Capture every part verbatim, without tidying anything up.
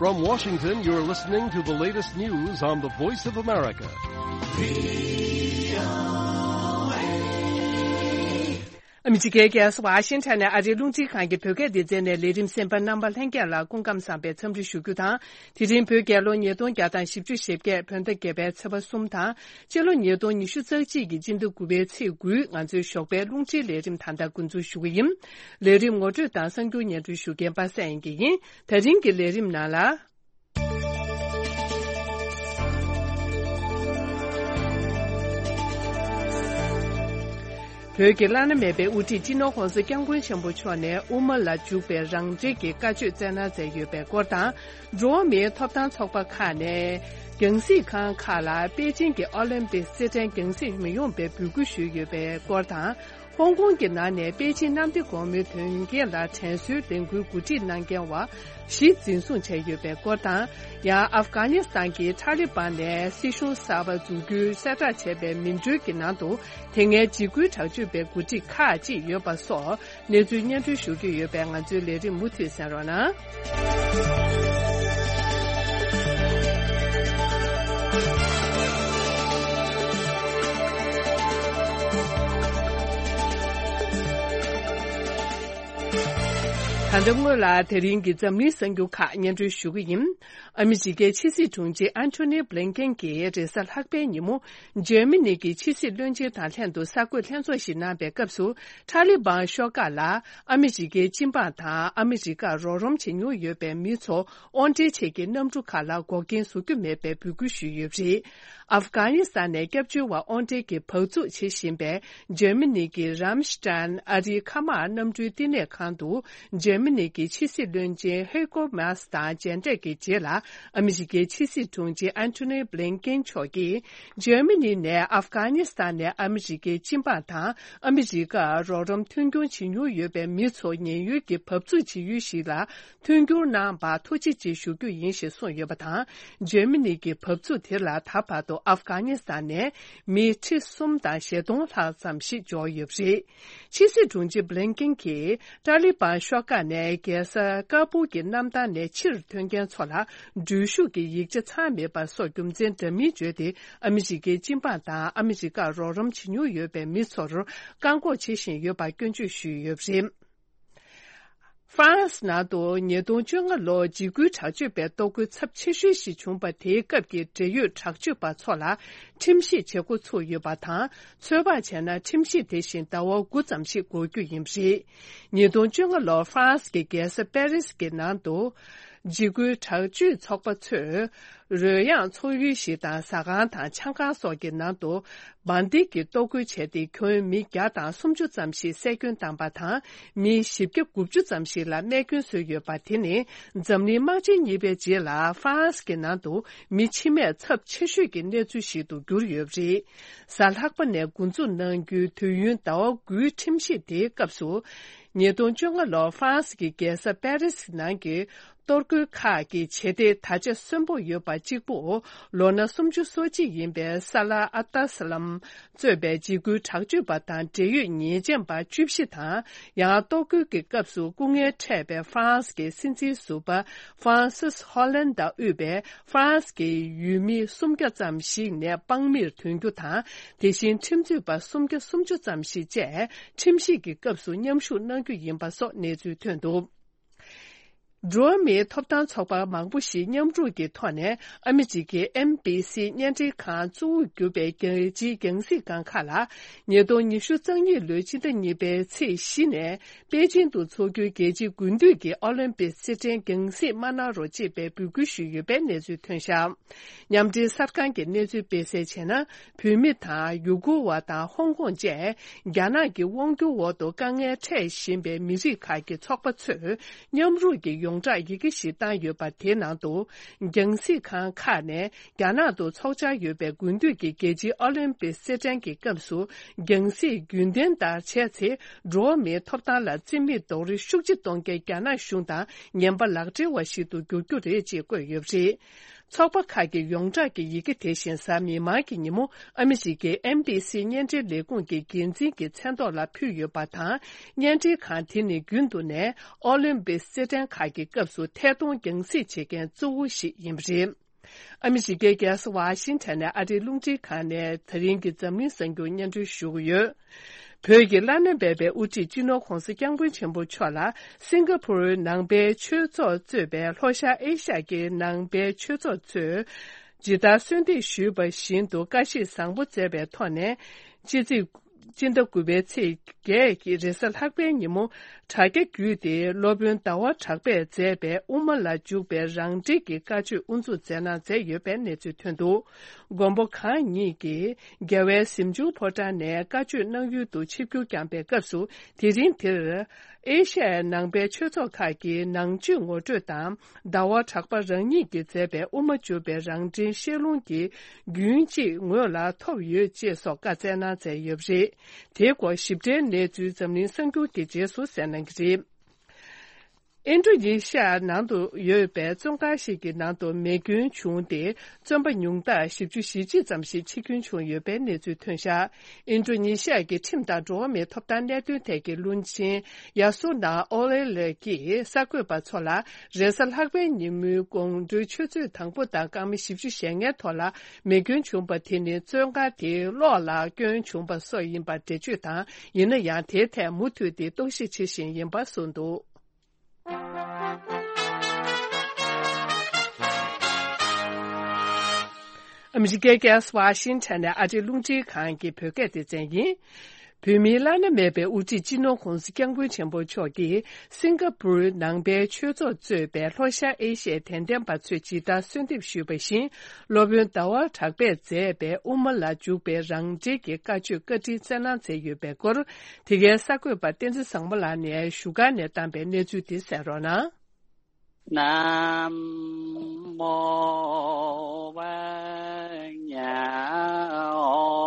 From Washington, you're listening to the latest news on the Voice of America. ཨ་མི་རི་ཀའི་རྒྱལ་ས་ཝ་ཤིང་ཊོན་ནས་ཨ་རིའི་རླུང་འཕྲིན་ཁང་གི་བོད་སྐད་སྡེ་ཚན་ནས་ལས་རིམ་གསན་པ་རྣམ་པ་ལྷན་རྒྱས་ལ་སྐུ་ཁམས་བཟང་པའི་འཚམས་འདྲི་ཞུ་རྒྱུ་དང་། དེ་རིང་བོད་རྒྱལ་ལོ་ཉིས་སྟོང་བརྒྱ་དང་བཞི་བཅུ་ཞེ་བརྒྱད་བོད་ཟླ་བརྒྱད་པའི་ཚེས་པ་གསུམ་དང་། སྤྱི་ལོ་ཉིས་སྟོང་ཉི་ཤུ་རྩ་གཅིག་གི་སྤྱི་ཟླ་དགུ་པའི་ཚེས་དགུའི་ང་ཚོའི་ཞོགས་པའི་རླུང་འཕྲིན་ལས་རིམ་ད་ལྟ་འགོ་འཛུགས་ཞུ་གི་ཡིན། ལས་རིམ་ངོ་སྤྲོད་དང་གསར་འགྱུར་སྙན་སྒྲོན་ཞུ་མཁན་པ་སངས་དབྱངས་སྐྱིད་ཡིན། ད་རིང་གི་ལས་རིམ་ནང་ལ། བོད་ཀྱི་བླ་ན་མེད་པའི་དབུ་ཁྲིད་སྤྱི་ནོར་༸གོང་ས་༸སྐྱབས་མགོན་ཆེན་པོ་མཆོག་ནས་དབུ་མ་ལ་འཇུག་པའི་རང་འགྲེལ་གྱི་བཀའ་ཆོས་སྩལ་གནང་མཛད་ཡོད་པའི་སྐོར་དང་། འགྲོ་བ་མིའི་ཐོབ་ཐང་ཚོགས་པ་ཁག་ནས་རྒྱང་སྲིང་ཁང་ཁག་ལ་པེ་ཅིང་གི་ཨོ་ལིམ་པིག་སེ་བྲན་རྒྱང་སྲིང་མི་ཡོང་པའི་འབོད་སྐུལ་ཞུས་ཡོད་པའི་སྐོར་དང་། ཧོང་ཀོང་གི་ནང་ནས་པེ་ཅིང་གནམ་བདེ་སྒོ་མོའི་དོན་རྐྱེན་ལ་དྲན་གསོའི་ལས་འགུལ་གོ་སྒྲིག་གནང་མཁན་བ་བཞི་འཛིན་བཟུང་བྱས་ཡོད་པའི་སྐོར་དང་། ཡང་ཨབ་གྷ་ནི་སི་ཐན་གྱི་ཐ་ལི་བན་ནས་སྲིད་གཞུང་གསར་པ་འཛུགས་རྒྱུའི་གསལ་བསྒྲགས་བྱས་པའི་མིང་འགྲོལ་གྱི་ནང་དུ་དེ་སྔའི་འཇིགས་སྐུལ་དྲག་སྤྱོད་པའི་འགོ་ཁྲིད་ཁག་ཅིག་ཡོད་པ་སོགས་གནས་ཚུལ་སྙན་སྒྲོན་ཞུ་རྒྱུ་ཡོད་པས་ང་ཚོའི་ལས་རིམ་མུ་མཐུད་གསན་རོགས་གནང་། ད་ལྟ་སྔོན་ལ་དེ་རིང་གི་འཛམ་གླིང་གསར་འགྱུར་ཁག་སྙན་སྒྲོན་ཞུ་གི་ཡིན། ཨ་མི་རི་ཀའི་ཕྱི་སྲིད་དྲུང་ཆེ་ཨན་ཐོ་ནི་བྷི་ལིན་ཀེན་གྱིས་རེས་གཟའ་ལྷག་པའི་ཉིན་མོ། འཇར་མ་ནི་གི་ཕྱི་སྲིད་བློན་ཆེན་དང་ལྷན་དུ་གསར་འགོད་ལྷན་ཚོགས་ཤིག་གནང་པའི་སྐབས་སུ། ཐ་ལི་བན་ཤོག་ཁག་ལ་ཨ་མི་རི་ཀའི་སྤྱི་འབངས་དང་ཨ་མི་རི་ཀར་རོགས་རམ་བྱེད་མྱོང་ཡོད་པའི་མི་ཚོ་དབོར་འདྲེན་ཆེད་ཀྱི་གནམ་གྲུ་ཁག་ལ་འགོག་རྐྱེན་བཟོ་རྒྱུ་མེད་པའི་འབོད་སྐུལ་ཞུས་ཡོད་པ་རེད། ཨབ་གྷ་ནི་སི་ཐན་ནས་སྐྱབས་བཅོལ་བ་དབོར་འདྲེན་གྱི་བག་ཚུགས་བྱེད་བཞིན་པའི་འཇར་མ་ནི་གི་རམ་ཤི་ཏན་ཨ་རིའི་མཁའ་དམག་གནམ་གྲུའི་བསྟི་གནས་ཁང་དུ། འཇར་མ་ནི་གི་ཕྱི་སྲིད་བློན་ཆེན་ཧེ་ཀོ་མཱས་དང་མཇལ་འཕྲད་ཀྱི་རྗེས་ལ། ཨ་མི་རི་ཀའི་ཕྱི་སྲིད་དྲུང་ཆེ་ཨན་ཐོ་ནི་བྷི་ལིན་ཀེན་མཆོག་གིས། འཇར་མ་ནི་ནས་ཨབ་གྷ་ནི་སི་ཐན་ནས་ཨ་མི་རི་ཀའི་སྤྱི་འབངས་དང་ཨ་མི་རི་ཀར་རོགས་རམ་མཐུན་འགྱུར་བྱེད་མྱོང་ཡོད་པའི་མི་ཚོ་ཉེན་གཡོལ་གྱི་བབས་ཚུགས་བྱེད་ཡུལ་ཞིག་ལ་མཐུན་འགྱུར་གནང་བར་ཐུགས་རྗེ་ཆེ་ཞུ་རྒྱུ་ཡིན་ཞེས་གསུངས་ཡོད་པ་དང་། འཇར་མ་ནི་གི་བབས་ཚུགས་དེ་ལ་ད་བར་དུ་ཨབ་གྷ་ནི་སི་ཐན་ནས་མི་ཁྲི་གསུམ་དང་ཞེ་སྟོང་ལྷག་ཙམ་ཞིག་འབྱོར་ཡོད་པ་རེད། ཕྱི་སྲིད་དྲུང་ཆེ་བྷི་ལིན་ཀེན་གྱིས་ཏཱ་ལི་བན་ཤོག་ཁག་ནས་རྒྱལ་ས་ཀ་སྦུལ་གྱི་གནམ་ཐང་ནས་ཕྱིར་ཐོན་མཁན་ཚོ་ལ་འགྲུལ་བཞུད་ཀྱི་ཡིག་ཆ་ཚང་མེད་པ་སོགས་རྒྱུ་མཚན་འདྲ་མིན་བརྗོད་དེ། ཨ་མི་རི་ཀའི་སྤྱི་འབངས་དང་ཨ་མི་རི་ཀར་རོགས་རམ་བྱེད་མྱོང་ཡོད་པའི་མི་ཚོར་བཀག་འགོག་བྱེད་བཞིན་ཡོད་པར་སྐྱོན་བརྗོད་ཞུས་ཡོད་པ་རེད། ཧྥ་རན་སི་ནང་དུ་ཉིས་སྟོང་བཅོ་ལྔ་ལོར་འཇིགས་སྐུལ་དྲག་སྤྱོད་པའི་གཏོར་རྒོལ་ཚབས་ཆེ་ཤོས་ཤིག་བྱུང་བ་དེའི་སྐབས་ཀྱི་འབྲེལ་ཡོད་དྲག་སྤྱོད་པ་ཚོ་ལ་ཁྲིམས་ཞིབ་བྱེད་འགོ་ཚུགས་ཡོད་པ་དང་། ཚོད་དཔག་བྱས་ན་ཁྲིམས་ཞིབ་དེ་བཞིན་ཟླ་བ་དགུ་ཙམ་ཞིག་འགོར་རྒྱུ་ཡིན་པ་རེད། ཉིས་སྟོང་བཅོ་ལྔ་ལོར་ཧྥ་རན་སི་གི་རྒྱལ་ས་པེ་རིས་ཀྱི་ནང་དུ། འཇིགས་སྐུལ་དྲག་སྤྱོད་ཚོགས་པ་ཚོས། རོལ་དབྱངས་འཚོགས་ཡུལ་ཞིག་དང་ཟ་ཁང་དང་ཆང་ཁང་སོགས་ཀྱི་ནང་དུ། འབར་མདེལ་གྱིས་གཏོར་རྒོལ་བྱས་ཏེ། ཁྱོན་མི་བརྒྱ་དང་སུམ་ཅུ་ཙམ་ཞིག་བསད་སྐྱོན་བཏང་པ་དང་། མི་བཞི་བརྒྱ་དགུ་བཅུ་ཙམ་ཞིག་ལ་རྨས་སྐྱོན་བཟོས་ཡོད་པ། དེ་ནི་འཛམ་གླིང་དམག་ཆེན་གཉིས་པའི་རྗེས་ལ་ཧྥ་རན་སི་གི་ནང་དུ་མི་འཆི་རྨས་ཚབས་ཆེ་ཤོས་ཀྱི་གནས་ཚུལ་ཞིག་ཏུ་གྱུར་ཡོད་པ་རེད། གཟའ་ལྷག་པ་ནས་འགོ་འཛུགས་གནང་རྒྱུའི་དུས་ཡུན་ཟླ་བ་དགུའི་ཁྲིམས་ཞིབ་དེའི་སྐབས་སུ། ཉིས་སྟོང་བཅོ་ལྔ་ལོར་ཧྥ་རན་སི་གི་རྒྱལ་ས་པེ་རི་སི་ནང་གི་གཏོར་རྒོལ་ཁག་གི་བྱེད་གཏེ་ད་ཆ་གསོན་པོ་ཡོད་པ་གཅིག་པུ། ལོ་ན་སུམ་ཅུ་སོ་གཅིག་ཡིན་པའི་ས་ལ་ཨ་ཏཱ་སི་ལམ་གཙོས་པའི་འཇིགས་སྐུལ་དྲག་སྤྱོད་པ་དང་འབྲེལ་ཡོད་ཉེས་ཅན་པ་བཅུ་བཞི་དང་། ཡང་གཏོར་རྒོལ་གྱི་སྐབས་སུ་སྐུ་ངལ་འཕྲད་པའི་ཧྥ་རན་སི་གི་སྲིད་འཛིན་ཟུར་པ་ཧྥ་རན་སིས་ཧོ་ལན་དང་དབུས་པའི་ཧྥ་རན་སི་གི་ཡུལ་མི་སུམ་བརྒྱ་ཙམ་ཞིག་ནད་དཔང་མིར་ཐོན་རྒྱུ་དང་། དེ་བཞིན་ཁྲིམས་རྩོད་པ་སུམ་བརྒྱ་སུམ་ཅུ་ཙམ་ཞིག་བཅས་ཁྲིམས་ཞིབ་ཀྱི་སྐབས་སུ་མཉམ་ཞུགས་གནང་རྒྱུ་ཡིན་པ་སོགས་གནས་ཚུལ་ཐོན་འདུག། འགྲོ་བ་མིའི་ཐོབ་ཐང་ཚོགས་པ་མང་པོ་ཞིག་མཉམ་རུབ་ཀྱི་ཐོག་ནས་ཨ་མི་རི་ཀའི་ཨེན་བྷི་སི་བརྙན་འཕྲིན་ཁང་གཙོ་བོར་གྱུར་པའི་རྒྱལ་སྤྱིའི་རྒྱང་སྲིང་ཁང་ཁག་ལ། ཉིས་སྟོང་ཉི་ཤུ་རྩ་གཉིས་ལོའི་ཕྱི་ཟླ་གཉིས་པའི་ཚེས་བཞི་ནས་པེ་ཅིང་དུ་འཚོགས་རྒྱུའི་རྒྱལ་སྤྱིའི་དགུན་དུས་ཀྱི་ཨོ་ལིམ་པིག་རྩེད་འགྲན་རྒྱང་སྲིང་མ་གནང་རོགས་ཅེས་པའི་འབོད་སྐུལ་ཞུས་ཡོད་པའི་གནས་ཚུལ་ཐོན་བཞག། མཉམ་འབྲེལ་གསར་ཁང་གི་གནས་ཚུལ་སྤེལ་གསལ་བྱས་ན། བོད་མི་དང་ཡུ་གུར་བ་དང་ཧོང་ཀོང་བཅས་རྒྱ་ནག་གི་དབང་སྒྱུར་འོག་ཏུ་དཀའ་ངལ་འཕྲད་བཞིན་པའི་མི་རིགས་ཁག་གི་ཚོགས་པ་ཚོས་མཉམ་རུབ་ཀྱི་ཡོངས་གྲགས་ཡི་གེ་ཞིག་བཏང་ཡོད་པ། དེའི་ནང་དུ། རྒྱང་སྲིང་ཁང་ཁག་ནས་རྒྱ་ནག་ཏུ་འཚོགས་འཆར་ཡོད་པའི་དགུན་དུས་ཀྱི་རྒྱལ་སྤྱིའི་ཨོ་ལིམ་པིག་རྩེད་འགྲན་གྱི་སྐབས་སུ། རྒྱང་སྲིང་རྒྱུན་ལྡན་ལྟར་བྱས་ཚེ། འགྲོ་བ་མིའི་ཐོབ་ཐང་ལ་བརྩི་མེད་རྡོག་རོལ་ཤུགས་ཆེ་གཏོང་མཁན་རྒྱ་ནག་གཞུང་དང་ངན་པ་ལག་སྦྲེལ་བ་ཞིག་ཏུ་འགྱུར་རྒྱུ་རེད་ཅེས་བཀོད་ཡོད་པ་རེད། ཚོགས་པ་ཁག་གི་ཡོངས་གྲགས་ཀྱི་ཡི་གེ་དེ་བཞིན་གཟའ་མིག་དམར་གྱི་ཉིན་མོ་ཨ་མི་རི་ཀའི་ཨེན་བྷི་སི་བརྙན་འཕྲིན་ལས་ཁུངས་ཀྱི་འགན་འཛིན་གྱི་མཚན་ཐོག་ལ་ཕུལ་ཡོད་པ་དང་། བརྙན་འཕྲིན་ཁང་དེ་ནི་རྒྱུན་དུ་ནས་ཨོ་ལིམ་པིག་རྩེད་འགྲན་ཁག་གི་སྐབས་སུ་ཐད་གཏོང་རྒྱང་སྲིང་བྱེད་མཁན་གཙོ་བོ་ཞིག་ཡིན་པ་རེད། ཨ་མི་རི་ཀའི་རྒྱལ་ས་ཝ་ཤིང་ཊོན་ནས་ཨ་རིའི་རླུང་འཕྲིན་ཁང་ནས་ད་རིང་གི་འཛམ་གླིང་གསར་འགྱུར་སྙན་སྒྲོན་ཞུ་གི་ཡོད། བོད་ཀྱི་བླ་ན་མེད་པའི་དབུ་ཁྲིད་སྤྱི་ནོར་༧གོང་ས་༧སྐྱབས་མགོན་ཆེན་པོ་མཆོག་ལ་སིང་ག་ཕུར་ནང་པའི་ཆོས་ཚོགས་གཙོས་པའི་ལྷོ་ཤར་ཨེ་ཤ་ཡའི་ནང་པའི་ཆོས་ཚོགས་ཚོས་ཇི་ལྟར་གསོལ་འདེབས་ཞུས་པ་བཞིན་དུ་བཀའ་ཤིས་བཟང་པོ་སྩལ་བའི་ཐོག་ནས། སྤྱི་ཚེས་སྤྱི་ཟླ་དགུ་པའི་ཚེས་བརྒྱད་ཀྱི་རེས་གཟའ་ལྷག་པའི་ཉིན་མོ། དྲ་རྒྱ་བརྒྱུད་དེ་སློབ་དཔོན་ཟླ་བ་གྲགས་པས་མཛད་པའི་དབུ་མ་ལ་འཇུག་པའི་རང་འགྲེལ་གྱི་བཀའ་ཆོས་དབུ་འཛུགས་མཛད་གནང་མཛད་ཡོད་པའི་གནས་ཚུལ་ཐོན་འདུག། མགོན་པོ་གང་ཉིད་ཀྱིས་རྒྱལ་བའི་གཟིམ་ཆུང་ཕོ་བྲང་ནས་བཀའ་ཆོས་གནང་ཡུལ་དུ་ཆིབས་བསྒྱུར་བསྐྱངས་པའི་སྐབས་སུ། དེ་རིང་དེར་ཨེ་ཤ་ཡའི་ནང་པའི་ཆོས་ཚོགས་ཁག་གི་ནང་ཆོས་ངོ་སྤྲོད་དང་། ཟླ་བ་གྲགས་པ་རང་ཉིད་ཀྱིས་མཛད་པའི་དབུ་མ་འཇུག་པའི་རང་འགྲེལ་བཤད་ལུང་གི་རྒྱུན་གཅིག་ངོས་ལ་ཐོབ་ཡོད་ཅེས་སོགས་བཀའ་སྩལ་གནང་མཛད་ཡོད་པ་རེད། དེའི་སྐོར་ཞིབ་ཕྲའི་གནས་ཚུལ་འཛམ་གླིང་གསར་འགྱུར་གྱི་རྗེས་སུ་གསན་གནང་གི་རེད། ཨིན་ཌོ་ནེ་ཤི་ཡ་ནང་དུ་ཡོད་པའི་བཙོན་ཁང་ཞིག་གི་ནང་དུ་མེ་སྐྱོན་བྱུང་སྟེ། བཙོན་པ་ཉུང་མཐར་བཞི་བཅུ་ཞེ་གཅིག་ཙམ་ཞིག་འཆི་སྐྱོན་བྱུང་ཡོད་པའི་གནས་ཚུལ་ཐོན་བཞག། ཨིན་ཌོ་ནེ་ཤི་ཡ་གི་ཁྲིམས་དང་འགྲོ་བ་མིའི་ཐོབ་ཐང་གནད་དོན་ཐད་ཀྱི་བློན་ཆེན་ཡ་སུ་ན་ཨོ་ལེ་ལེ་ཀྱིས་གསར་འགོད་པ་ཚོ་ལ། རེས་གཟའ་ལྷག་པའི་ཉིན་མོའི་དགོང་དྲོའི་ཆུ་ཚོད་དང་པོ་དང་སྐར་མ་བཞི་བཅུ་ཞེ་ལྔའི་ཐོག་ལ་མེ་སྐྱོན་བྱུང་པ་དེ་ནི་བཙོན་ཁང་དེའི་གློག་ལ་སྐྱོན་བྱུང་པ་སོགས་ཡིན་པར་འགྲེལ་བརྗོད་དང་། ཡིན་ན་ཡང་དེའི་ཐད་མུ་མཐུད་དེ་རྟོག་ཞིབ་བྱེད་བཞིན་ཡིན་པ་གསུངས་འདུག། ཨ་མི་རི་ཀའི་རྒྱལ་ས་ཝ་ཤིང་ཊོན་ནས་ཨ་རིའི་རླུང་འཕྲིན་ཁང་གི་བོད་སྐད་སྡེ་ཚན་ཡིན། བོད་མིའི་བླ་ན་མེད་པའི་དབུ་ཁྲིད་སྤྱི་ནོར་༧གོང་ས་༧སྐྱབས་མགོན་ཆེན་པོ་མཆོག་གིས་སིང་ག་པུར་ནང་པའི་ཆོས་ཚོགས་གཙོས་པའི་ལྷོ་ཤར་ཨེ་ཤི་ཡའི་དད་ལྡན་པ་ཚོས་ཇི་ལྟར་གསོལ་འདེབས་ཞུས་པ་བཞིན། སློབ་དཔོན་ཟླ་བ་གྲགས་པས་མཛད་པའི་དབུ་མ་ལ་འཇུག་པའི་རང་འགྲེལ་གྱི་བཀའ་ཆོས་བཀའ་དྲིན་སྩལ་གནང་མཛད་ཡོད་པའི་སྐོར། དེ་གའི་གསར་འགོད་པ་བསྟན་འཛིན་བཟང་མོ་ལགས་ནས་བཞུགས་སྒར་ནས་བཏང་པའི་གནས་ཚུལ་དེ་གསན་རོགས་གནང་། ན་མོ་ཝཱ་ཉ་ཨོ།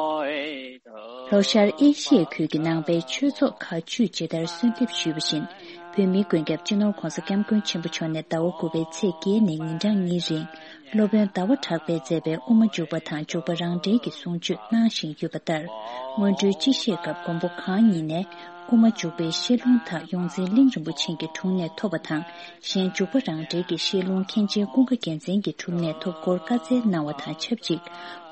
ལྷོ་ཤར་ཨེ་ཤི་ཡའི་ཁུལ་གྱི་ནང་པའི་ཆོས་ཚོགས་ཁག་བཅུས་ཇི་ལྟར་གསོལ་འདེབས་ཞུས་པ་བཞིན། བོད་མིའི་མགོན་སྐྱབས་སྤྱི་ནོར་༧གོང་ས་༧སྐྱབས་མགོན་ཆེན་པོ་མཆོག་ནས་ཟླ་བ་དགུ་པའི་ཚེས་བརྒྱད་ནས་ཉིན་གྲངས་གཉིས་རིང་སློབ་དཔོན་ཟླ་བ་གྲགས་པས་མཛད་པའི་དབུ་མ་འཇུག་པ་དང་འཇུག་པ་རང་འགྲེལ་གྱི་གསུང་ཆོས་གནང་བཞིན་ཡོད་པ་ལྟར། སྔོན་འགྲོའི་སྤྱི་བཤད་སྐབས་མགོན་པོ་གང་ཉིད་ནས་དབུ་མ་འཇུག་པའི་བཤད་ལུང་དག་ཡོངས་འཛིན་གླིང་རིན་པོ་ཆེ་གི་དྲུང་ནས་ཐོབ་པ་དང་། གཞན་འཇུག་པ་རང་འགྲེལ་གྱི་བཤད་ལུང་མཁན་ཆེན་ཀུན་དགའ་རྒྱལ་མཚན་གྱི་དྲུང་ནས་ཐོབ་སྐོར་བཀའ་སྩལ་གནང་བ་དང་ཆབས་ཅིག།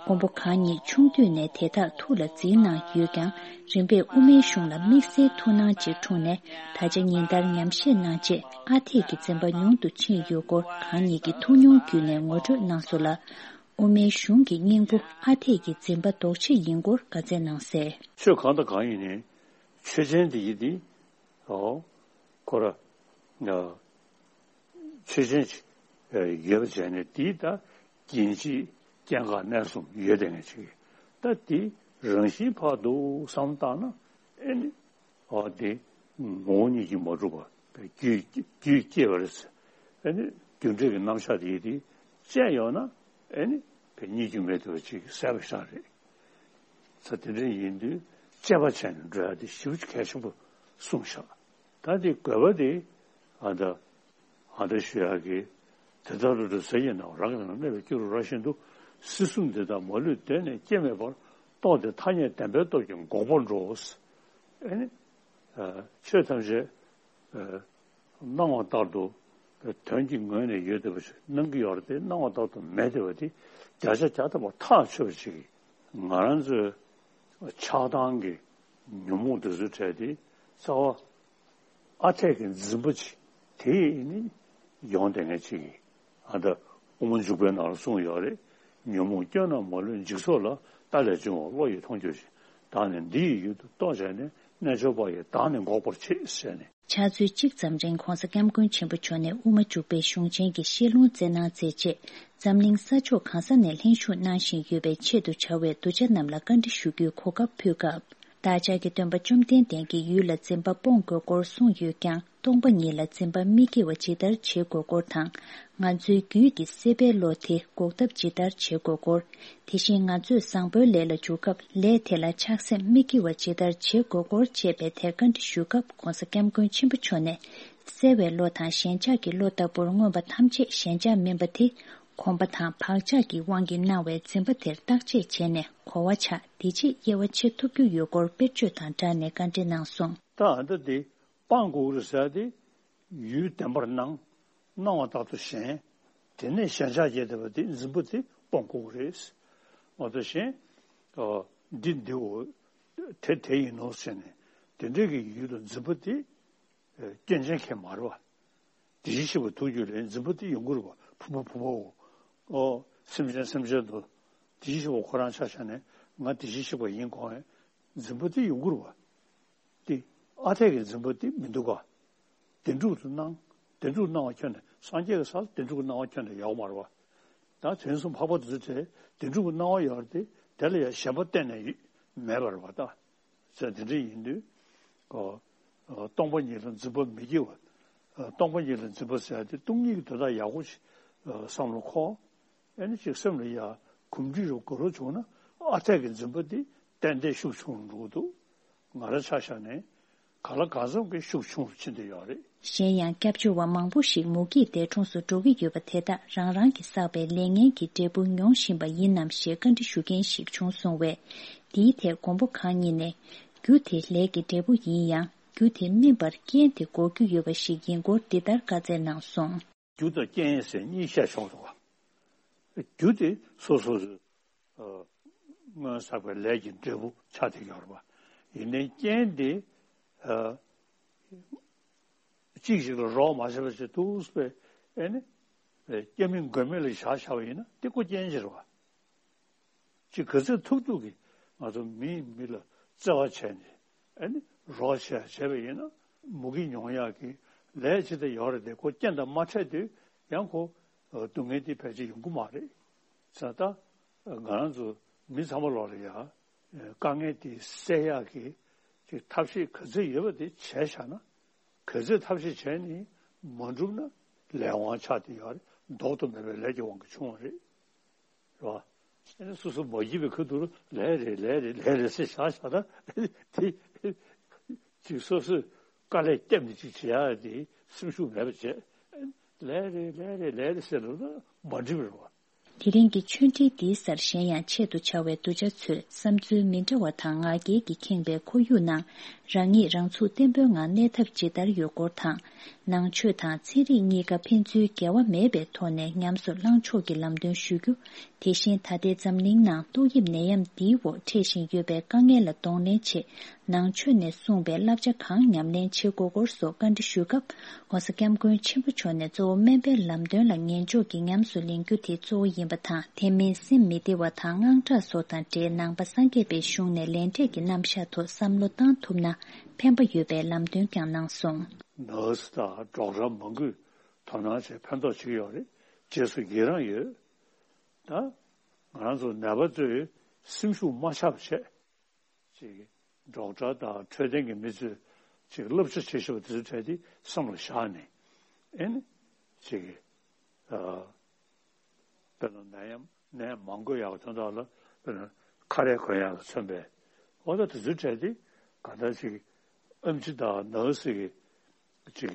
མགོན་པོ་གང་ཉིད་ཆུང་དུས་ནས་དེ་དག་ཐུགས་ལ་འཛིན་གནང་ཡོད་ཀྱང་། རིམ་པས་དབུ་མའི་གཞུང་ལ་དམིགས་བསལ་ཐུགས་སྣང་ཅིག་འཁྲུངས་ནས། ད་ཆ་ཉིན་ལྟར་ཉམས་བཞེས་གནང་རྗེས་ཨ་འཐས་ཀྱི་འཛིན་པ་ཉུང་དུ་ཕྱིན་ཡོད་སྐོར་གང་ཉིད་ཀྱི་ཐུགས་མྱོང་བརྒྱུད་ནས་ངོ་སྤྲོད་གནང་སོང་ལ། དབུ་མའི་གཞུང་གི་སྙིང་པོ་ཨ་འཐས་ཀྱི་འཛིན་པ་ལྡོག་ཕྱིན་ཡིན་སྐོར་བཀའ་སྩལ་གནང་གསལ། ཆོས་གང་དང་གང་ཡིན་ནའི་ཆོས་ཅན་དེ་ཡིན་ཏེ། ཨོ། ཁོ་ར། ཆོས་ཅན་ཅིག་ཡོད་པ་བྱས་ནས་དེའི་ད་རྒྱན་གཅིག་སྐྱེ་འགག་གནས་གསུམ་ཡོད་དེ་ངས་ཅིག་ད་དེ་རང་བཞིན་ཕར་འདུག་བསམ་བཏང་ན་ཨེ་ནི། ཨོ་དེ་ངོ་བོ་ཉིད་ཀྱིས་མ་གྲུབ་པ་རྒྱུད་རྒྱུད་སྐྱེ་བ་རེད། ཨེ་ནི་རྒྱུ་འབྲས་ཀྱི་རྣམ་གཞག་དེ་ཡིན་ཏེ་བཅད་ཡོང་ན་ཨེ་ནི་བས་གཉིས་རྒྱུ་མེད་དུ་བ་ཅིག་ཟད་པ་ཤག་རེད། ས་དེ་འདྲ་ཡིན་དུས་དཔྱད་པ་བྱས་ནས་འགྲོ་ཡ་དེ་ཞེ་པོ་ཅིག་གལ་ཆེན་པོ་གསུངས་ཤག་ད་དེ་དགོས་པ་དེ་ཨ་ད་ཨ་ད་ཞུ་ཡག་གི་དེ་ལྟར་རུ་ཟེར་ཡིན་ནའང་རང་གི་ནང་གནས་པའི་སྐྱེ་རུ་ར་བཞིན་དུ་སྲིད་གསུམ་འདི་དག་མ་ལུས་གདོད་ནས་སྐྱེ་མེད་པར་རྟོགས་ཏེ་ཐ་སྙད་བདེན་པའི་སྟོབས་ཀྱིས་འགོག་པར་འགྲོ། ཨེ་ནི་ཆོས་ཐམས་ཅད་སྣང་བ་ལྟར་དུ་དོན་གྱི་ངོས་ནས་ཡོད་བསྡད་པ་ཞིག་སྣང་གི་ཡོད་རེད་དེ་སྣང་བ་ལྟར་དུ་མེད་བསྡད་པ་དེ་བརྒྱ་ཆ་བརྒྱ་ཐམ་པ་ཐག་ཆོད་པ་ཞིག་གིས་ང་རང་ཚོའི་ཆགས་སྡང་གི་ཉོན་མོངས་དེ་ཚོའི་གྲས་དེ་རྩ་བ། ཨ་འཐས་ཀྱི་འཛིན་པ་ཅིག་དེ་ནི་ཡོང་བསྡད་མཁན་ཅིག་གིས་ཨ་ད་དབུ་མ་འཇུག་པའི་ནང་ལ་གསུངས་ཡོད་རེད། ཉོན་མོངས་སྐྱོན་རྣམས་མ་ལུས་འཇིག་ཚོགས་ལ། ལྟ་ལས་བྱུང་བ་བློ་ཡིས་མཐོང་གྱུར་ཅིང་། བདག་ནི་འདི་ཡི་ཡུལ་དུ་རྟོག་བྱས་ནས། རྣལ་འབྱོར་པ་ཡིས་བདག་ནི་འགོག་པར་བྱེད་ཟེར་ནས། ཕྱག་ཚོད་གཅིག་ཙམ་རིང་༧གོང་ས་༧སྐྱབས་མགོན་ཆེན་པོ་མཆོག་ནས་དབུ་མ་འཇུག་པའི་གཞུང་ཆེན་གྱི་བཤད་ལུང་སྩལ་གནང་མཛད་རྗེས། འཛམ་གླིང་ས་ཕྱོགས་གང་ས་ནས་ལྷན་ཞུགས་གནང་བཞིན་ཡོད་པའི་ཆེད་དུ་བྱ་བའི་གདུལ་བྱ་རྣམས་ལ་བཀའ་འདྲི་ཞུ་རྒྱུའི་གོ་སྐབས་ཕུལ་སྐབས། བདག་ཅག་གི་སྟོན་པ་བཅོམ་ལྡན་འདས་ཀྱིས་ཡུལ་ལ་འཛིན་པ་སྤོང་དགོས་སྐོར་གསུངས་ཡོད་ཀྱང་སྟོང་པ་ཉིད་ལ་འཛིན་པ་མི་སྐྱེ་བ་ཇི་ལྟར་བྱེད་དགོས་སྐོར་དང་། ང་ཚོའི་རྒྱུད་ཀྱི་སྲེད་པའི་བློ་དེ་འགོག་ཐབས་ཇི་ལྟར་བྱེད་དགོས་སྐོར། དེ་བཞིན་ང་ཚོས་བཟང་པོའི་ལས་ལ་འཇུག་སྐབས་ལས་དེ་ལ་ཆགས་སེམས་མི་སྐྱེ་བ་ཇི་ལྟར་བྱེད་དགོས་སྐོར་བཅས་པའི་ཐད་བཀའ་འདྲི་ཞུ་སྐབས་༧གོང་ས་༧སྐྱབས་མགོན་ཆེན་པོ་མཆོག་ནས། སྲེད་པའི་བློ་དང་ཞེན་ཆགས་ཀྱི་བློ་ལྟ་བུར་མངོན་པ་ཐམས་ཅད་ཞེན་ཆགས་མིན་པ་དེ། གོམས་པ་དང་བག་ཆགས་ཀྱི་དབང་གིས་སྣང་བའི་འཛིན་པ་དེར་བརྟག་དཔྱད་བྱས་ནས་གོ་བ་ཆགས། དེ་རྗེས་དབྱེ་བ་ཕྱེ་ཐུབ་རྒྱུ་ཡོད་སྐོར་དཔེར་བརྗོད་དང་སྦྲགས་ནས་བཀའ་འདྲི་གནང་སོང་། ད་ཨ་འདྲ་དེ་སྤང་དགོས་རེད་ཟེར་ཏེ། ཡུལ་བདེན་པར་སྣང་། སྣང་བ་ལྟར་དུ་ཞེན། དེ་ནས་ཞེན་ཆགས་རྒྱས་བསྡད་པ་དེ་འཛིན་པ་དེ་སྤོང་དགོས་རེད། མ་གཏོགས་གཞན། ཨ། འདི་འདིའོ། དེ་དེ་ཡིན་ནོ་ཟེར་ནས་དེ་འདྲའི་གི་ཡུལ་དུ་འཛིན་པ་དེ། ཨ། སྐྱོན་ཅན་གང་ཡང་མ་རེད་པ། དེ་བཞིན་གཤེགས་པ་ཐུགས་རྒྱུད་ལས་འཛིན་པ་དེ་ཡོང་གི་རེད་པ། ཕུང་པོ་ཕུང་པོའོ། ཨོ། སེམས་ཅན་སེམས་ཅན་དུ། དེ་བཞིན་གཤེགས་པ་ཁོ་རང་ཆ་བཞག་ནས་ང་དེ་བཞིན་གཤེགས་པ་ཡིན་དགོས་ཡ་འཛིན་པ་དེ་ཡོང་གི་རེད་པ། དེ་ཨ་འཐས་ཀྱི་འཛིན་པ་དེ་མི་འདུག་ག། བདེན་གྲུབ་ཏུ་སྣང་། བདེན་གྲུབ་སྣང་བ་ཁྱོན་ནས་སངས་རྒྱས་ཀྱི་ས་ལ་བདེན་གྲུབ་ཀྱི་སྣང་བ་ཁྱོན་ནས་ཡོད་མ་རེད་པ། ད་དོན་གསུམ་འཕགས་པ་དེ་ཚོ་དེ་བདེན་གྲུབ་ཀྱི་སྣང་བ་ཡོད་རེད་དེ། དེ་ལ་ཡང་ཞེན་པ་གཏན་ནས་ཡོད་མེད་པ་རེད་པ། ད་ཟེར་དེ་འདྲ་ཡིན་དུས། ཨོ། ཨོ། སྟོང་པ་ཉིད་ལ་འཛིན་པ་མི་སྐྱེ་བ། ཨོ། སྟོང་པ་ཉིད་ལ་འཛིན་པ་ཟེར་ཡ་དེ་སྟོང་ཉིད་ཀྱི་དོན་དག་ཡག་པོ་ཞིག་ཨོ། བསམ་བློ་འཁོར། ཨེ་ནི་ཅིག་སེམས་ལ་ཡ་གོམས་འདྲིས་རུ་དགོས་རོགས་བྱུང་ན་ཨ་འཐས་ཀྱི་འཛིན་པ་འདི་ཏན་ཏན་ཤུགས་ཆུང་རུ་འགྲོ་གི་འདུག། ང་རང་ཆ་བཞག་ནས་གང་ལ་གང་འཚམ་གྱི་ཤུགས་ཆུང་རུ་ཕྱིན་བསྡད་ཡོད་རེད། གཞན་ཡང་སྐྱབས་བཅོལ་བ་མང་པོ་ཞིག་མུ་གེའི་འདས་གྲོངས་སུ་འགྲོ་གི་ཡོད་པ་དེ་དག་རང་རང་གིས་བསགས་པའི་ལས་ངན་གྱི་འབྲས་བུ་མྱོང་བཞིན་པ་ཡིན་ནམ་ཞེས་བཀའ་འདྲི་ཞུ་མཁན་ཞིག་བྱུང་སོང་བས། འདིའི་ཐད་མགོན་པོ་གང་ཉིད་ནས། རྒྱུ་དེ་ལས་ཀྱི་འབྲས་བུ་ཡིན་ཡང་རྒྱུ་དེ་སྨིན་པར་རྐྱེན་དེ་འགོག་རྒྱུ་ཡོད་པ་ཞིག་ཡིན་སྐོར་འདི་ལྟར་བཀའ་སྩལ་གནང་སོང་། རྒྱུ་དང་རྐྱེན་ཟེར་གཉིས་བཤད་ཆོག་འདུག་ག། རྒྱུ་དེ་སོ་སོ། ཨ། སྔོན་བསགས་པའི་ལས་ཀྱི་འབྲས་བུ་ཆགས་བསྡད་ཡོད་རེད་པ། ཡིན་ནའི་རྐྱེན་དེ། ཨ། གཅིག་ཞིག་ལ་རོགས་མ་བྱས་པ་བྱས་ཐུགས་པའི་ཨེ་ནི། སྐྱབས་མེད་མགོན་མེད་ལ་བཞག་བཞག་པ་ཡིན་ན་དེ་ཀོ་རྐྱེན་ཅིག་རེད་པ། ཅིག་ག་ཚོད་ཐུབ་ཐུབ་ཀྱིས་ང་ཚོ་མིས་མི་ལ་བརྩེ་བ་བྱས་ནས་ཨེ་ནི་རོགས་བྱས་བྱས་པ་ཡིན་ན་མུ་གེ་མྱོང་ཡག་གི་ལས་ཅི་ལྟར་ཡོད་རེད་དེ། ཁོ་རྐྱེན་དང་མ་འཕྲད་དུས་ཡང་ཁོ་སྡུག་བསྔལ་དེ་ཕལ་ཆེར་ཡོང་གི་མ་རེད། ཙང་ད་ང་རང་ཚོ་མི་ཚང་མ་ལོག་ལ་ཡ་དཀའ་ངལ་དེ་སེལ་ཡག་གི་ཅིག་ཐབས་ཤེས་ག་ཚོད་ཡོད་པ་དེ་བྱས་བཞག་ན། ག་ཚོད་ཐབས་ཤེས་བྱས་ནས་མ་འགྲུབ་ན་ལས་དབང་ཆགས་བསྡད་ཡོད་རེད། ལྡོག་ཏུ་མེད་པའི་ལས་ཀྱི་དབང་གིས་བྱུང་བ་རེད། རེད་པ། ཨེ་ནི་སོ་སོ་མ་བགྱིས་པའི་ཁ་ཐུག་ལ་ལས་རེད་ལས་རེད་ལས་རེད་ཟེར་བཞག་བཞག་ན་དེ་ཅིག་སོ་སོས་དཀའ་ལས་བརྒྱབ་ནས་ཅིག་བྱེད་ཡག་དེ་སེམས་ཤུགས་མེད་པ་བྱས། ལས་རེད་ལས་རེད་ལས་རེད་ཟེར་ལབ་ན་མ་འགྲིག་པ་རེད་པ། དེ་རིང་གི་ཆོས་འབྲེལ་འདིའི་སར་གཞན་ཡང་ཆེད་དུ་བྱ་བའི་གདུལ་བྱ་ཚོས་བསམ་ཚུལ་མི་འདྲ་བ་དང་ང་རྒྱལ་གྱིས་ཁེངས་པའི་ཁོར་ཡུག་ནང་རང་ཉིད་རང་ཚུགས་བརྟན་པོའི་ངང་གནས་ཐབས་ཇི་ལྟར་ཡོད་སྐོར་དང་། ནང་ཆོས་དང་ཚན་རིག་གཉིས་ཀ་ཕན་ཚུན་འགལ་བ་མེད་པའི་ཐོག་ནས་ཉམས་སུ་བླང་ཕྱོགས་ཀྱི་ལམ་སྟོན་ཞུ་རྒྱུ། དེ་བཞིན་ད་ལྟའི་འཛམ་གླིང་ནང་ཏོག་དབྱིབས་ནད་ཡམས་འདིའི་འོག་འཕྲད་བཞིན་ཡོད་པའི་དཀའ་ངལ་ལ་གདོང་ལེན་ཆེད། ནང་ཆོས་ནས་གསུངས་པའི་བསླབ་བྱ་གང་ཉམས་ལེན་བྱེད་དགོས་སྐོར་སོགས་བཀའ་འདྲི་ཞུས་སྐབས། ྋགོང་ས་ྋསྐྱབས་མགོན་ཆེན་པོ་མཆོག་ནས་གཙོ་བོ་སྨན་པའི་ལམ་སྟོན་ལ་ཉན་འཇོག་གིས་ཉམས་སུ་ལེན་རྒྱུ་དེ་གཙོ་བོ་ཡིན་པ་དང་། དེ་མིན་སེམས་མི་བདེ་བ་དང་དངངས་སྐྲག་སོགས་དང་འབྲེལ་ནང་པ་སངས་རྒྱས་པའི་གཞུང་ནས་ལས་འབྲས་ཀྱི་རྣམ་གཞག་ཐོག་བསམ་བློ་བཏང་ཐུབ་ན་ཕན་པ་ཡོད་པའི་ལམ་སྟོན་ཀྱང་གནང་སོང་། ནར་སི་དང་ཌོག་ཊར་མང་པོས་དོ་སྣང་བྱས་ཕན་ཐོགས་བྱེད་ཀྱི་ཡོད་རེད། རྗེས་སུ་ཡི་རང་ཡོད། ད་ང་རང་ཚོ་ནད་པ་ཚོས་སེམས་ཤུགས་མ་ཆག་པ་བྱས། ཅིག་ཌོག་ཊར་དང་འཕྲོད་བསྟེན་གྱི་མི་ཚོས་ཅིག་བསླབ་བྱ་བྱེད་བཞིན་པ་དེ་ཚོའི་གྲས་དེ་བསམ་ལ་བཞག་ནས། ཨེ་ནི་ཅིག་ཨ། དཔེར་ན་ནད་ཡམས་ནད་མ་འགོས་ཡག་དོན་དག་ལ། དཔེར་ན་ཁ་རས་གོན་ཡག་ལ་མཚོན་པའི། འོ་ད་དེ་ཚོའི་གྲས་དེ་ག་འདྲ་ཅིག་ཨེམ་ཆི་དང་ནར་སི་གི་ཅིག་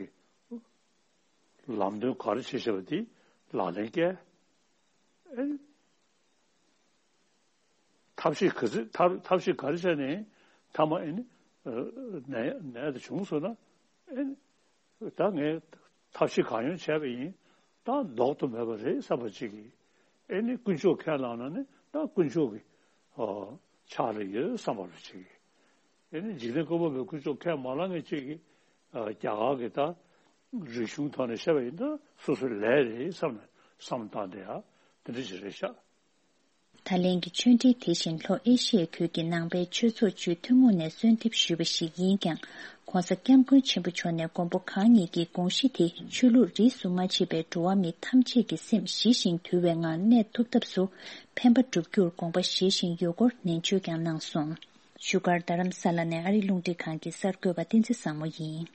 ལམ་སྟོན་ག་རེ་བྱེད་བཞིན་པ་དེ་ལག་ལེན་བཀལ། ཨེ། ཐབས་ཤེས་ག་ཚོད་ཐབས་ཐབས་ཤེས་ག་རེ་བྱས་ནས་མཐའ་མ་ཨེ་ནི་ནད་ནད་དེ་བྱུང་སོང་ན། ཨེ་ནི་ད་ངས་ཐབས་ཤེས་གང་ཡོང་བྱས་པ་ཡིན། ད་ལྡོག་ཏུ་མེད་པ་རེད་བསམ་པ་ཅིག་གིས། ཨེ་ནི་དཀོན་མཆོག་ཁས་བླངས་ན་ནི་ད་དཀོན་མཆོག་གི་ཨ་ཕྱག་ལ་ཡོད་བསམ་པ་རེ་ཅིག་གིས། ཨེ་ནི་འཇིག་རྟེན་བཀོད་པ་པོའི་དཀོན་མཆོག་ཁས་མ་བླངས་མཁན་ཅིག་གིས་ཨ་རྒྱ་གར་གྱི་ད་རིག་གཞུང་ཐོག་ནས་བཤད་པ་ཡིན་ན་སོ་སོའི་ལས་རེད་བསམ་ནས་བསམ་བཏང་བསྡད་ཡ་དེ་འདྲ་ཅིག་རེད་ཤག། ད་ལན་གྱི་ཆོས་འབྲེལ་དེ་བཞིན་ལྷོ་ཨེ་ཤི་ཡའི་ཁུལ་གྱི་ནང་པའི་ཆོས་ཚོགས་བཅུའི་ཐུན་མོང་ནས་གསོལ་འདེབས་ཞུས་པ་ཞིག་ཡིན་ཀྱང་། ྋགོང་ས་ྋསྐྱབས་མགོན་ཆེན་པོ་མཆོག་ནས་མགོན་པོ་གང་ཉིད་ཀྱི་དགོངས་གཞི་དེ་ཆོས་ལུགས་རིས་སུ་མ་ཆད་པའི་འགྲོ་བ་མི་ཐམས་ཅད་ཀྱི་སེམས་ཞི་ཞིང་དུལ་བའི་ངང་གནས་ཐུབ་ཐབས་སུ་ཕན་པ་བསྒྲུབ་རྒྱུར་དགོངས་པ་བཞེས་བཞིན་ཡོད་སྐོར་ནན་བརྗོད་ཀྱང་གནང་སོང་། བཞུགས་སྒར་རྡ་རམ་ས་ལ་ནས་ཨ་རིའི་རླུང་འཕྲིན་ཁང་གི་གསར་འགོད་པ་བསྟན་འཛིན་བཟང་མོ་ཡིན།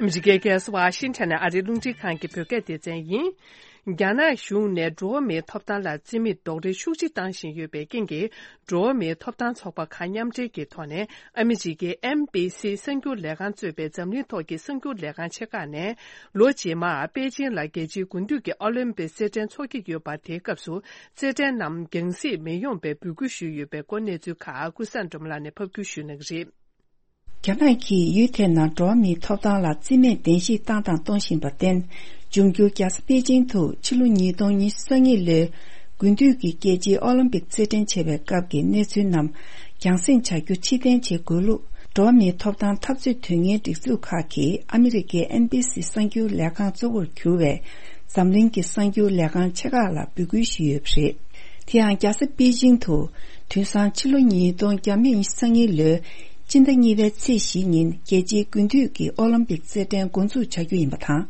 ཨ་མི་རི་ཀའི་རྒྱལ་ས་ཝ་ཤིང་ཊོན་ནས་ཨ་རིའི་རླུང་འཕྲིན་ཁང་གི་བོད་སྐད་སྡེ་ཚན་ཡིན། རྒྱ་ནག་གཞུང་ནས་འགྲོ་བ་མིའི་ཐོབ་ཐང་ལ་བརྩི་མེད་རྡོག་རོལ་ཤུགས་ཆེ་བཏང་བཞིན་ཡོད་པའི་རྐྱེན་གྱིས། འགྲོ་བ་མིའི་ཐོབ་ཐང་ཚོགས་པ་ཁག་མཉམ་འབྲེལ་གྱི་ཐོག་ནས་ཨ་མི་རི་ཀའི་ཨེན་བྷི་སི་གསར་འགྱུར་ལས་ཁང་གཙོས་པའི་འཛམ་གླིང་ཐོག་གི་གསར་འགྱུར་ལས་ཁང་ཆེ་ཁག་ནས། ལོ་རྗེས་མར་པེ་ཅིང་ལ་རྒྱལ་སྤྱིའི་དགུན་དུས་ཀྱི་ཨོ་ལིམ་པིག་རྩེད་འགྲན་འཚོགས་ཀྱི་ཡོད་པ། དེའི་སྐབས་སུ་རྩེད་འགྲན་རྣམས་རྒྱང་སྲིང་མི་ཡོང་བའི་འབོད་སྐུལ་ཞུས་ཡོད་པའི་སྐོར་གནས་ཚུལ་ཁག་ཀུན་བཟང་སྒྲོལ་མ་ལགས་ནས་ཕབ་སྒྱུར་ཞུ་གནང་གི་རེད། རྒྱ་ནག་གིས་ཡུལ་དེའི་ནང་འགྲོ་བ་མིའི་ཐོབ་ཐང་ལ་བརྩི་མེད་གདན་ཞིག་བཏང་དང་གཏོང་བཞིན་པར་བརྟེན། འབྱུང་འགྱུར་རྒྱལ་ས་པེ་ཅིང་དུ་ཕྱི་ལོ་ཉིས་སྟོང་ཉི་ཤུ་རྩ་གཉིས་ལོའི་དགུན་དུས་ཀྱི་རྒྱལ་སྤྱིའི་ཨོ་ལིམ་པིག་རྩེད་འགྲན་བྱེད་པའི་སྐབས་ཀྱི་གནས་ཚུལ་རྣམས་རྒྱང་སྲིང་བྱ་རྒྱུ་ཕྱིར་འཐེན་བྱེད་དགོས་ལུགས། འགྲོ་བ་མིའི་ཐོབ་ཐང་འཐབ་རྩོད་དོན་གཉེར་སྒྲིག་འཛུགས་ཁག་གིས་ཨ་མི་རི་ཀའི་ཨེན་བྷི་སི་གསར་འགྱུར་ལས་ཁང་གཙོ་བོར་གྱུར་བའི་འཛམ་གླིང་གི་གསར་འགྱུར་ལས་ཁང་ཆེ་ཁག་ལ་འབོད་སྐུལ་ཞུས་ཡོད་པ་རེད། དེ་ཡང་རྒྱལ་ས་པེ་ཅིང་དུ་དུས་སང་ཕྱི་ལོ་ཉིས་སྟོང་ཉི་ཤུ་རྩ་གཉིས་ལོའི་སྤྱི་ཟླ་གཉིས་པའི་ཚེས་བཞི་ཉིན་རྒྱལ་སྤྱིའི་དགུན་དུས་ཀྱི་ཨོ་ལིམ་པིག་རྩེད་འགྲན་འགོ་འཛུགས་བྱ་རྒྱུ་ཡིན་པ་དང་།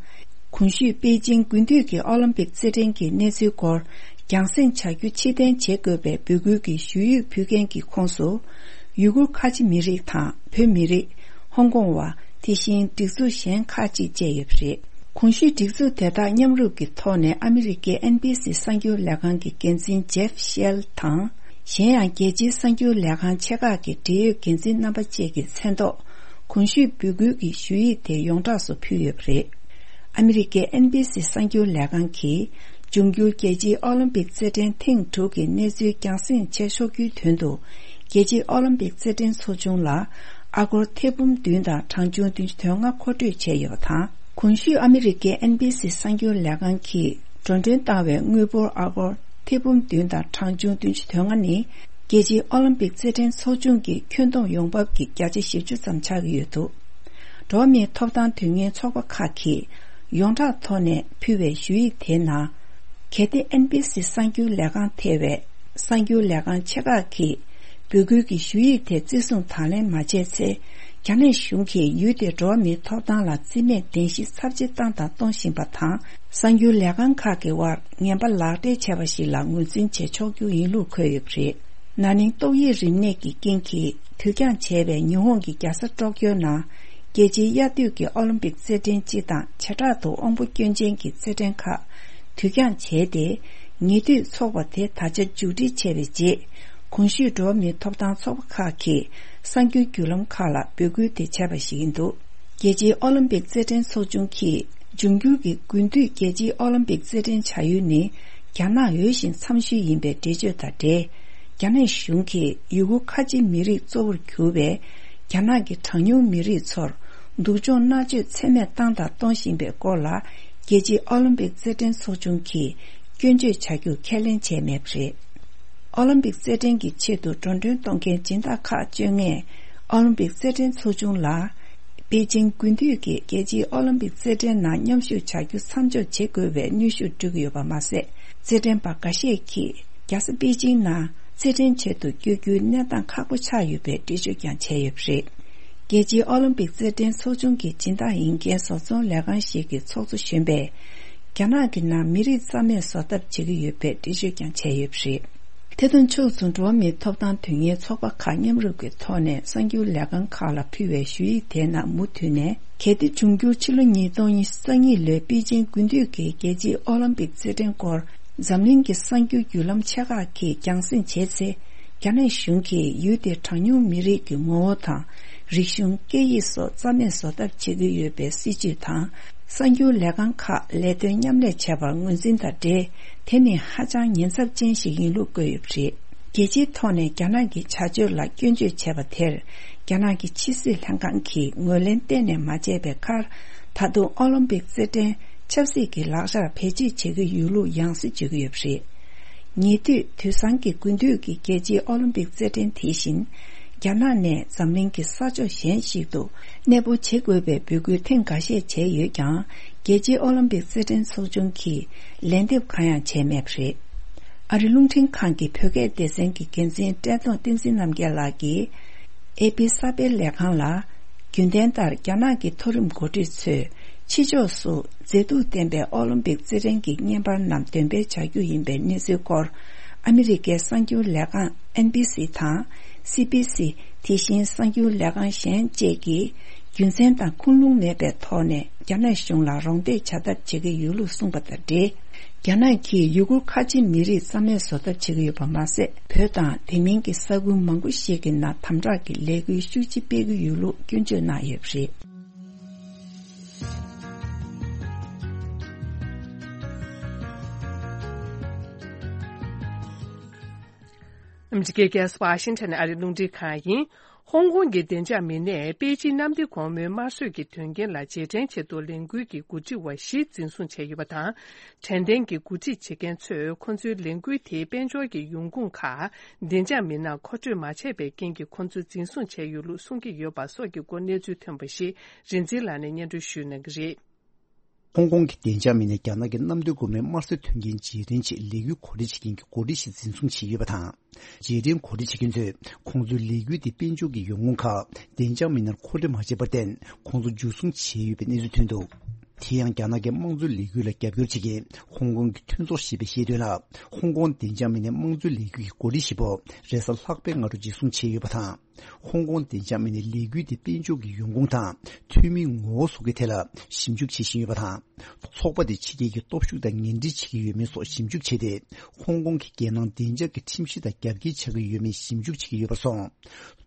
གོང་ཞུས་པེ་ཅིང་དགུན་དུས་ཀྱི་ཨོ་ལིམ་པིག་རྩེད་འགྲན་གྱི་གནས་ཚུལ་སྐོར་རྒྱང་སྲིང་བྱ་རྒྱུ་ཕྱིར་འཐེན་བྱེད་དགོས་པའི་འབོད་སྐུལ་གྱི་ཞུ་ཡིག་ཕུལ་མཁན་གྱི་ཁོངས་སུ། ཡུ་གུར་ཁ་ཆེ་མི་རིགས་དང་བོད་མི་རིགས། ཧོང་ཀོང་བ། དེ་བཞིན་སྒྲིག་འཛུགས་གཞན་ཁག་ཅིག་བཅས་ཡོད་པ་རེད། གོང་ཞུས་སྒྲིག་འཛུགས་དེ་དག་མཉམ་རུབ་ཀྱི་ཐོག་ནས་ཨ་མི་རི་ཀའི་ཨེན་བྷི་སི་གསར་འགྱུར་ལས་ཁང་གི་འགན་འཛིན་ཇེབ་ཤེལ་དང་། གཞན་ཡང་རྒྱལ་སྤྱིའི་གསར་འགྱུར་ལས་ཁང་ཆེ་ཁག་གི་འབྲེལ་ཡོད་འགན་འཛིན་རྣམ་པ་བཅས་ཀྱི་མཚན་ཐོག་གོང་ཞུས་འབོད་སྐུལ་གྱི་ཞུ་ཡིག་དེ་ཡོངས་གྲགས་སུ་ཕུལ་ཡོད་པ་རེད། ཨ་མི་རི་ཀའི་ཨེན་བྷི་སི་གསར་འགྱུར་ལས་ཁང་གིས། འབྱུང་འགྱུར་རྒྱལ་སྤྱིའི་ཨོ་ལིམ་པིག་རྩེད་འགྲན་ཐེངས་དྲུག་གི་གནས་ཚུལ་རྒྱང་སྲིང་བྱེད་ཆོག་རྒྱུའི་དོན་དུ། རྒྱལ་སྤྱིའི་ཨོ་ལིམ་པིག་རྩེད་འགྲན་ཚོགས་ཆུང་ལ་ཨ་སྒོར་ཐེར་འབུམ་བདུན་དང་གྲངས་ཆུང་བདུན་ཅུ་དོན་ལྔ་མཁོ་སྤྲོད་བྱས་ཡོད་པ་དང་། གོང་ཞུས་ཨ་མི་རི་ཀའི་ཨེན་བྷི་སི་གསར་འགྱུར་ལས་ཁང་གིས་འགྲོ་གྲོན་བཏང་བའི་དངུལ་འབོར་ཨ་སྒོར་ཐེར་འབུམ་བདུན་དང་གྲངས་ཆུང་བདུན་ཅུ་དོན་ལྔ་ནི། རྒྱལ་སྤྱིའི་ཨོ་ལིམ་པིག་རྩེད་འགྲན་ཚོགས་ཆུང་གི་ཁྱོན་བསྡོམས་ཡོང་འབབ་ཀྱི་བརྒྱ་ཆ་བཞི་བཅུ་ཙམ་ཆགས་ཀྱི་ཡོད་འདུག་འགྲོ་བ་མིའི་ཐོབ་ཐང་དོན་གཉེར་ཚོགས་པ་ཁག་གིས་ཡོངས་གྲགས་ཐོག་ནས་ཕུལ་བའི་ཞུ་ཡིག་དེའི་ནང་། གལ་ཏེ་ཨེན་བྷི་སི་གསར་འགྱུར་ལས་ཁང་ཐེ་བའི་གསར་འགྱུར་ལས་ཁང་ཆེ་ཁག་གིས་འབོད་སྐུལ་གྱི་ཞུ་ཡིག་དེ་བརྩི་སྲུང་དང་ལེན་མ་བྱས་ཚེ། རྒྱ་ནག་གཞུང་གིས་ཡུལ་དེའི་འགྲོ་བ་མིའི་ཐོབ་ཐང་ལ་བརྩི་མེད་གདན་ཞུ་ཚབས་ཆེ་བཏང་དང་གཏོང་བཞིན་པ་དང་། གསར་འགྱུར་ལས་ཁང་ཁག་གི་དབར་ངན་པ་ལག་འབྲེལ་བྱས་པ་ཞིག་ལ་ངོས་འཛིན་བྱེད་ཆོག་རྒྱུ་ཡིན་ལུགས་འཁོད་ཡོད་པ་རེད། ན་ནིང་ཏོག་དབྱིབས་རིམས་ནད་ཀྱི་རྐྱེན་གྱིས་དུས་འགྱངས་བྱས་པའི་ཉི་ཧོང་གི་རྒྱལ་ས་ཀྲོག་ཀྱོའི་ནང་རྒྱལ་སྤྱིའི་དབྱར་དུས་ཀྱི་ཨོ་ལིམ་པིག་རྩེད་འགྲན་སྤྱི་དང་བྱེ་བྲག་ཏུ་དབང་པོ་སྐྱོན་ཅན་གྱི་རྩེད་འགྲན་ཁག་དུས་འགྱངས་བྱས་ཏེ། ཉེ་དུས་ཚོགས་པ་དེ་ད་ཆ་མཇུག་སྒྲིལ་བྱས་པའི་རྗེས། གོང་ཞུས་འགྲོ་བ་མིའི་ཐོབ་ཐང་ཚོགས་པ་ཁག་གིས་གསར་འགྱུར་བརྒྱུད་ལམ་ཁག་ལ་འབོད་སྐུལ་དེ་བྱས་པ་ཞིག་ཡིན་འདུག་རྒྱལ་སྤྱིའི་ཨོ་ལིམ་པིག་རྩེད་འགྲན་ཚོགས་ཆུང་གིས། འབྱུང་འགྱུར་གྱི་དགུན་དུས་རྒྱལ་སྤྱིའི་ཨོ་ལིམ་པིག་རྩེད་འགྲན་བྱ་ཡུལ་ནི། རྒྱ་ནག་འོས་ཤིང་འཚམ་ཤོས་ཡིན་པའི་འགྲེལ་བརྗོད་དང་འབྲེལ། རྒྱ་ནག་གཞུང་གིས་ཡུ་གུར་ཁ་ཆེ་མི་རིགས་གཙོ་བོར་གྱུར་བའི་རྒྱ་ནག་གི་གྲངས་ཉུང་མི་རིགས་ཚོར་སྡུག་སྦྱོང་མནར་གཅོད་ཚད་མེད་བཏང་དང་གཏོང་བཞིན་པའི་སྐོར་ལ། རྒྱལ་སྤྱིའི་ཨོ་ལིམ་པིག་རྩེད་འགྲན་ཚོགས་ཆུང་གིས་སྐྱོན་བརྗོད་བྱ་རྒྱུ་ཁས་ལེན་བྱས་མེད་པ་རེད། ཨོ་ལིམ་པིག་རྩེད་འགྲན་གྱི་ཆེད་དུ་འགྲོ་གྲོན་གཏོང་མཁན་སྦྱིན་བདག་ཁག་བཅོ་ལྔས་ཨོ་ལིམ་པིག་རྩེད་འགྲན་ཚོགས་ཆུང་ལ། པེ་ཅིང་དགུན་དུས་ཀྱི་རྒྱལ་སྤྱིའི་ཨོ་ལིམ་པིག་རྩེད་འགྲན་ནང་མཉམ་ཞུགས་བྱ་རྒྱུ་མཚམས་འཇོག་བྱེད་དགོས་པའི་གནོན་ཤུགས་སྤྲོད་ཀྱི་ཡོད་པ་མ་ཟད། རྩེད་འགྲན་པ་འགའ་ཤས་ཀྱིས་རྒྱལ་ས་པེ་ཅིང་ནང་རྩེད་འགྲན་བྱེད་དུ་བསྐྱོད་རྒྱུའི་གནས་སྟངས་ཁག་པོ་ཆགས་ཡོད་པའི་འགྲེལ་བརྗོད་ཀྱང་བྱས་ཡོད་པ་རེད། རྒྱལ་སྤྱིའི་ཨོ་ལིམ་པིག་རྩེད་འགྲན་ཚོགས་ཆུང་གི་སྦྱིན་བདག་ཡིན་མཁན་བཟོ་ཚོང་ལས་ཁང་ཞིག་གི་ཚོགས་གཙོ་གཞོན་པས། རྒྱ་ནག་གི་ནང་མི་རིགས་རྩ་མེད་བཟོ་ཐབས་བྱེད་ཀྱི་ཡོད་པའི་འགྲེལ་བརྗོད་ཀྱང་བྱས་ཡོད་པ་རེད། དེ་དང་ཕྱོགས་མཚུངས་འགྲོ་བ་མིའི་ཐོབ་ཐང་དོན་གཉེར་ཚོགས་པ་ཁག་མཉམ་རུབ་ཀྱི་ཐོག་ནས་གསར་འགྱུར་ལས་ཁང་ཁག་ལ་ཕུལ་བའི་ཞུ་ཡིག་དེའི་ནང་མུ་མཐུད་ནས། གལ་ཏེ་འབྱུང་འགྱུར་ཕྱི་ལོ་ཉིས་སྟོང་ཉི་ཤུ་རྩ་གཉིས་ལོའི་པེ་ཅིང་དགུན་དུས་ཀྱི་རྒྱལ་སྤྱིའི་ཨོ་ལིམ་པིག་རྩེད་འགྲན་སྐོར་འཛམ་གླིང་གི་གསར་འགྱུར་བརྒྱུད་ལམ་ཆེ་ཁག་གིས་རྒྱང་སྲིང་བྱས་ཚེ། རྒྱ་ནག་གཞུང་གིས་ཡུལ་དེའི་གྲངས་ཉུང་མི་རིགས་ཀྱི་ངོ་བོ་དང་། རིག་གཞུང་། སྐད་ཡིག་སོགས་རྩ་མེད་བཟོ་ཐབས་བྱེད་ཀྱི་ཡོད་པའི་སྲིད་བྱུས་དང་། གསར་འགྱུར་ལས་ཁང་ཁག་ལས་དོན་མཉམ་ལས་བྱས་པར་ངོས་འཛིན་དང་འབྲེལ། དེ་ནི་ཧ་ཅང་ཉེན་ཚབས་ཅན་ཞིག་ཡིན་ལུགས་བཀོད་ཡོད་པ་རེད། རྒྱལ་སྤྱིའི་ཐོག་ནས་རྒྱ་ནག་གི་བྱ་སྤྱོད་ལ་སྐྱོན་བརྗོད་བྱས་པ་དེར། རྒྱ་ནག་གི་ཕྱི་སྲིད་ལྷན་ཁང་གིས་ངོས་ལེན་གཏན་ནས་མ་བྱས་པའི་ཁར། ད་དུང་ཨོ་ལིམ་པིག་རྩེད་འགྲན་ཆབ་སྲིད་ཀྱི་ལག་ཆར་བེད་སྤྱོད་བྱེད་ཀྱི་ཡོད་ལུགས་ཡང་སེ་བརྗོད་ཀྱི་ཡོད་པ་རེད། ཉེ་དུས་དུས་སང་གི་དགུན་དུས་ཀྱི་རྒྱལ་སྤྱིའི་ཨོ་ལིམ་པིག་རྩེད་འགྲན་དེ་བཞིན། རྒྱ་ནག་ནས་འཛམ་གླིང་གི་ས་ཕྱོགས་གཞན་ཞིག་ཏུ་གནས་སྤོ་བྱེད་དགོས་པའི་འབོད་སྐུལ་ཐེངས་འགའ་ཤས་བྱས་ཡོད་ཀྱང་། རྒྱལ་སྤྱིའི་ཨོ་ལིམ་པིག་རྩེད་འགྲན་ཚོགས་ཆུང་གིས་ལན་འདེབས་གང་ཡང་བྱས་མེད་པ་རེད། ཨ་རི་རླུང་འཕྲིན་ཁང་གི་བོད་སྐད་སྡེ་ཚན་གྱི་འགན་འཛིན་བཀྲས་མཐོང་བསྟན་འཛིན་རྣམ་རྒྱལ་ལགས་ཀྱིས། ཨེ་པི་གསར་སྤེལ་ལས་ཁང་ལ། རྒྱུན་ལྡན་ལྟར་རྒྱ་ནག་གི་མཐོ་རིམ་འགོ་ཁྲིད་ཚོས་ཕྱི་ཕྱོགས་སུ་མཛེས་སྡུག་ལྡན་པའི་ཨོ་ལིམ་པིག་རྩེད་འགྲན་གྱི་བརྙན་པར་རྣམས་འདོན་སྤེལ་བྱ་རྒྱུ་ཡིན་པའི་གནས་ཚུལ་སྐོར། ཨ་མི་རི་ཀའི་གསར་འགྱུར་ལས་ཁང་ཨེན་བྷི་སི་དང་སི་བྷི་སི། དེ་བཞིན་གསར་འགྱུར་ལས་ཁང་གཞན་བཅས་ཀྱིས་རྒྱུ་མཚན་དང་ཁུངས་ལུང་མེད་པའི་ཐོག་ནས་རྒྱ་ནག་གཞུང་ལ་རོགས་འདེགས་བྱ་ཐབས་བྱེད་ཀྱི་ཡོད་ལུགས་གསུངས་པ་དང་འབྲེལ། རྒྱ་ནག་གིས་ཡུ་གུར་ཁ་ཆེ་མི་རིགས་རྩ་མེད་བཟོ་ཐབས་བྱེད་ཀྱི་ཡོད་པ་མ་ཟད། བོད་དང་དེ་མིན་གྱི་ས་ཁུལ་མང་པོ་ཞིག་གི་ནང་དམ་དྲག་གི་ལས་འགུལ་ཤུགས་ཆེ་སྤེལ་གྱི་ཡོད་ལུགས་སྐྱོན་བརྗོད་གནང་ཡོད་པ་རེད། ཨ་མི་རི་ཀའི་རྒྱལ་ས་ཝ་ཤིང་ཊོན་ཨ་རིའི་རླུང་འཕྲིན་ཁང་ཡིན། ཧོང་ཀོང་གི་བདེ་འཇགས་མི་སྣས་པེ་ཅིན་གནམ་བདེ་སྒོ་མོའི་དམར་གསོད་ཀྱི་དོན་རྐྱེན་ལ་རྗེས་དྲན་ཆེད་དུ་ལས་འགུལ་གྱི་འགོ་ཁྲིད་པ་བཞི་འཛིན་བཟུང་བྱས་ཡོད་པ་དང་། དྲན་རྟེན་གྱི་འགོ་ཁྲིད་བྱེད་མཁན་ཚོས་ཁོ་ཚོའི་ལས་འགུལ་དེའི་དཔལ་འབྱོར་གྱི་ཡོང་ཁུངས་ཁག་བདེ་འཇགས་མི་སྣར་མཁོ་སྤྲོད་མ་བྱས་པའི་རྐྱེན་གྱིས་ཁོ་ཚོ་འཛིན་བཟུང་བྱས་ཡོད་ལུགས་གསུང་གི་ཡོད་པ་སོགས་ཀྱི་སྐོར་གནས་ཚུལ་ཐོན་པ་ཞིག་རིག་འཛིན་ལགས་ནས་སྙན་སྒྲོན་ཞུ་གནང་གི་རེད། ཧོང་ཀོང་གི་བདེ་འཇགས་མི་སྣས་རྒྱ་ནག་གི་གནམ་བདེ་སྒོ་མོའི་དམར་གསོད་དོན་རྐྱེན་རྗེས་དྲན་ཆེད་ལས་འགུལ་གོ་སྒྲིག་བྱེད་མཁན་གྱི་འགོ་ཁྲིད་ཞིག་འཛིན་བཟུང་བྱས་ཡོད་པ་དང་། རྗེས་དྲན་གོ་སྒྲིག་བྱེད་མཁན་ཚོས་ཁོང་ཚོའི་ལས་འགུལ་དེ་དཔལ་འབྱོར་གྱི་ཡོང་ཁུངས་ཁག་བདེ་འཇགས་མི་སྣར་མཁོ་སྤྲོད་མ་བྱས་པར་བརྟེན། ཁོང་ཚོ་འཇུ་བཟུང་བྱས་ཡོད་པའི་གནས་ཚུལ་ཐོན་འདུག་དེ་ཡང་རྒྱ་ནག་གི་དམངས་གཙོའི་ལས་འགུལ་ལ་རྒྱབ་སྐྱོར་བྱེད་མཁན་ཧོང་ཀོང་གི་མཐུན་ཚོགས་ཞེས་པས་བཤད་དོན་ལ། ཧོང་ཀོང་བདེ་འཇགས་མི་སྣས་དམངས་གཙོའི་ལས་འགུལ་གྱི་འགོ་ཁྲིད་བཞི་པོ་རེས་གཟའ་ལྷག་པའི་སྔ་དྲོ་འཇུ་བཟུང་བྱས་ཡོད་པ་དང་། ཧོང་ཀོང་བདེ་འཇགས་མི་སྣས་ལས་འགུལ་དེ་དཔལ་འབྱོར་གྱི་ཡོང་ཁུངས་དང་། འཐུས་མིའི་ངོ་བོ་སོགས་ཀྱི་ཐད་ལ་ཞིབ་འཇུག་བྱེད་བཞིན་ཡོད་པ་དང་། ཚོགས་པ་དེ་ཕྱི་རྒྱལ་གྱི་སྟོབས་ཤུགས་དང་ངན་འབྲེལ་བྱེད་ཀྱི་ཡོད་མེད་སོགས་ཞིབ་འཇུག་བྱས་ཏེ། ཧོང་ཀོང་གི་རྒྱལ་ནང་བདེ་འཇགས་ཀྱི་ཁྲིམས་གཞི་དང་རྒྱབ་འགལ་ཆགས་ཀྱི་ཡོད་མེད་ཞིབ་འཇུག་བྱེད་ཀྱི་ཡོད་པར་སོང་།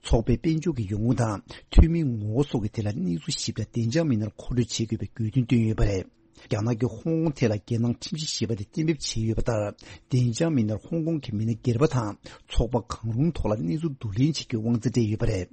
ཚོགས་པའི་དཔལ་འབྱོར་གྱི་ཡོང་ཁུངས་དང་། འཐུས་མིའི་ངོ་བོ་སོགས་ཀྱི་ཐད་ལ་གནས་ཚུལ་ཞིབ་ཕྲ་བདེ་འཇགས་མི་སྣར་མཁོ་སྤྲོད་བྱེད་དགོས་པའི་དགོས་འདུན་བཏོན་ཡོད་པ་རེད། རྒྱ་ནག་གིས་ཧོང་ཀོང་ཐད་ལ་རྒྱལ་ནང་ཁྲིམས་གཞི་ཞེས་པ་དེ་གཏན་འབེབས་བྱས་ཡོད་པ་ལྟར། བདེ་འཇགས་མི་སྣར་ཧོང་ཀོང་གི་མི་སྣ་སྒེར་པ་དང་ཚོགས་པ་གང་རུང་ཐོག་ལ་གནས་ཚུལ་བསྡུ་ལེན་བྱེད་རྒྱུའི་དབང་ཚད་སྤྲད་ཡོད་པ་རེད།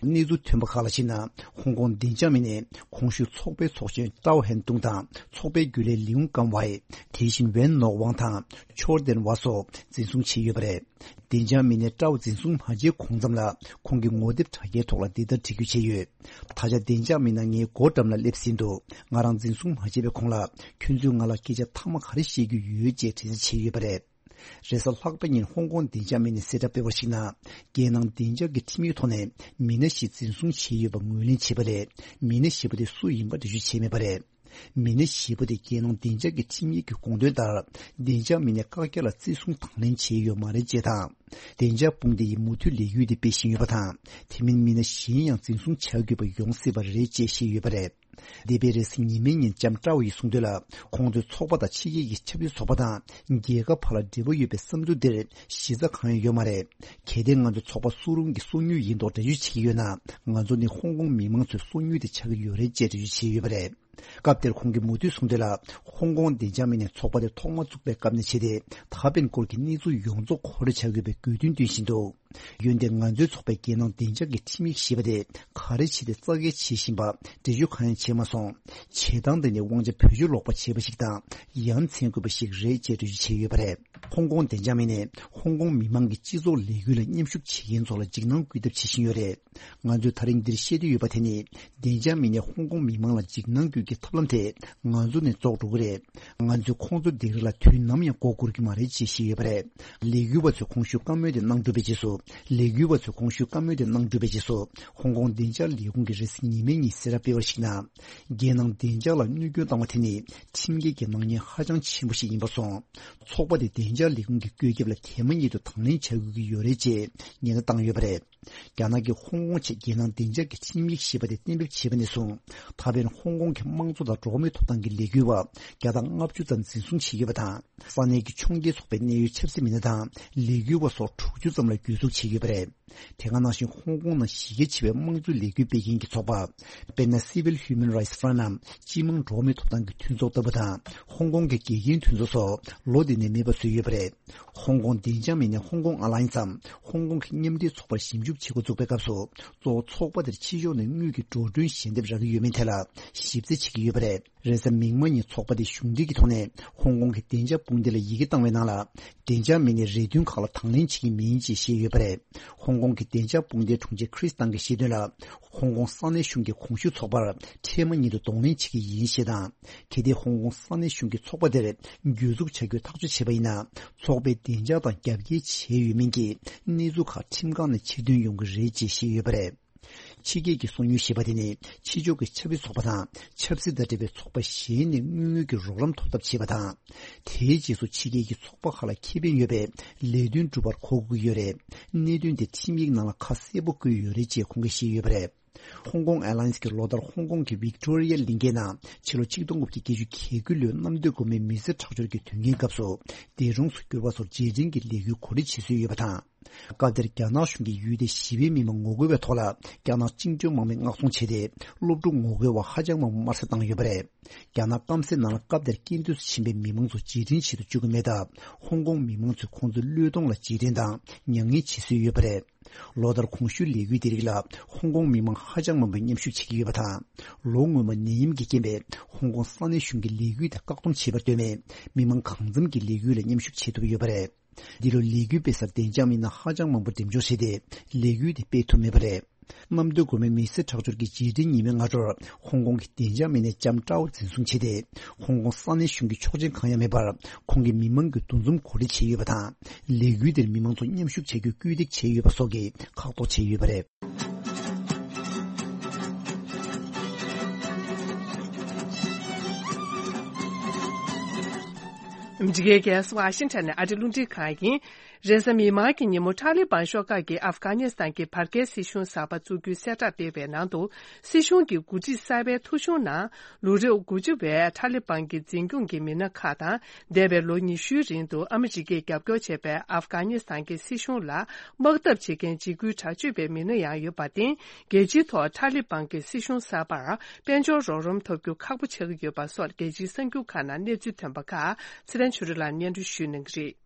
གནས་ཚུལ་ཐོན་པ་ཁག་ལ་གཞིགས་ན། ཧོང་ཀོང་བདེ་འཇགས་མི་སྣས་གོང་ཞུས་ཚོགས་པའི་ཚོགས་གཞོན་ཀྲའོ་ཧན་ཏུང་དང་ཚོགས་པའི་རྒྱུན་ལས་ལིའུ་ཀམ་ཝའེ། དེ་བཞིན་ཝེན་ནོག་ཝང་དང་ཆོར་ཏེན་ཝ་སོགས་འཛིན་བཟུང་བྱས་ཡོད་པ་རེད། བདེ་འཇགས་མི་སྣས་ཀྲའོ་འཛིན་བཟུང་མ་བྱས་གོང་ཙམ་ལ་ཁོང་གིས་ངོ་དེབ་དྲ་རྒྱའི་ཐོག་ལ་འདི་ལྟར་བྲིས་བརྗོད་བྱས་ཡོད། ད་ཆ་བདེ་འཇགས་མི་སྣ་ངའི་སྒོ་འགྲམ་ལ་སླེབས་ཟིན་འདུག་ང་རང་འཛིན་བཟུང་མ་བྱས་པའི་གོང་ལ་ཁྱོད་ཚོས་ང་ལ་སྐད་ཆ་མཐའ་མ་ག་རེ་བཤད་རྒྱུ་ཡོད་ཅེས་དྲི་རྩད་བྱས་ཡོད་པ་རེད། རེས་གཟའ་ལྷག་པ་ཉིན་ཧོང་ཀོང་བདེ་འཇགས་མི་སྣས་གསལ་བསྒྲགས་སྤེལ་བར་གཞིགས་ན། རྒྱལ་ནང་བདེ་འཇགས་ཀྱི་ཁྲིམས་ཡིག་ཐོག་ནས་མི་སྣ་ཞིག་འཛིན་བཟུང་བྱས་ཡོད་པ་ངོས་ལེན་བྱས་པ་ལས། མི་སྣ་ཞེ་པོ་དེ་སུ་ཡིན་པ་འགྲེལ་བརྗོད་བྱས་མེད་པ་རེད། མི་སྣ་ཞེ་པོ་དེ་རྒྱལ་ནང་བདེ་འཇགས་ཀྱི་ཁྲིམས་ཡིག་གི་དགོངས་དོན་ལྟར། བདེ་འཇགས་མི་སྣས་བཀག་རྒྱ་ལ་བརྩི་སྲུང་དང་ལེན་བྱས་ཡོད་མ་རེད་ཅེས་དང་། བདེ་འཇགས་དཔུང་སྡེ་ཡིས་མུ་མཐུད་ལས་འགུལ་དེ་སྤེལ་བཞིན་ཡོད་པ་དང་། དེ་མིན་མི་སྣ་གཞན་ཡང་འཛིན་བཟུང་བྱ་དགོས་པ་ཡོང་སྲིད་པ་རེད་ཅེས་བཤད་ཡོད་པ་རེད། འདས་པའི་རེས་གཟའ་ཉི་མའི་ཉིན་ལྕམ་ཀྲའོ་ཡིས་གསུངས་དོན་ལ། ཁོང་ཚོའི་ཚོགས་པ་དང་ཕྱི་རྒྱལ་གྱི་ཆབ་སྲིད་ཚོགས་པ་དང་རྒྱལ་ཁབ་བར་ལ་འབྲེལ་བ་ཡོད་པའི་བསམ་ཚུལ་འདིར་གཞི་རྩ་གང་ཡང་ཡོད་མ་རེད། གལ་ཏེ་ང་ཚོའི་ཚོགས་པ་སུ་རུང་གི་སོ་ཉུལ་ཡིན་མདོག་འགྲེལ་བརྗོད་བྱེད་ཀྱི་ཡོད་ན། ང་ཚོ་ནི་ཧོང་ཀོང་མི་མང་ཚོའི་སོ་ཉུལ་དེ་ཆགས་ཀྱི་ཡོད་རེད་ཅེས་འགྲེལ་བརྗོད་བྱས་ཡོད་པ་རེད། སྐབས་དེར་ཁོང་གིས་མུ་མཐུད་གསུངས་དོན་ལ། ཧོང་ཀོང་བདེ་འཇགས་མི་སྣས་ཚོགས་པ་དེ་ཐོག་མ་བཙུགས་པའི་སྐབས་ནས་བྱས་ཏེ། ད་ཕན་སྐོར་གྱི་གནས་ཚུལ་ཡོངས་རྫོགས་མཁོ་སྤྲོད་བྱ་དགོས་པའི་དགོས་འདུན་བཏོན་བཞིན་འདུག་འོན་ཏེ་ང་ཚོའི་ཚོགས་པའི་རྒྱལ་ནང་བདེ་འཇགས་ཀྱི་ཁྲིམས་ཡིག་ཞེས་པ་དེ་ག་རེ་བྱས་ཏེ་རྩ་འགེངས་བྱེད་བཞིན་པ་འགྲེལ་བརྗོད་གང་ཡང་བྱས་མ་སོང་། བྱེད་སྟངས་དེ་ནི་དབང་ཆ་བེད་སྤྱོད་ལོག་པ་བྱས་པ་ཞིག་དང་ཡ་མཚན་དགོས་པ་ཞིག་རེད་ཅེས་འགྲེལ་བརྗོད་བྱས་ཡོད་པ་རེད། ཧོང་ཀོང་བདེ་འཇགས་མི་སྣས་ཧོང་ཀོང་མི་མང་གི་སྤྱི་ཚོགས་ལས་འགུལ་ལ་མཉམ་ཞུགས་བྱེད་མཁན་ཚོ་ལ་འཇིགས་སྣང་སྐུལ་ཐབས་བྱེད་བཞིན་ཡོད་རེད། ང་ཚོས་ད་རིང་འདིར་བཤད་འདོད་ཡོད་པ་དེ་ནི། བདེ་འཇགས་མི་སྣས་ཧོང་ཀོང་མི་མང་ལ་འཇིགས་སྣང་སྐུལ་གྱི་ཐབས་ལམ་དེ་ང་ཚོ་ནས་རྫོགས་འགྲོ་གི་རེད། ང་ཚོས་ཁོང་ཚོ་སྡིགས་ར་ལ་དུས་ནམ་ཡང་མགོ་སྒུར་གྱི་མ་རེད་ཅེས་བཤད་ཡོད་པ་རེད། ལས་འགུལ་བ་ཚོས་གོང་ཞུས་བཀའ་མོལ་དེ་གནང་གྲུབ་པའི་རྗེས་སུ། ལས་འགུལ་བ་ཚོས་གོང་ཞུས་བཀའ་མོལ་དེ་གནང་གྲུབ་པའི་རྗེས་སུ། ཧོང་ཀོང་བདེ་འཇགས་ལས་ཁུངས་ཀྱིས་རེས་གཟའ་ཉི་མའི་ཉིན་གསལ་བསྒྲགས་སྤེལ་བར་གཞིགས་ན། རྒྱལ་ནང་བདེ་འཇགས་ལ་གནོད་སྐྱོན་བཏང་བ་དེ་ནི་ཁྲིམས་འགལ་གྱི་སྣང་བརྙན་ཧ་ཅང་ཆེན་པོ་ཞིག་ཡིན་པར་སོང་། ཚོགས་པ་དེ་བདེ་འཇགས་ལས་ཁུངས་ཀྱི་བཀོད་ཁྱབ་ལ་དེ་མ་ཉིད་དུ་དང་ལེན་བྱ་དགོས་ཀྱི་ཡོད་རེད་ཅེས་ཉེན་བརྡ་བཏང་ཡོད་པ་རེད། རྒྱ་ནག་གིས་ཧོང་ཀོང་ཆེད་རྒྱལ་ནང་བདེ་འཇགས་ཀྱི་ཁྲིམས་ཡིག་ཞེས་པ་དེ་གཏན་འབེབས་བྱས་པ་ནས་བཟུང་། ད་ཕན་ཧོང་ཀོང་གི་དམངས་གཙོ་དང་འགྲོ་བ་མིའི་ཐོབ་ཐང་གི་ལས་འགུལ་བ་བརྒྱ་དང་ལྔ་བཅུ་ཙམ་འཛིན་བཟུང་བྱས་ཡོད་པ་དང་། ས་གནས་ཀྱི་ཕྱོགས་འགལ་ཚོགས་པའི་གནད་ཡོད་ཆབ་སྲིད་མི་སྣ་དང་ལས་འགུལ་བ་སོགས་དྲུག་ཅུ་ཙམ་ལ་གྱོད་འཛུགས་བྱས་ཡོད་པ་རེད། དེ་ག་ནང་བཞིན་ཧོང་ཀོང་ནང་གཞི་རྒྱ་ཆེ་བའི་དམངས་གཙོའི་ལས་འགུལ་སྤེལ་མཁན་གྱི་ཚོགས་པ། དཔེར་ན། Civil Human Rights Front ནམ་སྤྱི་དམངས་འགྲོ་བ་མིའི་ཐོབ་ཐང་གི་མཐུན་ཚོགས་ལྟ་བུ་དང་། ཧོང་ཀོང་གི་དགེ་རྒན་མཐུན་ཚོགས་སོགས་ལོ་འདི་ནས་མེད་པ་བཟོས་ཡོད་པ་རེད། ཧོང་ཀོང་བདེ་འཇགས་མི་སྣས་ཧོང་ཀོང་ཨ་ལ་ཡན་སམ་ཧོང་ཀོང་གི་མཉམ་འབྲེལ་ཚོགས་པར་ཞིབ་འཇུག་བྱེད་འགོ་བཙུགས་པའི་སྐབས་སུ། གཙོ་བོ་ཚོགས་པ་དེར་ཕྱི་ཕྱོགས་ནས་དངུལ་གྱི་འགྲོ་གྲོན་ཞལ་འདེབས་རག་གི་ཡོད་མེད་ཐད་ལ་ཞིབ་རྩད་བྱེད་ཀྱི་ཡོད་པ་རེད། རེས་གཟའ་མིག་དམར་ཉིན་ཚོགས་པ་དེས་གཞུང་འབྲེལ་གྱི་ཐོག་ནས་ཧོང་ཀོང་གི་བདེ་འཇགས་དཔུང་སྡེ་ལ་ཡི་གེ་བཏང་བའི་ནང་ལ། བདེ་འཇགས་མི་སྣས་རེ་འདུན་ཁག་ལ་དང་ལེན་བྱེད་ཀྱི་མིན་ཅེས་བཤད་ཡོད་པ་རེད། ཧོང་ཀོང་གི་བདེ་འཇགས་དཔུང་སྡེའི་དྲུང་ཆེ་ཁྲིས་ཏང་གིས་བཤད་དོན་ལ། ཧོང་ཀོང་ས་གནས་གཞུང་གིས་གོང་ཞུས་ཚོགས་པར་འཕྲལ་མ་ཉིད་དུ་གདོང་ལེན་བྱེད་ཀྱི་ཡིན་ཞེས་དང་། གལ་ཏེ་ཧོང་ཀོང་ས་གནས་གཞུང་གིས་ཚོགས་པ་དེར་གྱོད་འཛུགས་བྱ་རྒྱུའི་ཐག་གཅོད་བྱས་པ་ཡིན་ན། ཚོགས་པའི་བདེ་འཇགས་དང་རྒྱབ་འགལ་བྱས་ཡོད་མིན་གྱི་གནས་ཚུལ་ཁག་ཁྲིམས་ཁང་ནས་ཕྱིར་འདོན་ཡོང་གི་རེད་ཅེས་བཤད་ཡོད་པ་རེད། ཕྱི་རྒྱལ་གྱི་སོ་ཉུལ་ཞེས་པ་དེ་ནི་ཕྱི་ཕྱོགས་ཀྱི་ཆབ་སྲིད་ཚོགས་པ་དང་ཆབ་སྲིད་དང་འབྲེལ་བའི་ཚོགས་པ་གཞན་ནས་དངུལ་དངོས་ཀྱི་རོགས་རམ་ཐོབ་ཐབས་བྱེད་པ་དང་། དེའི་རྗེས་སུ་ཕྱི་རྒྱལ་གྱི་ཚོགས་པ་ཁག་ལ་ཁེ་ཕན་ཡོད་པའི་ལས་དོན་སྒྲུབ་པར་གོ་དགོས་ཀྱི་ཡོད་རེད། གནད་དོན་དེ་ཁྲིམས་ཡིག་ནང་ལ་ཁ་གསལ་པོ་བཀོད་ཡོད་རེད་ཅེས་ཁོང་གིས་བཤད་ཡོད་པ་རེད། ཧོང་ཀོང་ཨེར་ལའིན་སི་གིས་ལོ་ལྟར་ཧོང་ཀོང་གི་ཝིག་ཏོ་རི་ཡ་གླིང་གའི་ནང་ཕྱི་ལོ་ཆིག་སྟོང་དགུ་བརྒྱ་བརྒྱད་ཅུ་གྱ་དགུ་ལོའི་གནམ་སྟོད་སྒོ་མོའི་མི་སེར་ཁྲག་སྦྱོར་གྱི་དོན་རྐྱེན་སྐབས་སུ་འདས་གྲོངས་སུ་གྱུར་པ་སོགས་རྗེས་དྲན་གྱི་ལས་འགུལ་གོ་སྒྲིག་བྱེད་སྲོལ་ཡོད་པ་དང་། སྐབས་དེར་རྒྱ་ནག་གཞུང་གིས་ཡུལ་དེའི་ཞི་བའི་མི་མང་ངོ་རྒོལ་བའི་ཐོག་ལ་རྒྱ་ནག་བཅིངས་འགྲོལ་དམག་མིས་མངགས་གཏོང་བྱས་ཏེ། སློབ་ཕྲུག་ངོ་རྒོལ་བ་ཧ་ཅང་མང་པོ་དམར་གསོད་བཏང་ཡོད་པ་རེད། རྒྱ་ནག་སྐམ་སའི་ནང་ལ་སྐབས་དེར་རྐྱེན་འདས་སུ་ཕྱིན་པའི་མི་མང་ཚོ་རྗེས་དྲན་བྱེད་དུ་བཅུག་གི་མེད་སྟབས། ཧོང་ཀོང་མི་མང་ཚོས་ཁོང་ཚོའི་བློས་གཏོང་ལ་རྗེས་དྲན་དང་མྱ་ངན་བྱེད་སྲོལ་ཡོད་པ་རེད། ལོ་ལྟར་གོང་ཞུས་ལས་འགུལ་དེ་རིགས་ལ་ཧོང་ཀོང་མི་མང་ཧ་ཅང་མང་པོས་མཉམ་ཞུགས་བྱེད་ཀྱི་ཡོད་པ་དང་། ལོ་སྔོན་མ་ནད་ཡམས་ཀྱི་རྐྱེན་པས་ཧོང་ཀོང་ས་གནས་གཞུང་གིས་ལས་འགུལ་དེ་བཀག་སྡོམ་བྱས་པར་ལྟོས་མེད། མི་མང་གང་འཚམ་གྱིས་ལས་འགུལ་ལ་མཉམ་ཞུགས་བྱེད་ཐུབ་ཡོད་པ་རེད། འདི་ལོ་ལས་འགུལ་སྤེལ་སར་བདེ་འཇགས་མི་སྣ་ཧ་ཅང་མང་པོ་འགྲེམས་འཇོག་བྱས་ཏེ། ལས་འགུལ་དེ་སྤེལ་ཐུབ་མེད་པ་རེད། གནམ་སྟོད་སྒོ་མོའི་མི་སེར་ཁྲག་སྦྱོར་གྱི་རྗེས་དྲན་ཉི་མའི་སྔ་དྲོར་ཧོང་ཀོང་གི་བདེ་འཇགས་མི་སྣས་ལྕམ་ཀྲའོ་འཛིན་བཟུང་བྱས་ཏེ། ཧོང་ཀོང་ས་གནས་གཞུང་གི་ཆོག་མཆན་གང་ཡང་མེད་པར་ཁོང་གིས་མི་མང་གི་འདུ་འཛོམས་གོ་སྒྲིག་བྱས་ཡོད་པ་དང་། ལས་འགུལ་དེར་མི་མང་ཚོ་མཉམ་ཞུགས་བྱ་རྒྱུར་སྐུལ་འདེད་བྱས་ཡོད་པ་སོགས་ཀྱིས་ཁག་ཐེག་བྱས་ཡོད་པ་རེད། ཨ་མི་རི་ཀའི་རྒྱལ་ས་ཝ་ཤིང་ཊོན་ནས་ཨ་རིའི་རླུང་འཕྲིན་ཁང་ཡིན། རེས་གཟའ་མིག་དམར་གྱི་ཉིན་མོ་ཐ་ལི་བན་ཤོག་ཁག་གིས་ཨབ་གྷ་ནི་སི་ཐན་གྱི་བར་བརྒལ་སྲིད་གཞུང་གསར་པ་བཙུགས་རྒྱུའི་གསལ་བསྒྲགས་སྤེལ་བའི་ནང་དུ། སྲིད་གཞུང་གི་འགོ་ཁྲིད་གསར་པའི་ཐོ་གཞུང་ནང་ལུས་རོགས་དགུ་བཅུ་བས་ཐ་ལི་བན་གྱི་འཛིན་སྐྱོང་གི་མི་སྣ་ཁག་དང་། འདས་པའི་ལོ་ཉི་ཤུའི་རིང་དུ་ཨ་མི་རི་ཀས་རྒྱབ་སྐྱོར་བྱས་པའི་ཨབ་གྷ་ནི་སི་ཐན་གྱི་སྲིད་གཞུང་ལ་དམག་འཐབ་བྱེད་མཁན་འཇིགས་སྐུལ་དྲག་སྤྱོད་པའི་མི་སྣ་ཡང་ཡོད་པར་བརྟེན། རྒྱལ་སྤྱིའི་ཐོག་ཐ་ལི་བན་གྱི་སྲིད་གཞུང་གསར་པར་དཔལ་འབྱོར་རོགས་རམ་ཐོབ་རྒྱུ་ཁག་པོ་ཆགས་ཀྱི་ཡོད་པ་སོགས་རྒྱལ་སྤྱིའི་གསར་འགྱུར་ཁག་ནང་གནས་ཚུལ་ཐོན་པ་ཁག་ཚེ་རིང་ཆོས་སྒྲོན་ལགས་སྙན་སྒྲོན་ཞུ་གནང་གི་རེད།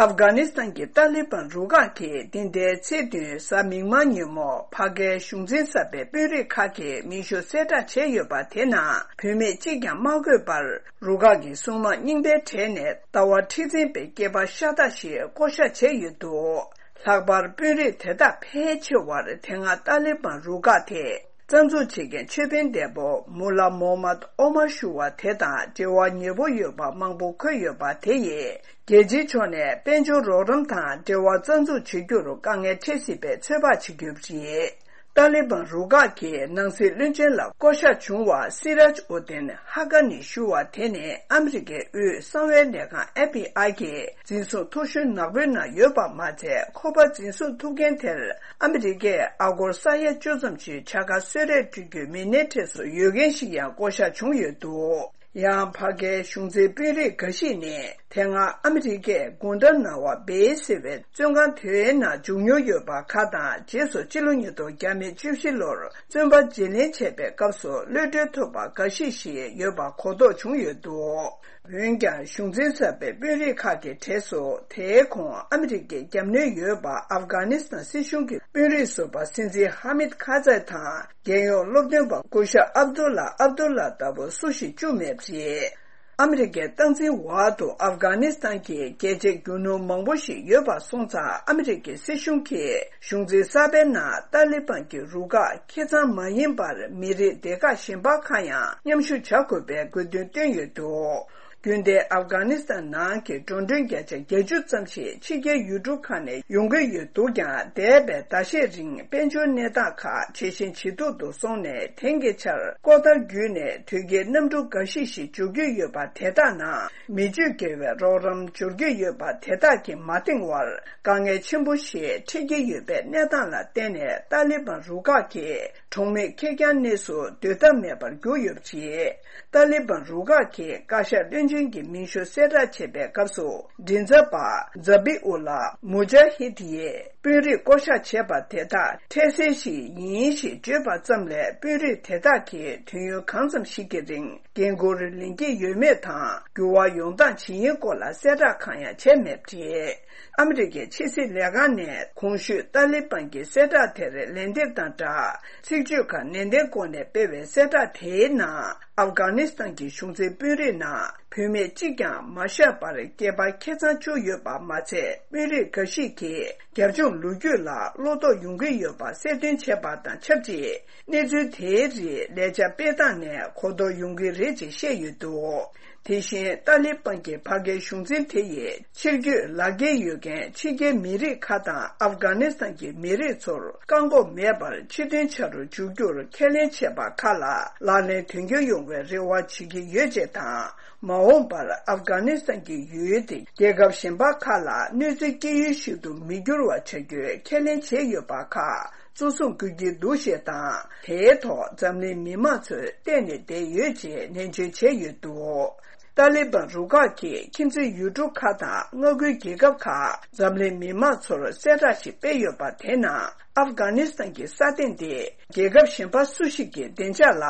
ཨབ་གྷ་ནི་སི་ཐན་གྱི་ཏཱ་ལི་བན་རུ་ཁག་གིས་འདི་ཟླའི་ཚེས་བདུན་གཟའ་མིག་དམར་ཉིན་མོ་ཕ་གིའི་གཞུང་འཛིན་གསར་པའི་དཔོན་རིགས་ཁག་གི་མིང་ཤོག་གསལ་བསྒྲགས་བྱས་ཡོད་པ་དེ་ནང་བུད་མེད་གཅིག་ཀྱང་མ་འཁོད་པར་རུ་ཁག་གི་སྲུང་དམག་རྙིང་པའི་གྲས་ནས་ཟླ་བ་ཁྲི་འཛིན་པའི་སྐྱེས་པ་ཤ་སྟག་ཞིག་བསྐོ་བཞག་བྱས་ཡོད་འདུག་ལྷག་པར་དཔོན་རིགས་དེ་དག་ཕལ་ཆེ་བར་དེ་སྔ་ཏཱ་ལི་བན་རུ་ཁག་དེ་རྩ་འཛུགས་བྱེད་མཁན་ཆོས་དཔོན་འདས་པོ་མུ་ལ་མོ་མད་ཨོ་མར་ཞུ་བ་དེ་དང་འབྲེལ་བ་ཉེ་པོ་ཡོད་པ་མང་པོ་འཁོད་ཡོད་པ་དེ་ཡིས། རྒྱལ་སྤྱིའི་ཕྱོགས་ནས་དཔལ་འབྱོར་རོགས་རམ་དང་འབྲེལ་བ་རྩ་འཛུགས་བྱེད་རྒྱུར་དཀའ་ངལ་འཕྲད་སྲིད་པའི་ཚོད་དཔག་བྱེད་ཀྱི་ཡོད་པ་རེད། ཏཱ་ལི་བན་རུ་ཁག་གི་ནང་སྲིད་བློན་ཆེན་ལ་བསྐོ་གཞག་བྱུང་བ་སི་རཱཇ་ཨུ་དིན་ཧ་ཀ་ནི་ཞུ་བ་དེ་ནི་ཨ་མི་རི་ཀའི་དབུས་གསང་བའི་ལས་ཁང་ཨེཕ་བི་ཨའི་གི་འཛིན་བཟུང་ཐོ་གཞུང་ནག་པོའི་ནང་ཡོད་པ་མ་ཚད། ཁོ་པ་འཛིན་བཟུང་ཐུབ་མཁན་དེར་ཨ་མི་རི་ཀས་ཨ་སྒོར་ས་ཡ་བཅུ་ཙམ་ཞིག་བྱ་དགའ་གསོལ་རས་སྤྲོད་རྒྱུའི་མི་སྣའི་གྲས་སུ་ཡོད་མཁན་ཞིག་ཡང་བསྐོ་གཞག་བྱུང་ཡོད་འདུག་ཡང་ཕ་གིའི་གཞུང་འཛིན་དཔོན་རིགས་འགའ་ཞིག་ནི་དེ་སྔ་ཨ་མི་རི་ཀས་གུན་ཏ་ན་ཝ་སྦེ་ཟེར་བའི་བཙོན་ཁང་དེའི་ནང་བཅུག་མྱོང་ཡོད་པ་ཁག་དང་། རྗེས་སུ་ཕྱི་ལོ་ཉིས་སྟོང་བརྒྱ་མེད་བཅུ་བཞི་ལོར་བཙོན་པ་བརྗེ་ལེན་བྱས་པའི་སྐབས་སུ་གློད་གྲོལ་ཐོབ་པ་འགའ་ཞིག་ཞིག་ཡོད་པ་གོ་རྟོགས་བྱུང་ཡོད་འདུག་འོན་ཀྱང་གཞུང་འཛིན་གསར་པའི་དཔོན་རིགས་ཁག་གི་གྲས་སུ་དེའི་གོང་ཨ་མི་རི་ཀའི་རྒྱབ་གནོན་ཡོད་པ་ཨབ་གྷ་ནི་སི་ཐན་སྲིད་གཞུང་གི་དཔོན་རིགས་ཟུར་པ་སྲིད་འཛིན་ཧ་མིད་ཁ་ཛའི་དང་། རྒྱལ་ཡོངས་སློབ་སྟོན་པ་སྐུ་ཞབས་ཨབ་དུ་ལ་ཨབ་དུ་ལ་ལྟ་བུ་སུ་ཞིག་བཅུག་མེད་པ་རེད། ཨ་མི་རི་ཀའི་སྟངས་འཛིན་འོག་ཏུ་ཨབ་གྷ་ནི་སི་ཐན་གྱི་རྒྱལ་གཅེས་རྒྱུ་ནོར་མང་པོ་ཞིག་ཡོད་པ་སོང་ཙང་། ཨ་མི་རི་ཀའི་སྲིད་གཞུང་གིས་གཞུང་འཛིན་གསར་པའི་ནང་ཏཱ་ལི་བན་གྱི་རུ་ཁག་ཁེ་གཙང་མ་ཡིན་པར་མི་རིགས་སྡེ་ཁག་གཞན་པ་ཁག་ཡང་མཉམ་ཞུགས་བྱ་དགོས་པའི་དགོས་འདུན་བཏོན་ཡོད་འདུག་རྒྱུན་ལྡན་ཨབ་གྷ་ནི་སི་ཐན་ནང་གི་འགྲོ་གྲོན་བརྒྱ་ཆ་བརྒྱད་ཅུ་ཙམ་ཞིག་ཕྱི་རྒྱལ་ཡུལ་གྲུ་ཁག་ནས་ཡོང་གི་ཡོད་འདུག་ཀྱང་། འདས་པའི་ཟླ་ཤས་རིང་དཔལ་འབྱོར་གནས་སྟངས་ཁག་ཇེ་ཞན་ཇེ་སྡུག་ཏུ་སོང་ནས། དེང་གི་ཆར་ཀོ་ཏར་བརྒྱུད་ནས་དུས་རྒྱུན་གནམ་གྲུ་འགའ་ཞིག་ཞིག་འབྱོར་གྱི་ཡོད་པ་དེ་དག་ནང་མི་སྤྱོད་དགེ་བའི་རོགས་རམ་འབྱོར་གྱི་ཡོད་པ་དེ་དག་གིས་མ་འདང་བར་དཀའ་ངལ་ཆེན་པོ་ཞིག་འཕྲད་ཀྱི་ཡོད་པའི་གནས་སྟངས་ལ་བརྟེན་ནས། ཏཱ་ལི་བན་རུ་ཁག་གིས་གྲོང་མི་ཁེར་རྐྱང་གནས་སུ་སྡོད་ཐབས་མེད་པར་གྱུར་ཡོད་པ་རེད། ཏཱ་ལི་བན་རུ་ཁག་གི་བཀའ་ཤག་བློན་ཆེན་གྱི་མིང་ཤོག་གསལ་བསྒྲགས་བྱས་པའི་སྐབས་སུ། མགྲིན་ཚབ་པ་ཛ་བི་ཨུ་ལ་མུ་ཇཱ་ཧིད་ཡིས་དཔོན་རིགས་བསྐོ་གཞག་བྱས་པ་དེ་དག་འཕྲལ་སེལ་ཞིག་ཡིན་ཞེས་བརྗོད་པ་ཙམ་ལས། དཔོན་རིགས་དེ་དག་གིས་དུས་ཡུན་གང་ཙམ་ཞིག་གི་རིང་འགན་འཁུར་ལེན་གྱི་ཡོད་མེད་དང་། འགྱུར་བ་ཡོང་སྟངས་ཇི་ཡིན་སྐོར་ལ་གསལ་བསྒྲགས་གང་ཡང་བྱས་མེད་པ་རེད། ཨ་མི་རི་ཀའི་ཕྱི་སྲིད་ལས་ཁང་ནས་གོང་ཞུས་ཏཱ་ལི་བན་གྱི་གསལ་བསྒྲགས་དེར་ལན་འདེབས་དང་སྦྲགས། ཚིག་བརྗོད་ཁག་ནན་ཏན་སྒོ་ནས་སྤེལ་བའི་གསལ་བསྒྲགས་དེའི་ནང་། ཨབ་གྷ་ནི་སི་ཐན་གྱི་གཞུང་འཛིན་དཔོན་རིགས་ནང་བུད་མེད་གཅིག་ཀྱང་མ་བཞག་པར་སྐྱེས་པ་ཁེ་གཙང་བཅུག་ཡོད་པ་མ་ཚད། དཔོན་རིགས་འགའ་ཞིག་གིས་རྒྱབ་ལྗོངས་ལོ་རྒྱུས་ལ་བློ་དོགས་ཡོང་གི་ཡོད་པ་གསལ་སྟོན་བྱས་པ་དང་ཆབས་ཅིག་གནས་ཚུལ་དེའི་རིགས་ལས་འཆར་སྤེལ་སྟངས་ནས་གོ་རྟོགས་ཡོང་གི་རེད་ཅེས་བཤད་ཡོད་འདུག་དེ་བཞིན་ཏཱ་ལི་བན་གྱི་ཕ་གིའི་གཞུང་འཛིན་དེ་ཡིས་ཕྱིར་སྐྱོད་ལག་འཁྱེར་ཡོད་མཁན་ཕྱི་རྒྱལ་མི་རིགས་ཁག་དང་ཨབ་གྷ་ནི་སི་ཐན་གྱི་མི་རིགས་ཚོར་བཀག་འགོག་མེད་པར་ཕྱིར་ཐོན་བྱ་རུ་འཇུག་རྒྱུར་ཁས་ལེན་བྱས་པ་ཁག་ལ་ལག་ལེན་དོན་འཁྱོལ་ཡོང་བའི་རེ་བ་བྱེད་ཀྱི་ཡོད་ཅེས་དང་། མ་འོངས་པར་ཨབ་གྷ་ནི་སི་ཐན་གྱི་ཡུལ་དེ་རྒྱལ་ཁབ་གཞན་པ་ཁག་ལ་གནོད་འཚེ་སྐྱེལ་ཡུལ་ཞིག་ཏུ་མི་འགྱུར་བ་བྱ་རྒྱུའི་ཁས་ལེན་བྱས་ཡོད་པ་ཁག་གཙོ་བཟུང་དགོས་ཀྱི་འདུག་ཞེས་དང་། དེའི་ཐོག་འཛམ་གླིང་མི་མང་ཚོས་བལྟས་ནས་བསྡད་ཡོད་ཅེས་ནན་བརྗོད་བྱས་ཡོད་འདུག་ཏཱ་ལི་བན་རུ་ཁག་གིས་ཁྱིམ་མཚེས་ཡུལ་གྲུ་ཁག་དང་མངའ་ཁུལ་རྒྱལ་ཁབ་ཁག་འཛམ་གླིང་མི་མང་ཚོར་གསལ་བསྒྲགས་ཤིག་སྤེལ་ཡོད་པ་དེ་ནང་། ཨབ་གྷ་ནི་སི་ཐན་གྱི་ས་སྟེང་དེ་རྒྱལ་ཁབ་གཞན་པ་སུ་ཞིག་གི་བདེ་འཇགས་ལ་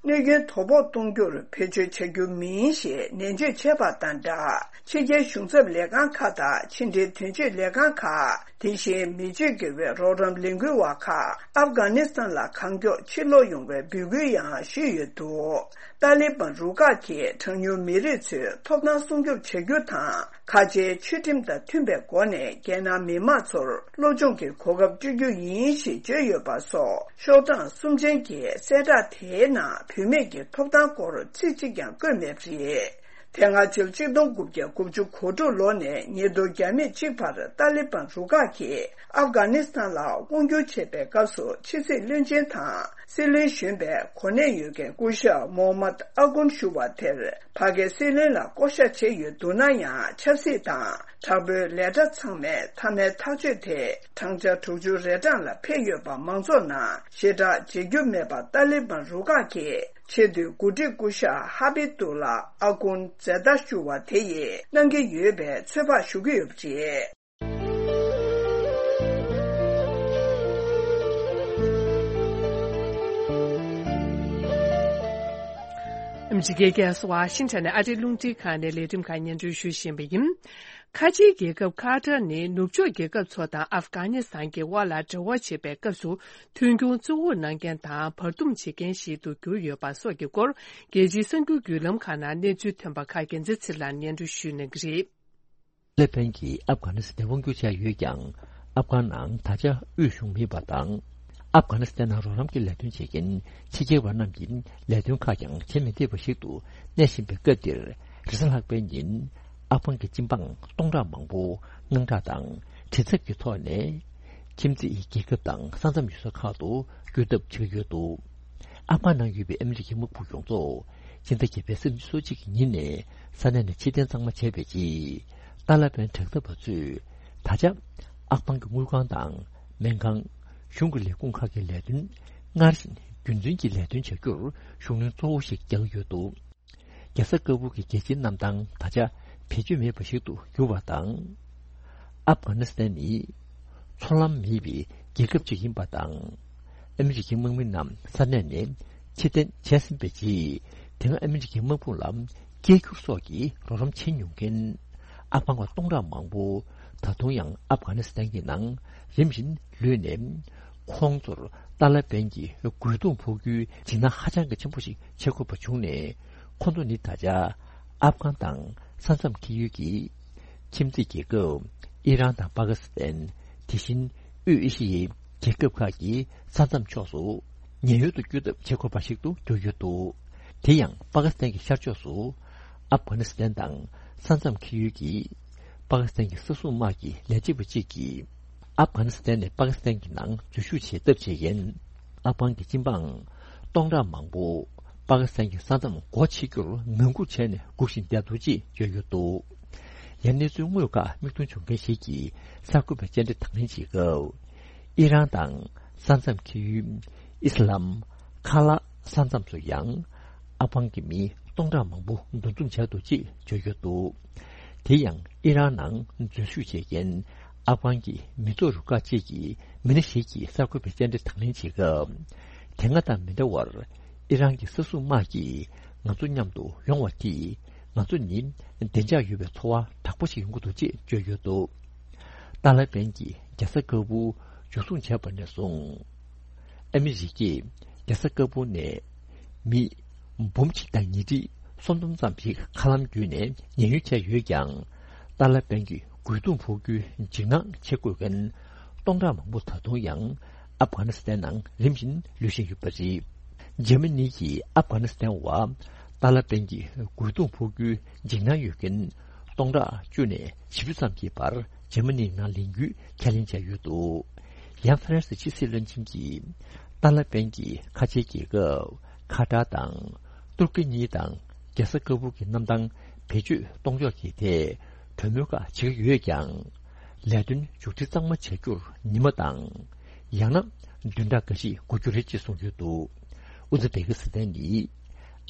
གནོད་སྐྱོན་དོ་ཕོག་གཏོང་རྒྱུར་བེད་སྤྱོད་བྱ་རྒྱུ་མིན་ཞེས་ནན་བརྗོད་བྱས་པ་དང་སྦྲགས། ཕྱི་རྒྱལ་གཞུང་ཚབ་ལས་ཁང་ཁག་དང་ཕྱི་འབྲེལ་དོན་གཅོད་ལས་ཁང་ཁག་དེ་བཞིན་མི་སྤྱོད་དགེ་བའི་རོགས་རམ་ལས་འགུལ་བ་ཁག་ཨབ་གྷ་ནི་སི་ཐན་ལ་གང་མགྱོགས་ཕྱིར་ལོག་ཡོང་བའི་འབོད་སྐུལ་ཡང་ཞུས་ཡོད་འདུག་ཏཱ་ལི་བན་རུ་ཁག་གིས་གྲངས་ཉུང་མི་རིགས་ཚོའི་ཐོབ་ཐང་སྲུང་སྐྱོབ་བྱ་རྒྱུ་དང་། ཁ་ཆེའི་ཆོས་ཁྲིམས་དང་མཐུན་པའི་སྒོ་ནས་རྒྱལ་ནང་མི་མང་ཚོར་སློབ་སྦྱོང་གི་གོ་སྐབས་སྤྲོད་རྒྱུ་ཡིན་ཞེས་བརྗོད་ཡོད་པ་སོགས། ཤོག་གྲངས་གསུམ་ཅན་གྱི་གསལ་བསྒྲགས་དེའི་ནང་བུད་མེད་ཀྱི་ཐོབ་ཐང་སྐོར་ཚིག་གཅིག་ཀྱང་བཀོད་མེད་པ་རེད། དེ་སྔ་ཕྱི་ལོ་གཅིག་སྟོང་དགུ་བརྒྱ་དགུ་བཅུ་གོ་དྲུག་ལོ་ནས་ཉིས་སྟོང་བརྒྱ་མེད་གཅིག་བར་ཏཱ་ལི་བན་རུ་ཁག་གིས་ཨབ་གྷ་ནི་སི་ཐན་ལ་དབང་བསྒྱུར་བྱེད་པའི་སྐབས་སུ་ཕྱི་སྲིད་བློན་ཆེན་དང་། སྲིད་བློན་གཞོན་པའི་གོ་གནས་ཡོད་མཁན་སྐུ་ཞབས་མོ་ཧམ་མད་ཨ་ཀུན་ཞུ་བ་དེར་ཕ་གིའི་སྲིད་བློན་ལ་བསྐོ་བཞག་བྱས་ཡོད་འདུག་ན་ཡང་། ཆབ་སྲིད་དང་དྲག་པོའི་ལས་གྲྭ་ཚང་མས་མཐའ་མའི་ཐག་གཅོད་དེ་བགྲང་བྱ་དྲུག་ཅུ་རེ་གྲངས་ལ་ཕེབས་ཡོད་པ་མང་ཚོགས་ནང་ཞེ་དྲག་མཇལ་རྒྱུ་མེད་པ། ཏཱ་ལི་བན་རུ་ཁག་གི་ཆེས་མཐོའི་འགོ་ཁྲིད་སྐུ་ཞབས་ཧ་བི་ཏུ་ལ་ཨ་ཀུན་ཛེ་ཏཱ་ཞུ་བ་དེ་ཡིས་གནང་གི་ཡོད་པའི་ཚོད་དཔག་ཞུ་གི་ཡོད་པ་རེད། ཨ་མི་རི་ཀའི་རྒྱལ་ས་ཝ་ཤིང་ཊོན་ནས་ཨ་རིའི་རླུང་འཕྲིན་ཁང་ནས་ལས་རིམ་ཁག་སྙན་སྒྲོན་ཞུ་བཞིན་པ་ཡིན། ཁ་ཆེའི་རྒྱལ་ཁབ་ཁ་ཏར་ནི་ནུབ་ཕྱོགས་རྒྱལ་ཁབ་ཚོ་དང་ཨབ་གྷ་ནི་སི་ཐན་གྱི་དབར་ལ་འབྲེལ་བ་བྱེད་པའི་སྐབས་སུ་མཐུན་གྱོང་བཙོག་འུར་གནང་མཁན་དང་བར་འདུམ་བྱེད་མཁན་ཞིག་ཏུ་གྱུར་ཡོད་པ་སོགས་ཀྱི་སྐོར། རྒྱལ་སྤྱིའི་གསར་འགྱུར་བརྒྱུད་ལམ་ཁག་ནང་གནས་ཚུལ་ཐོན་པ་ཁག་རྒྱལ་མཚན་ཚེ་རིང་ལགས་སྙན་སྒྲོན་ཞུ་གནང་གི་རེད། ཏཱ་ལི་བན་གྱིས་ཨབ་གྷ་ནི་སི་ཐན་དབང་བསྒྱུར་བྱས་ཡོད་ཀྱང་། ཨབ་གྷ་ནང་ད་ཆ་དབུས་གཞུང་མེད་པ་དང་། ཨབ་གྷ་ནི་སི་ཐན་ནང་རོགས་རམ་གྱི་ལས་དོན་བྱེད་མཁན་ཕྱི་རྒྱལ་བ་རྣམས་ཀྱིས་ལས་དོན་ཁག་ཀྱང་བྱེད་མི་བདེ་བ་ཞིག་ཏུ་གནས་བཞིན་པའི་སྐབས་འདིར། རེས་གཟའ་ལྷག་པའི་ཉིན་ཨབ་གྷ་གི་སྤྱི་འབངས་སྟོང་ཕྲག་མང་པོ་དངངས་སྐྲག་དང་། དྲན་འཚབ་ཀྱི་ཐོག་ནས་ཁྱིམ་མཚེས་རྒྱལ་ཁབ་དང་ས་མཚམས་ཡུལ་ས་ཁག་ཏུ་བསྐྱོད་ཐབས་བྱེད་ཀྱི་ཡོད་འདུག་ཨབ་གྷ་ནང་ཡོད་པའི་ཨ་མི་རི་ཀའི་དམག་དཔུང་ཡོངས་རྫོགས་སྤྱི་ཟླ་བརྒྱད་པའི་ཚེས་ཉི་ཤུ་རྩ་གཅིག་གི་ཉིན་ནས་ས་གནས་ནས་ཕྱིར་འཐེན་གཙང་མ་བྱས་པའི་རྗེས། ཏཱ་ལི་བན་དྲག་འཐབ་པ་ཚོས་ད་ཆ་ཨབ་གྷ་གི་དངུལ་ཁང་དང་སྨན་ཁང་། གཞུང་གི་ལས་ཁུངས་ཁག་གི་ལས་དོན་སྔར་བཞིན་རྒྱུན་འཛིན་གྱིས་ལས་དོན་བྱ་རྒྱུར་གཞུང་ལས་གཙོ་བོ་ཞིག་རྒྱག་གི་ཡོད་འདུག་རྒྱལ་ས་ཀ་བུལ་གྱི་རྒྱལ་སྤྱིའི་གནམ་ཐང་ད་ཆ་བེད་སྤྱོད་མེད་པ་ཞིག་ཏུ་གྱུར་བ་དང་། ཨབ་གྷ་ནི་སི་ཐན་ནི་མཚོ་ལམ་མེད་པའི་རྒྱལ་ཁབ་ཅིག་ཡིན་པ་དང་། ཨ་མི་རི་ཀའི་དམག་མི་རྣམས་ས་གནས་ནས་ཕྱིར་འཐེན་བྱས་ཟིན་པའི་རྗེས། དེ་སྔ་ཨ་མི་རི་ཀའི་དམག་དཔུང་ལ་སྐད་སྒྱུར་སོགས་ཀྱི་རོགས་རམ་བྱེད་མྱོང་མཁན་ཨབ་གྷ་གི་སྟོང་ཕྲག་མང་པོ་ད་དུང་ཡང་ཨབ་གྷ་ནི་སི་ཐན་གྱི་ནང་རིམ་བཞིན་ལུས་ནས། ཁོང་ཚོར་ཏཱ་ལི་བན་གྱིས་རྒོལ་རྡུང་ཕོག་རྒྱུའི་འཇིགས་སྣང་ཧ་ཅང་གི་ཆེན་པོ་ཞིག་བྱེད་དགོས་པ་བྱུང་ནས། ཁོང་ཚོ་ནི་ད་ཆ་ཨབ་གྷ་དང་ས་མཚམས་འཁེལ་ཡུལ་གྱི་ཁྱིམ་མཚེས་རྒྱལ་ཁབ་ཨི་རན་དང་པ་ཀི་སི་ཐན། དེ་བཞིན་དབུས་ཨེ་ཤི་ཡའི་རྒྱལ་ཁབ་ཁག་གི་ས་མཚམས་ཕྱོགས་སུ་ཉེན་གཡོལ་དུ་བསྐྱོད་ཐབས་བྱེད་དགོས་པ་ཞིག་ཏུ་གྱུར་ཡོད་འདུག་དེ་ཡང་པ་ཀི་སི་ཐན་གྱི་ཤར་ཕྱོགས་སུ་ཨབ་གྷ་ནི་སི་ཐན་དང་ས་མཚམས་འཁེལ་ཡུལ་གྱི་པ་ཀི་སི་ཐན་གྱི་ས་སྲུང་དམག་གི་ལས་བྱེད་པ་གཅིག་གིས། ཨབ་གྷ་ནི་སི་ཐན་ནས་པ་ཀི་སི་ཐན་གྱི་ནང་འཛུལ་ཞུགས་བྱེད་ཐབས་བྱེད་མཁན་ཨབ་གྷ་གི་སྤྱི་འབངས་སྟོང་ཕྲག་མང་པོ་པ་ཀི་སི་ཐན་གྱི་ས་མཚམས་སྒོ་ཕྱེ་རྒྱུར་ངང་སྒུག་བྱས་ནས་སྒུག་བཞིན་བསྡད་འདུག་ཅེས་བརྗོད་ཡོད་འདུག་ཡང་གནས་ཚུལ་དངོས་ཁག་མིག་མཐོང་བྱུང་མཁན་ཞིག་གིས་གསར་འགོད་པར་བཅར་འདྲི་དང་ལེན་བྱེད་སྐབས། ཨི་རན་དང་ས་མཚམས་འཁེལ་ཡུལ་ཨི་སི་ལམ་ཁ་ལ་ས་མཚམས་སུ་ཡང་ཨབ་གྷ་གི་མི་སྟོང་ཕྲག་མང་པོ་འདུ་འཛོམས་བྱས་འདུག་ཅེས་བརྗོད་ཡོད་འདུག་དེ་ཡང་ཨི་རན་ནང་འཛུལ་ཞུགས་བྱེད་མཁན་ཨབ་གྷ་གི་མི་ཚོགས་རུ་ཁག་ཅིག་གི་མི་སྣ་ཞིག་གིས་གསར་འགོད་པའི་བཅར་འདྲི་དང་ལེན་བྱེད་སྐབས། དེ་སྔ་དང་མི་འདྲ་བར་ཨི་རན་གྱི་ས་སྲུང་དམག་གིས་ང་ཚོ་མཉམ་དུ་ཡོང་བ་དེས་ང་ཚོ་ནི་བདེ་འཇགས་ཡོད་པའི་ཚོར་བ་དྲག་པོ་ཞིག་ཡོང་གི་འདུག་ཅེས་བརྗོད་ཡོད་འདུག་ཏཱ་ལི་བན་གྱིས་རྒྱལ་ས་ཀ་བུལ་འཇུ་བཟུང་བྱས་པ་ནས་བཟུང་། ཨ་མི་རི་ཀས་རྒྱལ་ས་ཀ་བུལ་ནས་མི་འབུམ་གཅིག་དང་ཉིས་ཁྲི་སུམ་སྟོང་ཙམ་ཞིག་མཁའ་ལམ་བརྒྱུད་ནས་ཉེན་གཡོལ་བྱས་ཡོད་ཀྱང་། ཏཱ་ལི་བན་གྱི་རྒོལ་རྡུང་ཕོག་རྒྱུའི་འཇིགས་སྣང་བྱེད་དགོས་མཁན་སྟོང་ཕྲག་མང་པོ་ད་དུང་ཡང་ཨབ་གྷ་ནི་སི་ཐན་ནང་རིམ་བཞིན་ལུས་བཞིན་ཡོད་པ་རེད། འཇར་མ་ནི་གིས་ཨབ་གྷ་ནི་སི་ཐན་བར་ཏཱ་ལི་བན་གྱི་རྒོལ་རྡུང་ཕོག་རྒྱུའི་འཇིགས་སྣང་ཡོད་མཁན་སྟོང་ཕྲག་བཅུ་ནས་བཞི་བཅུ་ཙམ་གྱི་བར་འཇར་མ་ནིའི་ནང་ལེན་རྒྱུའི་ཁས་ལེན་བྱས་ཡོད་འདུག་ཡང་ཧྥ་རན་སི་ཕྱི་སྲིད་བློན་ཆེན་གྱིས་ཏཱ་ལི་བན་གྱིས་ཁ་ཆེའི་རྒྱལ་ཁབ་ཁ་ཏར་དང་ཏུར་ཀི་གཉིས་དང་རྒྱལ་ས་ཀ་བུལ་གྱི་གནམ་ཐང་བེད་སྤྱོད་གཏོང་ཕྱོགས་ཀྱི་ཐད་གྲོས་མོལ་ཁག་བྱེད་ཀྱི་ཡོད་ཀྱང་། ལས་དོན་མཇུག་སྒྲིལ་གཙང་མ་བྱ་རྒྱུར་ཉི་མ་དང་། ཡང་ན་ བདུན་ཕྲག་འགའ་ཞིག་འགོར་རྒྱུ་རེད་ཅེས་གསུངས་ཡོད་འདུག། ཨུ་ཛི་བེ་ཀི་སི་ཐན་ནི་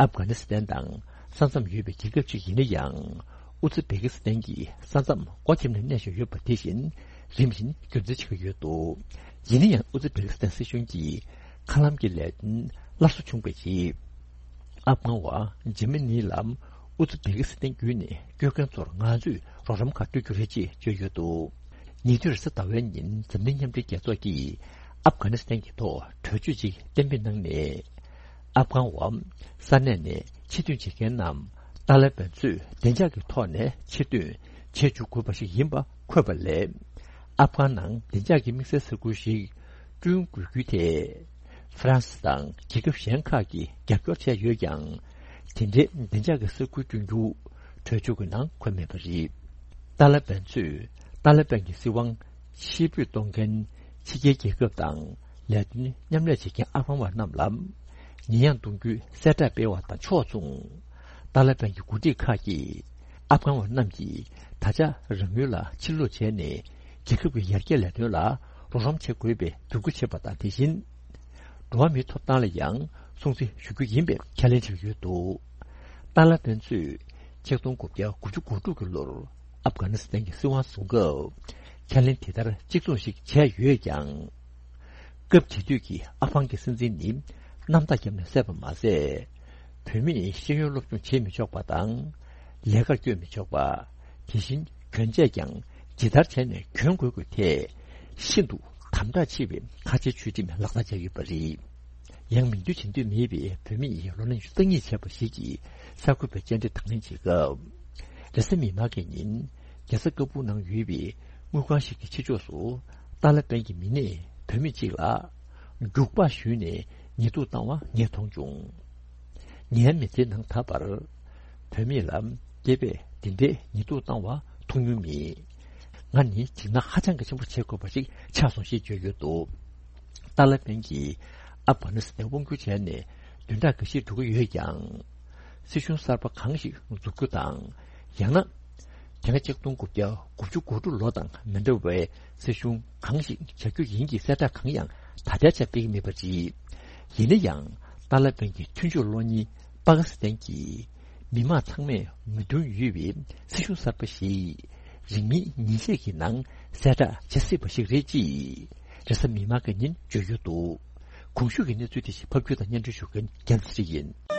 ཨབ་གྷ་ནི་སི་ཐན་དང་ས་མཚམས་ཡོད་པའི་རྒྱལ་ཁབ་ཅིག་ཡིན་ན་ཡང་། ཨུ་ཛི་བེ་ཀི་སི་ཐན་གྱི་ས་མཚམས་སྒོ་ཁྱེར་ནས་གནས་བཞིན་ཡོད་པ་དེ་བཞིན་རིམ་བཞིན་རྒྱུན་འཛིན་བྱེད་ཀྱི་ཡོད་འདུག། ཡིན་ན་ཡང་ཨུ་ཛི་བེ་ཀི་སི་ཐན་སྲིད་གཞུང་གིས་མཁའ་ལམ་གྱི་ལས་དོན་སླར་གསོ་བྱུང་བའི་རྗེས། ཨབ་གྷན་བ་ཇེ་མི་ནི་ལ་ཨུ་ཛི་བེ་ཀི་སི་ཐན་བརྒྱུད་ནས་སྐྱོད་མཁན་ཚོར་ང་ཚོས་རོགས་རམ་ཁག་སྤྲོད་རྒྱུ་རེད་ཅེས་བརྗོད་ཡོད་འདུག། ཉེ་དུས་རེས་གཟའ་ཟླ་བའི་ཉིན་འཛམ་གླིང་མཉམ་འབྲེལ་རྒྱལ་ཚོགས་ཀྱིས་ཨབ་གྷ་ནི་སི་ཐན་གྱི་ཐོག་གྲོས་ཆོད་ཅིག་གཏན་འབེབས་གནང་ནས། ཨབ་གྷན་བ་ས་གནས་ནས་ཕྱིར་ཐོན་བྱེད་མཁན་རྣམས་ཏཱ་ལི་བན་ཚོས་བདེ་འཇགས་ཀྱི་ཐོག་ནས་ཕྱིར་ཐོན་བྱེད་འཇུག་དགོས་པ་ཞིག་ཡིན་པ་འཁོད་པ་ལས། ཨབ་གྷན་ནང་བདེ་འཇགས་ཀྱི་དམིགས་བསལ་ས་ཁུལ་ཞིག་བསྐྲུན་དགོས་རྒྱུའི་ཐད། ཧྥ་རན་སི་དང་རྒྱལ་ཁབ་གཞན་ཁག་གིས་རྒྱབ་སྐྱོར་བྱས་ཡོད་ཀྱང་། དེ་འདྲའི་བདེ་འཇགས་ཀྱི་ས་ཁུལ་བསྐྲུན་རྒྱུ་གྲོས་ཆོད་ཀྱི་ནང་འཁོད་མེད་པ་རེད། ཏཱ་ལི་བན་ཚོས་ཏཱ་ལི་བན་གྱི་སྲིད་དབང་ཕྱིར་འབུད་གཏོང་མཁན་ཕྱི་རྒྱལ་རྒྱལ་ཁབ་དང་ལས་དོན་མཉམ་ལས་བྱེད་མཁན་ཨབ་གྷན་བ་རྣམས་ལ་ཉེས་ཡངས་གཏོང་རྒྱུའི་གསལ་བསྒྲགས་སྤེལ་བ་དང་ཕྱོགས་མཚུངས། ཏཱ་ལི་བན་གྱི་འགོ་ཁྲིད་ཁག་གིས་ཨབ་གྷན་བ་རྣམས་ཀྱིས་ད་ཆ་རང་ཡུལ་ལ་ཕྱིར་ལོག་བྱས་ནས་རྒྱལ་ཁབ་ཀྱི་ཡར་རྒྱས་ལས་དོན་ལ་རོགས་རམ་བྱེད་དགོས་པའི་འབོད་སྐུལ་བྱས་པ་དང་། དེ་བཞིན་འགྲོ་བ་མིའི་ཐོབ་ཐང་ལ་ཡང་སྲུང་བརྩི་ཞུ་རྒྱུ་ཡིན་པའི་ཁས་ལེན་བྱས་ཡོད་འདུག། ཏཱ་ལི་བན་ཚོས་ཆིག་སྟོང་དགུ་བརྒྱ་དགུ་བཅུ་གོ་དྲུག་གི་ལོར་ཨབ་གྷ་ནི་སི་ཐན་གྱི་སྲིད་དབང་བཟུང་སྐབས་ཁས་ལེན་དེ་ལྟར་གཅིག་མཚུངས་ཤིག་བྱས་ཡོད་ཀྱང་། སྐབས་དེ་དུས་ཀྱི་ཨ་ཕང་གི་སྲིད་འཛིན་ནི་གནམ་ཐག་བརྒྱབ་ནས་བསད་པ་མ་ཟད། བུད་མེད་ཤེས་ཡོན་སློབ་སྦྱོང་བྱེད་མི་ཆོག་པ་དང་། ལས་ཀར་བསྐྱོད་མི་ཆོག་པ། དེ་བཞིན་གྱོན་ཆས་ཀྱང་ཇི་ལྟར་བྱས་ནས་གྱོན་དགོས་ཀྱི་ཐད་ཤིན་ཏུ་དམ་དྲག་ཆེ་བའི་ཁ་ཆེའི་ཆོས་ཁྲིམས་ལག་བསྟར་བྱས་ཡོད་པ་རེད། ཡང་མིང་འདོན་བྱེད་འདོད་མེད་པའི་བུད་མེད་ལོ་ན་ཉི་ཤུ་རྩ་གཉིས་བྱས་པ་ཞིག་གིས་གསར་འགོད་པའི་བཅར་འདྲི་དང་ལེན་བྱེད་སྐབས། རེས་གཟའ་མིག་དམར་གྱི་ཉིན་རྒྱལ་ས་ཀ་པུལ་ནང་ཡོད་པའི་དངུལ་ཁང་ཞིག་གི་ཕྱི་ཕྱོགས་སུ་ཏཱ་ལི་བན་གྱི་མི་སྣས་བུད་མེད་ཅིག་ལ་རྒྱུག་པ་གཞུས་ནས་ཉེས་འཛུགས་བཏང་བ་ངས་མཐོང་བྱུང་། ངའི་མི་ཚེའི་ནང་ད་བར་བུད་མེད་ལ་སྐྱེས་པས་དེ་འདྲའི་ཉེས་འཛུགས་བཏང་བ་མཐོང་མྱོང་མེད། ང་ནི་འཇིགས་སྣང་ཧ་ཅང་གི་ཆེན་པོ་བྱེད་དགོས་པ་ཞིག་ཆགས་སོང་ཞེས་བརྗོད་ཡོད་འདུག། ཏཱ་ལི་བན་གྱིས་ཨབ་གྷ་ནི་སི་ཐན་དབང་བསྒྱུར་བྱས་ནས་བདུན་ཕྲག་འགའ་ཤས་འགྲོ་གི་ཡོད་ཀྱང་། སྲིད་གཞུང་གསར་པ་གང་ཞིག་འཛུགས་རྒྱུ་དང་། ཡང་ན། དེ་སྔ་ཆིག་སྟོང་དགུ་བརྒྱ་དགུ་བཅུ་གོ་དྲུག་ལོ་དང་མི་འདྲ་བའི་སྲིད་གཞུང་གང་ཞིག་བྱ་རྒྱུ་ཡིན་གྱི་གསལ་བསྒྲགས་གང་ཡང་ད་ལྟའི་ཆར་སྤེལ་གྱི་མེད་པ་རེད། ཡིན་ན་ཡང་ཏཱ་ལི་བན་གྱི་མཐུན་ཕྱོགས་གློག་བརྙན་པ་ཀི་སི་ཐན་གྱིས་མི་མང་ཚང་མས་མོས་མཐུན་ཡོད་པའི་སྲིད་གཞུང་གསར་པ་ཞིག་རིང་མིན་ཉིན་ཤས་ཀྱི་ནང་གསལ་བསྒྲགས་བྱེད་སྲིད་པ་ཞིག་རེད་ཅེས་རེས་གཟའ་མིག་དམར་གྱི་ཉིན་བརྗོད་ཡོད་འདུག། གོང་ཞུས་ཀྱི་གནས་ཚུལ་དེ་བཞིན་ཕབ་སྒྱུར་དང་སྙན་སྒྲོན་ཞུ་མཁན་རྒྱལ་མཚན་ཡིན།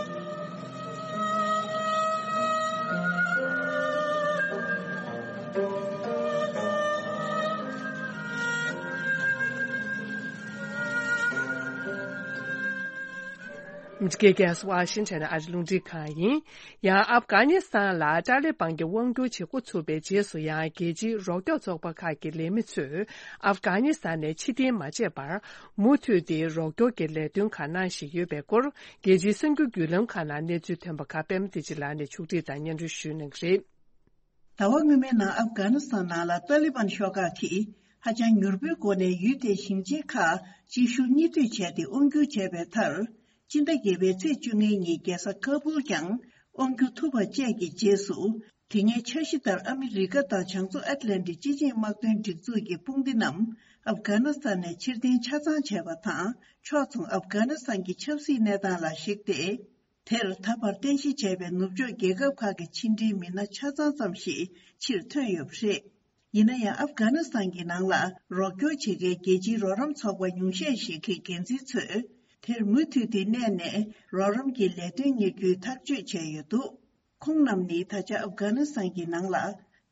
ཨ་མི་རི་ཀའི་རྒྱལ་ས་ཝ་ཤིང་ཊོན་ཨ་རི་རླུང་འཕྲིན་ཁང་ཡིན། ཡང་ཨབ་གྷ་ནི་སི་ཐན་ལ་ཏཱ་ལི་བན་གྱི་དབང་བསྒྱུར་བྱེད་འགོ་ཚུགས་པའི་རྗེས་སུ་ཡང་རྒྱལ་སྤྱིའི་རོགས་སྐྱོར་ཚོགས་པ་ཁག་གི་ལས་མི་ཚོས་ཨབ་གྷ་ནི་སི་ཐན་ནས་ཕྱིར་འཐེན་མ་བྱས་པར་མུ་མཐུད་དེ་རོགས་སྐྱོར་གྱི་ལས་དོན་ཁག་གནང་བཞིན་ཡོད་པའི་སྐོར་རྒྱལ་སྤྱིའི་གསར་འགྱུར་བརྒྱུད་ལམ་ཁག་ནང་གནས་ཚུལ་ཐོན་པ་ཁག་པད་མ་བདེ་ཆེན་ལགས་ནས་ཕྱོགས་སྒྲིག་དང་སྙན་སྒྲོན་ཞུ་གནང་གི་རེད། ཟླ་བ་སྔོན་མའི་ནང་ཨབ་གྷ་ནི་སི་ཐན་ནང་ལ་ཏཱ་ལི་བན་ཤོག་ཁག་གིས་ཧ་ཅང་མྱུར་པོའི་སྒོ་ནས་ཡུལ་དེའི་ཞིང་ཆེན་ཁག་སྤྱི་ཤུགས་གཉིས་མཐུད་བྱས་ཏེ་དབང་བསྒྱུར་བྱས་པའི་མཐར། སྤྱི་ཟླ་བརྒྱད་པའི་ཚེས་བཅུ་ལྔའི་ཉིན་རྒྱལ་ས་ཁ་པུལ་ཀྱང་དབང་བསྒྱུར་ཐུབ་པ་བཅས་ཀྱི་རྗེས་སུ། དེ་སྔའི་འཆར་གཞི་ལྟར་ཨ་མི་རི་ཀ་དང་བྱང་མཚོ་ཨེཊ་ལན་ཊིག་སྤྱི་ཆིངས་དམག་དོན་སྒྲིག་འཛུགས་ཀྱི་དཔུང་སྡེ་རྣམས་ཨབ་གྷ་ནི་སི་ཐན་ནས་ཕྱིར་འཐེན་ཆ་ཚང་བྱས་པ་དང་། ཕྱོགས་མཚུངས་ཨབ་གྷ་ནི་སི་ཐན་གྱི་ཆབ་སྲིད་གནས་སྟངས་ལ་གཞིགས་ཏེ། དེར་ད་བར་རྟེན་གཞི་བྱས་པའི་ནུབ་ཕྱོགས་རྒྱལ་ཁབ་ཁག་གི་ཕྱི་འབྲེལ་མི་སྣ་ཆ་ཚང་ཙམ་ཞིག་ཕྱིར་ཐོན་ཡོད་པ་རེད། ཡིན་ན་ཡང་ཨབ་གྷ་ནི་སི་ཐན་གྱི་ནང་ལ་རོགས་སྐྱོར་བྱེད་མཁན་རྒྱལ་སྤྱིའི་རོགས་རམ་ཚོགས་པ་ཉུང་ཤས་ཤིག་གི་འགན་འཛིན་ཚོས། དེར་མུ་མཐུད་དེ་གནས་ནས་རོགས་རམ་གྱི་ལས་དོན་གཉེར་རྒྱུའི་ཐག་གཅོད་བྱས་ཡོད་འདུག། ཁོང་རྣམས་ནི་ད་ཆ་ཨབ་གྷ་ནི་སི་ཐན་གྱི་ནང་ལ་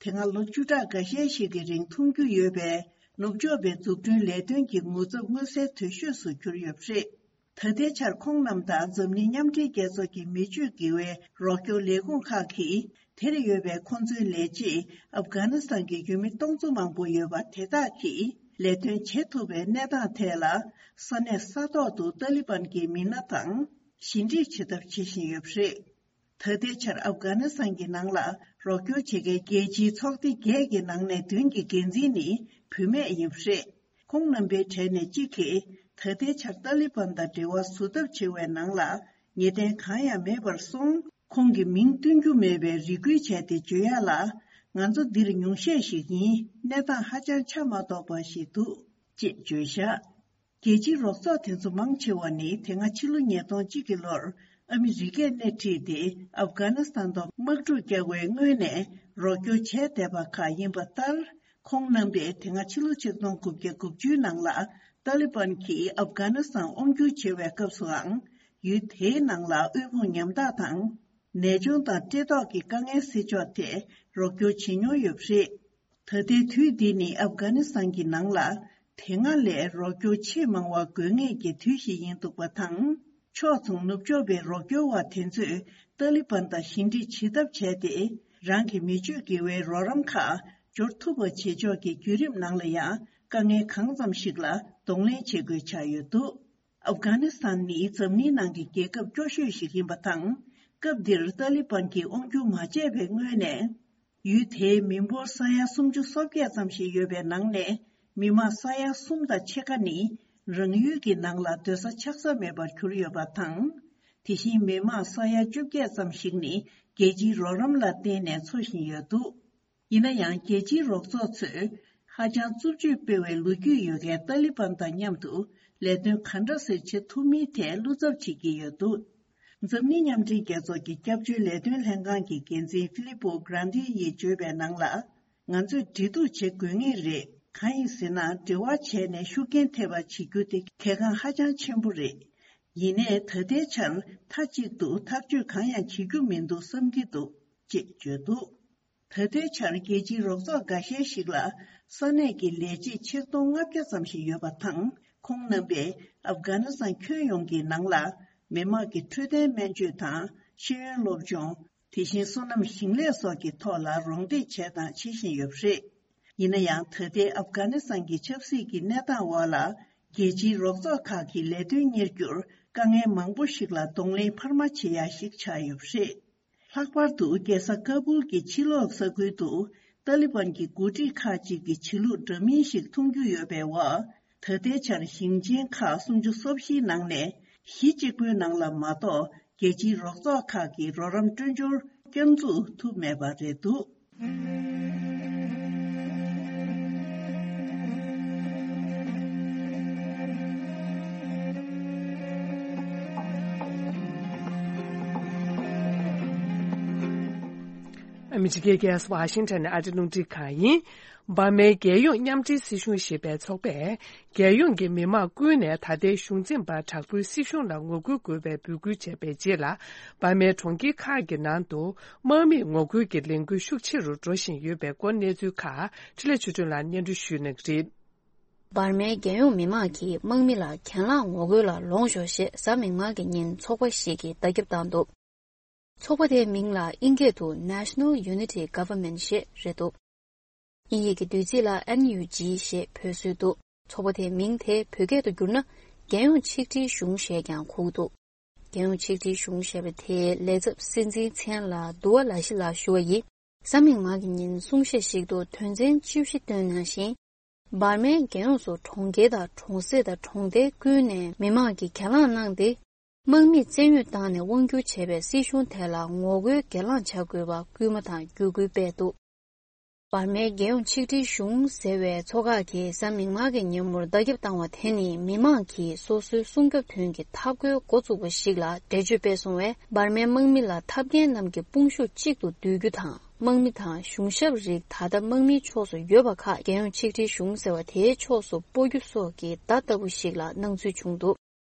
དེ་སྔ་ལོ་བཅུ་ཕྲག་འགའ་ཤས་ཤིག་གི་རིང་མཐོང་རྒྱུ་ཡོད་པའི་ནུབ་ཕྱོགས་པའི་འཛུགས་སྐྲུན་ལས་དོན་གྱི་ངོ་ཚབ་མངོན་གསལ་དོད་ཤོས་སུ་གྱུར་ཡོད་པ་རེད། ད་ལྟའི་ཆར་ཁོང་རྣམས་དང་འཛམ་གླིང་མཉམ་འབྲེལ་རྒྱལ་ཚོགས་ཀྱི་མི་སྤྱོད་དགེ་བའི་རོགས་སྐྱོར་ལས་ཁུངས་ཁག་གིས། དེར་ཡོད་པའི་ཁོང་ཚོའི་ལས་བྱེད་ཨབ་གྷ་ནི་སི་ཐན་གྱི་ཡུལ་མི་སྟོང་ཚོ་མང་པོ་ཡོད་པ་དེ་དག་གིས་ལས་དོན་བྱེད་ཐུབ་པའི་གནས་སྟངས་ཐད་ལ། ས་གནས་ས་ཐོག་ཏུ་ཏཱ་ལི་བན་གྱི་མི་སྣ་དང་ཞི་འགྲིག་བྱེད་ཐབས་བྱེད་བཞིན་ཡོད་པ་རེད། ད་ལྟའི་ཆར་ཨབ་གྷ་ནི་སི་ཐན་གྱི་ནང་ལ་རོགས་སྐྱོར་བྱེད་མཁན་རྒྱལ་སྤྱིའི་ཚོགས་སྡེ་བརྒྱད་ཀྱི་ནང་ནས་བདུན་གྱི་འགན་འཛིན་ནི་བུད་མེད་ཡིན་པ་རེད། ཁོང་རྣམ་པའི་གྲས་ནས་གཅིག་གིས་ད་ལྟའི་ཆར་ཏཱ་ལི་བན་དང་འབྲེལ་བ་བཟོ་ཐབས་བྱེད་པའི་ནང་ལ་ངེས་གཏན་གང་ཡང་མེད་པར་སོང་། ཁོང་གི་མིང་སྟོན་རྒྱུ་མེད་པའི་རེ་སྐུལ་བྱས་ཏེ་བརྗོད་ཡག་ལ། ང་ཚོ་འདིར་ཉུང་ཤས་ཤིག་ཡིན། གནས་སྟངས་ཧ་ཅང་ཆ་མ་རྟོགས་པ་ཞིག་འདུག་ཅེས་བརྗོད་བཞག། རྒྱལ་སྤྱིའི་རོགས་ཚོགས་དེ་ཚོ་མང་ཆེ་བ་ནི་དེ་སྔ་ཕྱི་ལོ་ཉིས་སྟོང་གཅིག་གི་ལོར་ཨ་མི་རི་ཀས་སྣེ་ཁྲིད་དེ་ཨབ་གྷ་ནི་སི་ཐན་ཐོག་དམག་འཁྲུག་བསྐྱལ་བའི་སྔོན་ནས་རོགས་སྐྱོར་བྱས་བསྡད་པ་ཁག་ཡིན་པ་ལྟར། ཁོང་རྣམ་པས་དེ་སྔ་ཕྱི་ལོ་ཆིག་སྟོང་དགུ་བརྒྱ་དགུ་བཅུའི་ནང་ལ་ཏཱ་ལི་བན་གྱིས་ཨབ་གྷ་ནི་སི་ཐན་དབང་བསྒྱུར་བྱེད་པའི་སྐབས་སུའང་། ཡུལ་དེའི་ནང་ལ་དབུལ་ཕོངས་ཉམ་ཐག་དང་། ནད་གཅོང་དང་བཀྲེས་ལྟོགས་ཀྱི་དཀའ་ངལ་སེལ་ཕྱོགས་ཐད་རོགས་སྐྱོར་བྱེད་མྱོང་ཡོད་པ་རེད། ད་ལྟའི་དུས་འདི་ནི་ཨབ་གྷ་ནི་སི་ཐན་གྱི་ནང་ལ་དེ་སྔ་ལས་རོགས་སྐྱོར་ཆེས་མང་བ་དགོས་ངེས་ཀྱི་དུས་ཤིག་ཡིན་འདུག་པ་དང་། ཕྱོགས་མཚུངས་ནུབ་ཕྱོགས་པའི་རོགས་སྐྱོར་བ་དེ་ཚོས་ཏཱ་ལི་བན་དང་ཞི་འགྲིག་བྱེད་ཐབས་བྱས་ཏེ། རང་གི་མི་སྤྱོད་དགེ་བའི་རོགས་རམ་ཁག་འབྱོར་ཐུབ་པ་བྱེད་ཕྱོགས་ཀྱི་བརྒྱུད་རིམ་ནང་ལ་ཡང་དཀའ་ངལ་གང་ཙམ་ཞིག་ལ་གདོང་ལེན་བྱེད་དགོས་ཆགས་ཡོད་འདུག་ཨབ་གྷ་ནི་སི་ཐན་ནི་འཛམ་གླིང་ནང་གི་རྒྱལ་ཁབ་སྐྱོ་ཤོས་ཤིག་ཡིན་པ་དང་། སྐབས་འདིར་ཏཱ་ལི་བན་གྱིས་དབང་སྒྱུར་མ་བྱས་པའི་སྔོན་ནས། ཡུལ་དེའི་མི་འབོར་ས་ཡ་སུམ་ཅུ་སོ་བརྒྱད་ཙམ་ཞིག་ཡོད་པའི་ནང་ནས། མི་མང་ས་ཡ་གསུམ་དང་ཕྱེད་ཀ་ནི་རང་ཡུལ་གྱི་ནང་ལ་སྡོད་ས་ཆགས་ས་མེད་པར་གྱུར་ཡོད་པ་དང་། དེ་བཞིན་མི་མང་ས་ཡ་བཅོ་བརྒྱད་ཙམ་ཞིག་ནི་རྒྱལ་སྤྱིའི་རོགས་རམ་ལ་བརྟེན་ནས་འཚོ་བཞིན་ཡོད་འདུག་ཡིན་ན་ཡང་། རྒྱལ་སྤྱིའི་རོགས་ཚོགས་ཚོས་ཧ་ཅང་རྩུབ་སྤྱོད་སྤེལ་བའི་ལོ་རྒྱུས་ཡོད་མཁན་ཏཱ་ལི་བན་དང་མཉམ་དུ་ལས་དོན་ག་འདྲ་སེ་བྱེད་ཐུབ་མིན་ཐད་བློ་འཚབ་བྱེད་ཀྱི་ཡོད་འདུག་འཛམ་གླིང་མཉམ་འབྲེལ་རྒྱལ་ཚོགས་ཀྱི་སྐྱབས་བཅོལ་ལས་དོན་ལྷན་ཁང་གི་འགན་འཛིན་ཧྥི་ལི་པོ་གྷ་རན་ཏི་ཡིས་བརྗོད་པའི་ནང་ལ། ང་ཚོས་འབྲེལ་གཏུག་བྱེད་དགོས་ངེས་རེད། གང་ཡིན་ཟེར་ན། འབྲེལ་བ་བྱས་ནས་ཤུགས་རྐྱེན་ཐེབས་པ་བྱེད་རྒྱུ་དེ་གལ་འགངས་ཧ་ཅང་ཆེན་པོ་རེད། ཡིན་ནའི་ད་ལྟའི་ཆར་མཐའ་གཅིག་ཏུ་ཐག་གཅོད་གང་ཡང་བྱེད་རྒྱུ་མི་འདུག་བསམ་གྱི་འདུག་ཅེས་བརྗོད་འདུག་ད་ལྟའི་ཆར་རྒྱལ་སྤྱིའི་རོགས་ཚོགས་འགའ་ཤས་ཤིག་ལ་ས་གནས་ཀྱི་ལས་བྱེད་ཆིག་སྟོང་ལྔ་བརྒྱ་ཙམ་ཞིག་ཡོད་པ་དང་། ཁོང་རྣམ་པས་ཨབ་གྷ་ནི་སི་ཐན་ཁྱོན་ཡོངས་ཀྱི་ནང་ལ་མི་དམངས་ཀྱི་འཕྲོད་བསྟེན་སྨན་བཅོས་དང་། ཤེས་ཡོན་སློབ་སྦྱོང་། དེ་བཞིན་སོ་ནམ་ཞིང་ལས་སོགས་ཀྱི་ཐོག་ལ་རོགས་འདེགས་བྱས་དང་བྱེད་བཞིན་ཡོད་པ་རེད། ཡིན་ན་ཡང་། ད་ལྟའི་ཨབ་གྷ་ནི་སི་ཐན་གྱི་ཆབ་སྲིད་ཀྱི་གནས་སྟངས་འོག་ལ། རྒྱལ་སྤྱིའི་རོགས་ཚོགས་ཁག་གི་ལས་དོན་གཉེར་རྒྱུར་དཀའ་ངལ་མང་པོ་ཞིག་ལ་གདོང་ལེན་འཕར་མ་བྱེད་ཡ་ཞིག་ཆགས་ཡོད་པ་རེད། ལྷག་པར་དུ་རྒྱལ་ས་ཀ་བུལ་གྱི་ཕྱི་ལོགས་ས་ཁུལ་དུ་ཏཱ་ལི་བན་གྱི་འགོ་ཁྲིད་ཁག་ཅིག་གི་བྱེད་ལུགས་འདྲ་མིན་ཞིག་མཐོང་རྒྱུ་ཡོད་པའི་འོག་ད་ལྟའི་ཆར་ཞིང་ཆེན་ཁག་སུམ་ཅུ་སོ་བཞིའི་ནང་ནས་གཞི་གཅིག་པུའི་ནང་ལ་མ་གཏོགས། རྒྱལ་སྤྱིའི་རོགས་ཚོགས་ཁག་གི་རོགས་རམ་སྤྲོད་འབྱོར་བསྐྱར་འཛུགས་ཐུབ་མེད་པ་རེད་འདུག་ཨ་མི་རི་ཀའི་རྒྱལ་ས་ཝ་ཤིང་ཊོན་ནས་ཨ་རི་རླུང་འཕྲིན་ཁང་ཡིན། འབར་མའི་རྒྱལ་ཡོངས་མཉམ་འབྲེལ་སྲིད་གཞུང་ཞེས་པའི་ཚོགས་པས། རྒྱལ་ཡོངས་ཀྱི་མི་དམངས་ཀུན་ནས་ད་ལྟའི་གཞུང་འཛིན་པ་དྲག་པོའི་སྲིད་གཞུང་ལ་ངོ་རྒོལ་དགོས་པའི་འབོད་སྐུལ་བྱས་པའི་རྗེས་ལ། འབར་མའི་གྲོང་ཁྱེར་ཁག་གི་ནང་དུ་དམག་མིས་ངོ་རྒོལ་གྱི་ལས་འགུལ་ཤུགས་ཆེ་རུ་འགྲོ་བཞིན་ཡོད་པའི་སྐོར་གནས་ཚུལ་ཁག་འཕྲིན་ལས་ཆོས་སྒྲོན་ལགས་སྙན་སྒྲོན་ཞུ་གནང་གི་རེད། འབར་མའི་རྒྱལ་ཡོངས་མི་དམངས་ཀྱིས་དམག་མི་ལ་གྱེན་ལངས་ངོ་རྒོལ་ལ་ལོངས་ཤོག་ཞེས་གཟའ་མིག་དམར་གྱི་ཉིན་ཚོགས་པ་ཞིག་གིས་བརྡ་ཁྱབ་བཏང་འདུག་ཚོགས་པ་དེའི་མིང་ལ་དབྱིན་སྐད་དུ་National Unity Government ཞེས་རེད་འདུག་དབྱིན་ཡིག་གི་བསྡུས་ཚིག་ལ་N U G ཞེས་འབོད་སྲོལ་འདུག་ཚོགས་པ་དེའི་མིང་དེ་བོད་སྐད་དུ་བསྒྱུར་ན་རྒྱལ་ཡོངས་ཆིག་སྒྲིལ་གཞུང་ཞེས་ཀྱང་གོ་གི་འདུག་རྒྱལ་ཡོངས་ཆིག་སྒྲིལ་གཞུང་ཞེས་པ་དེའི་ལས་ཚབ་སྲིད་འཛིན་མཚན་ལ་དུ་བ་ལ་ཤི་ལགས་ཞུ་བ་ཡིན། གཟའ་མིག་དམར་གྱི་ཉིན་གསུང་བཤད་ཞིག་ཏུ་དོན་ཚན་བཅུ་བཞི་བཏོན་གནང་ཞིང་། འབར་མའི་རྒྱལ་ཡོངས་སུ་གྲོང་ཁྱེར་དང་གྲོང་གསེབ་དང་གྲོང་རྡལ་ཀུན་ནས་མི་དམངས་ཀྱིས་གྱེན་ལངས་གནང་སྟེ། དམག་མིས་བཙན་གཡོལ་བཏང་ནས་དབང་སྒྱུར་བྱས་པའི་སྲིད་གཞུང་དེ་ལ་ངོ་རྒོལ་གྱེན་ལངས་བྱ་དགོས་པ་སྐུལ་མ་དང་བརྒྱུད་སྐུལ་སྤེལ་འདུག་འབར་མའི་རྒྱལ་ཡོངས་ཆིག་སྒྲིལ་གཞུང་ཟེར་བའི་ཚོགས་ཁག་གིས་གཟའ་མིག་དམར་གྱི་ཉིན་མོར་བརྡ་ཁྱབ་བཏང་བ་དེ་ནི་མི་དམངས་ཀྱིས་སོ་སོའི་སྲུང་སྐྱོབ་དོན་གྱི་འཐབ་རྒོལ་འགོ་བཙུགས་པ་ཞིག་ལ་འགྲེལ་བརྗོད་སྤེལ་སོང་བས། འབར་མའི་དམག་མི་ལ་འཐབ་མཁན་རྣམས་ཀྱི་དཔུང་ཤུགས་གཅིག་ཏུ་བསྡུ་རྒྱུ་དང་། དམག་མི་དང་གཞུང་ཞབས་རིགས་ད་ལྟ་དམག་མིའི་ཕྱོགས་སུ་ཡོད་པ་ཁག་རྒྱལ་ཡོངས་ཆིག་སྒྲིལ་གཞུང་ཟེར་བ་དེའི་ཕྱོགས་སུ་སྤོ་རྒྱུ་སོགས་ཀྱི་བརྡ་ལྟ་བུ་ཞིག་ལ་སྣང་ཚུལ་བྱུང་འདུག་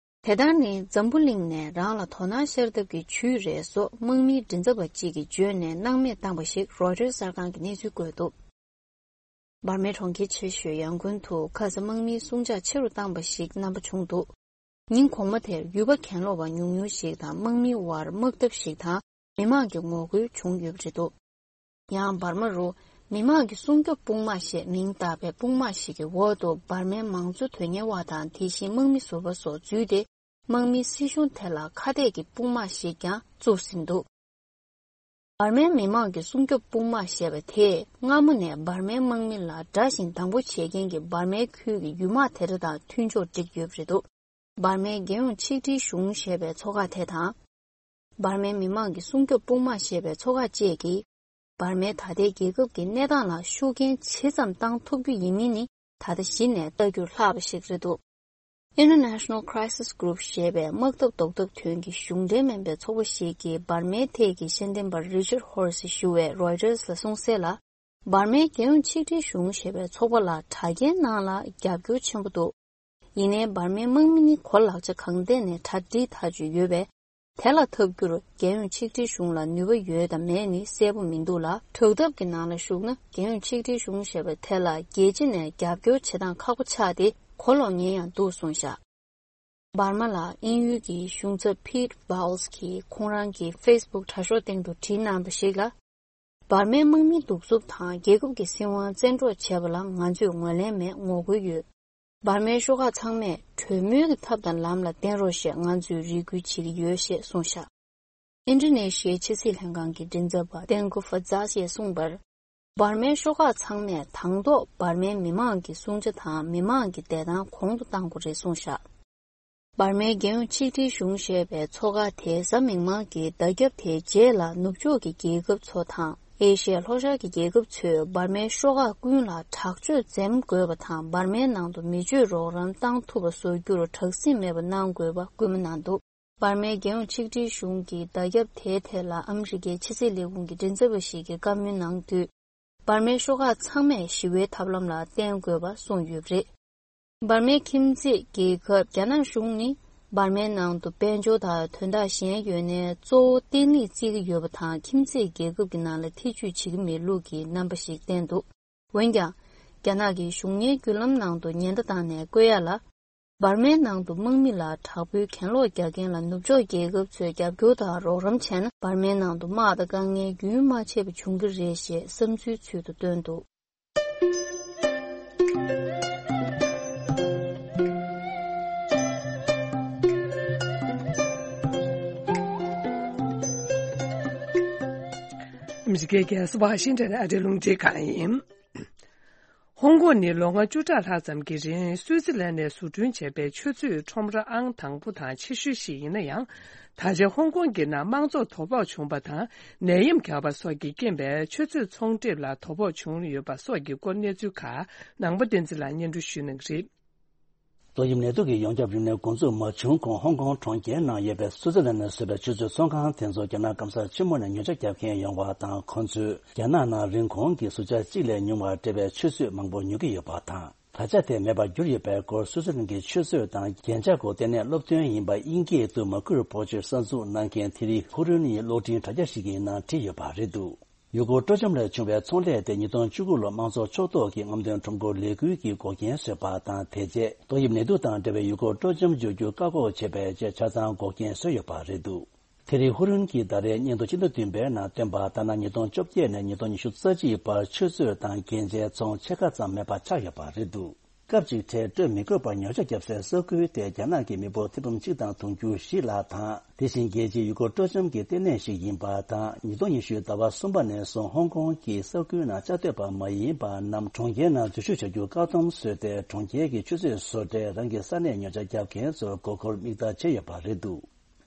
དེ་ལྟར་ནི་འཛམ་བུ་གླིང་ནས་རང་ལ་དོ་སྣང་ཤར་ཐབས་ཀྱི་ཇུས་རེད་སོགས་དམག་མིའི་མགྲིན་ཚབ་པ་གཅིག་གིས་བརྗོད་ནས་སྣང་མེད་བཏང་པ་ཞིག་རོའི་ཊར་གསར་ཁང་གིས་གནས་ཚུལ་བཀོད་འདུག་འབར་མའི་གྲོང་ཁྱེར་ཆེ་ཤོས་ཡང་ཀུན་དུ་ཁ་ས་དམག་མིའི་སྲུང་བྱ་ཆེ་རུ་བཏང་པ་ཞིག་རྣམ་པ་བྱུང་འདུག་ཉིན་གོང་མ་དེར་ཡུལ་པ་གྱེན་ལོག་པ་ཉུང་ཉུང་ཞིག་དང་དམག་མིའི་དབར་དམག་འཐབ་ཞིག་དང་མི་དམངས་ཀྱི་ངོ་རྒོལ་བྱུང་ཡོད་པ་རེད་འདུག་ཡང་འབར་མ་རུ་མི་དམངས་ཀྱི་སྲུང་སྐྱོབ་དཔུང་དམག་ཞེས་མིང་བཏགས་པའི་དཔུང་དམག་ཞིག་གི་འོག་ཏུ་འབར་མའི་མང་གཙོ་དོན་གཉེར་བ་དང་དེ་བཞིན་དམག་མི་ཟུར་པ་སོགས་འཛུལ་ཏེ་དམག་མིའི་སྲིད་གཞུང་དེ་ལ་ཁ་གཏད་ཀྱི་དཔུང་དམག་ཞིག་ཀྱང་བཙུགས་ཟིན་འདུག་འབར་མའི་མི་དམངས་ཀྱི་སྲུང་སྐྱོབ་དཔུང་དམག་ཞེས་པ་དེས་སྔ་མོ་ནས་འབར་མའི་དམག་མི་ལ་དགྲ་བཞིན་སྡང་པོ་བྱེད་མཁན་གྱི་འབར་མའི་ཁུལ་གྱི་ཡུལ་དམག་དེ་འདྲ་དང་མཐུན་ཕྱོགས་བསྒྲིགས་ཡོད་པ་རེད་འདུག་འབར་མའི་རྒྱལ་ཡོངས་ཆིག་སྒྲིལ་གཞུང་ཞེས་པའི་ཚོགས་ཁག་དེ་དང་། འབར་མའི་མི་དམངས་ཀྱི་སྲུང་སྐྱོབ་དཔུང་དམག་ཞེས་པའི་ཚོགས་ཁག་བཅས་ཀྱིས། འབར་མའི་ད་ལྟའི་རྒྱལ་ཁབ་ཀྱི་གནས་སྟངས་ལ་ཤུགས་རྐྱེན་ཇི་ཙམ་བཏང་ཐུབ་རྒྱུ་ཡིན་མིན་ནི་ད་ལྟ་གཞི་ནས་ལྟ་རྒྱུར་ལྷག་པ་ཞིག་རེད་འདུག International Crisis Group ཞེས་པའི་དམག་འཐབ་ཟློག་ཐབས་དོན་གྱི་གཞུང་འབྲེལ་མིན་པའི་ཚོགས་པ་ཞིག་གིས་འབར་མའི་ཐད་ཀྱི་ཤེས་ལྡན་པ་Richard Horse ཞུ་བས་Reuters ལ་གསུངས་གསལ་ལ། འབར་མའི་རྒྱལ་ཡོངས་ཆིག་སྒྲིལ་གཞུང་ཞེས་པའི་ཚོགས་པ་ལ་དྲ་རྒྱའི་ནང་ལ་རྒྱབ་སྐྱོར་ཆེན་པོ་འདུག་ཡིན་ནའི་འབར་མའི་དམག་མི་ནི་གོ་ལག་ཆ་གང་ཐད་ནས་གྲ་སྒྲིག་ཐག་ཆོད་ཡོད་པས། དེ་ལ་འཐབ་རྒྱུར་རྒྱལ་ཡོངས་ཆིག་སྒྲིལ་གཞུང་ལ་ནུས་པ་ཡོད་དམ་མེད་ནི་གསལ་པོ་མི་འདུག་ལ། དྲག་འཐབ་ཀྱི་ནང་ལ་ཞུགས་ན་རྒྱལ་ཡོངས་ཆིག་སྒྲིལ་གཞུང་ཞེས་པ་དེ་ལ་རྒྱལ་སྤྱི་ནས་རྒྱབ་སྐྱོར་བྱེད་སྟངས་ཁག་པོ་ཆགས་ཏེ་གོ་ལོག་ཉེན་ཡང་འདུག་གསུངས་བཞག་འབར་མ་ལ་དབྱིན་ཡུལ་གྱི་གཞུང་ཚབ་Pete Bowles གྱིས་ཁོང་རང་གི་Facebook དྲ་ཤོག་སྟེང་དུ་བྲིས་གནང་བ་ཞིག་ལ། འབར་མའི་དམག་མིའི་གདུག་རྩུབ་དང་རྒྱལ་ཁབ་ཀྱི་སྲིད་དབང་བཙན་འཕྲོག་བྱས་པ་ལ་ང་ཚོས་ངོས་ལེན་མེད་ངོ་རྒོལ་ཡོད། འབར་མའི་ཤོག་ཁག་ཚང་མས་གྲོས་མོལ་གྱི་ཐབས་དང་ལམ་ལ་བརྟེན་རོགས་ཞེས་ང་ཚོས་རེ་སྐུལ་བྱེད་ཀྱི་ཡོད་ཞེས་གསུངས་བཞག་ཨིན་ཌོ་ནེ་ཤི་ཡའི་ཕྱི་སྲིད་ལྷན་ཁང་གི་མགྲིན་ཚབ་པ་Tengku Fadzas ཡིས་གསུངས་པར། འབར་མའི་ཤོག་ཁག་ཚང་མས་དང་ཐོག་འབར་མའི་མི་མང་གི་སྲུང་བྱ་དང་མི་མང་གི་བདེ་ཐང་གོང་དུ་གཏང་དགོས་རེད་གསུངས་བཞག་འབར་མའི་རྒྱལ་ཡོངས་ཆིག་སྒྲིལ་གཞུང་ཞེས་པའི་ཚོགས་ཁག་དེས་གཟའ་མིག་དམར་གྱི་བརྡ་ཁྱབ་དེའི་རྗེས་ལ་ནུབ་ཕྱོགས་ཀྱི་རྒྱལ་ཁབ་ཚོ་དང་ཨེ་ཤི་ཡ་ལྷོ་ཤར་གྱི་རྒྱལ་ཁབ་ཚོས་འབར་མའི་ཤོག་ཁག་ཀུན་ལ་དྲག་སྤྱོད་འཛེམ་དགོས་པ་དང་འབར་མའི་ནང་དུ་མི་སྤྱོད་རོགས་རམ་བཏང་ཐུབ་པ་བཟོ་རྒྱུར་དྲག་ཟིང་མེད་པ་གནང་དགོས་པ་སྐུལ་མ་གནང་འདུག་འབར་མའི་རྒྱལ་ཡོངས་ཆིག་སྒྲིལ་གཞུང་གི་བརྡ་ཁྱབ་དེའི་ཐད་ལ་ཨ་མི་རི་ཀའི་ཕྱི་སྲིད་ལས་ཁུངས་ཀྱི་མགྲིན་ཚབ་པ་ཞིག་གིས་བཀའ་མོལ་གནང་དུས། འབར་མའི་ཤོག་ཁག་ཚང་མས་ཞི་བའི་ཐབས་ལམ་ལ་བརྟེན་དགོས་པ་གསུངས་ཡོད་པ་རེད། འབར་མའི་ཁྱིམ་མཚེས་རྒྱལ་ཁབ་རྒྱ་ནག་གཞུང་ནི་འབར་མའི་ནང་དུ་དཔལ་འབྱོར་དང་དོན་དག་གཞན་ཡོད་ནའི་གཙོ་བོ་བརྟན་ལྷིང་བརྩི་གི་ཡོད་པ་དང་ཁྱིམ་མཚེས་རྒྱལ་ཁབ་ཀྱི་ནང་ལ་ཐེ་ཇུས་བྱེད་ཀྱི་མེད་ལུགས་ཀྱི་རྣམ་པ་ཞིག་བསྟན་འདུག་འོན་ཀྱང་། རྒྱ་ནག་གི་གཞུང་གཉེར་བརྒྱུད་ལམ་ནང་དུ་ཉེན་བརྡ་བཏང་ནས་བཀོད་ཡ་ལ། འབར་མའི་ནང་དུ་དམག་མི་ལ་དྲག་པོའི་གྱེན་ལོག་རྒྱག་མཁན་ལ་ནུབ་ཕྱོགས་རྒྱལ་ཁབ་ཚོས་རྒྱབ་སྐྱོར་དང་རོགས་རམ་བྱས་ན་འབར་མའི་ནང་དུ་དམག་དང་དཀའ་ངལ་རྒྱུན་མ་ཆད་པ་འབྱུང་གི་རེད་ཞེས་བསམ་ཚུལ་ཚུལ་དུ་བཏོན་འདུག་ཨ་མི་རི་ཀའི་རྒྱལ་ས་ཝ་ཤིང་ཊོན་ནས་ཨ་རིའི་རླུང་འཕྲིན་ཁང་ཡིན། ཧོང་ཀོང་ནི་ལོ་ངོ་བཅུ་ཕྲག་ལྷག་ཙམ་གྱི་རིང་སུའུ་ཙི་ལན་ནས་བཟོ་སྐྲུན་བྱས་པའི་ཆུ་མཛོད་ཁྲོམ་ར་ཨང་དང་པོ་དང་ཆེ་ཤོས་ཤིག་ཡིན་ན་ཡང་། ད་ཆ་ཧོང་ཀོང་གི་ནང་དམངས་གཙོར་དོ་ཕོག་བྱུང་བ་དང་ནད་ཡམས་རྒྱག་པ་སོགས་ཀྱི་རྐྱེན་པས་ཆུ་མཛོད་ཚོང་འགྲེམས་ལ་དོ་ཕོག་བྱུང་ཡོད་པ་སོགས་ཀྱི་སྐོར་གནས་ཚུལ་ཁག་ནང་པ་བསྟན་འཛིན་ལགས་སྙན་སྒྲོན་ཞུ་གནང་གི་རེད། ཏོག་དབྱིབས་ནད་དུག་གི་ཡོངས་ཁྱབ་རིམས་ནད་འགོ་འཛུགས་མ་བྱུང་གོང་ཧོང་ཀོང་གྲོང་ཁྱེར་ནང་ཡོད་པའི་སུའུ་ཙི་ལན་ནས་བཟོས་པའི་ཆུ་མཛོད་ཚོང་ཁང་དེ་ཚོ་རྒྱ་ནག་སྐམ་ས་ཆེན་མོ་ནས་ཉོ་ཆ་རྒྱག་མཁན་ཡོང་བ་དང་ཁོང་ཚོས་རྒྱ་ནག་ནང་རིན་གོང་གི་ཟུར་ཆ་གཅིག་ལས་ཉུང་བ་སྤྲད་པའི་ཆུ་ཚོད་མང་པོ་ཉོ་གི་ཡོད་པ་དང་། ད་ཆ་དེ་མེད་པར་གྱུར་ཡོད་པའི་སྐོར་སུའུ་ཙི་ལན་གྱི་ཆུ་མཛོད་དང་རྒྱན་ཆ་སྐོར་ལྟེ་གནས་སློབ་སྟོན་ཡིན་པ་དབྱིན་སྐད་དུ་མ་ཁུར་བོ་ཆེར་གསར་འཛུགས་གནང་མཁན་ཐེ་རི་ཧུ་རུན་ཡི་གློག་འཕྲིན་དྲ་རྒྱ་ཞིག་གི་ནང་བྲིས་ཡོད་པ་རེད་འདུག་ཡུལ་སྐོར་སྤྲོ་འཆམ་ལས་བྱུང་བའི་ཚོང་ལས་དེ་ཉིས་སྟོང་བཅུ་དགུ་ལོར་དམངས་གཙོ་ཕྱོགས་གཏོགས་ཀྱི་རྔམ་སྟོན་ཁྲོམ་སྐོར་ལས་འགུལ་གྱི་འགོག་རྐྱེན་བཟོས་པ་དང་། དེ་རྗེས་ཏོག་དབྱིབས་ནད་དུག་དང་འབྲེལ་བའི་ཡུལ་སྐོར་སྤྲོ་འཆམ་བསྒྱུར་རྒྱུ་བཀག་འགོག་བྱས་པའི་རྗེས་ཆ་ཚང་འགོག་རྐྱེན་བཟོས་ཡོད་པ་རེད་འདུག་ཐེ་རི་ཧུ་རུན་གྱིས་ཟླ་རེའི་སྙན་ཐོ་སྤྱི་ཟླ་བདུན་པའི་ནང་བཏོན་པ་ལྟར་ན། ཉིས་སྟོང་བཅོ་བརྒྱད་ནས་ཉིས་སྟོང་ཉི་ཤུ་རྩ་གཅིག་བར་ཆུ་མཛོད་དང་རྒྱན་ཆའི་ཚོང་ཕྱེད་ཀ་ཙམ་མེད་པ་ཆགས་ཡོད་པ་རེད་འདུག་སྐབས་གཅིག་ཁྲལ་སྤྲོད་མི་དགོས་པར་ཉོ་ཆ་བརྒྱབ་སའི་ས་ཁུལ་དེ་རྒྱ་ནག་གི་མི་འབོར་ཐེར་འབུམ་གཅིག་དང་དུང་ཕྱུར་བཞི་ལྷག་དང་། དེ་བཞིན་རྒྱལ་སྤྱིའི་ཡུལ་སྐོར་སྤྲོ་འཆམ་གྱི་ལྟེ་གནས་ཤིག་ཡིན་པ་དང་། ཉིས་སྟོང་ཉི་ཤུ་ཟླ་བ་གསུམ་པ་ནས་བཟུང་ཧོང་ཀོང་གི་ས་ཁུལ་ནང་བཅའ་སྡོད་པ་མ་ཡིན་པ་རྣམས་གྲོང་ཁྱེར་ནང་འཛུལ་ཞུགས་བྱ་རྒྱུ་བཀག་སྡོམ་བཟོས་ཏེ། གྲོང་ཁྱེར་གྱི་ཆུ་མཛོད་བཟོ་གྲྭས་རང་གི་ས་གནས་ཉོ་ཆ་རྒྱག་མཁན་ཚོར་མགོ་སྐོར་དམིགས་བསལ་བྱས་ཡོད་པ་རེད་འདུག་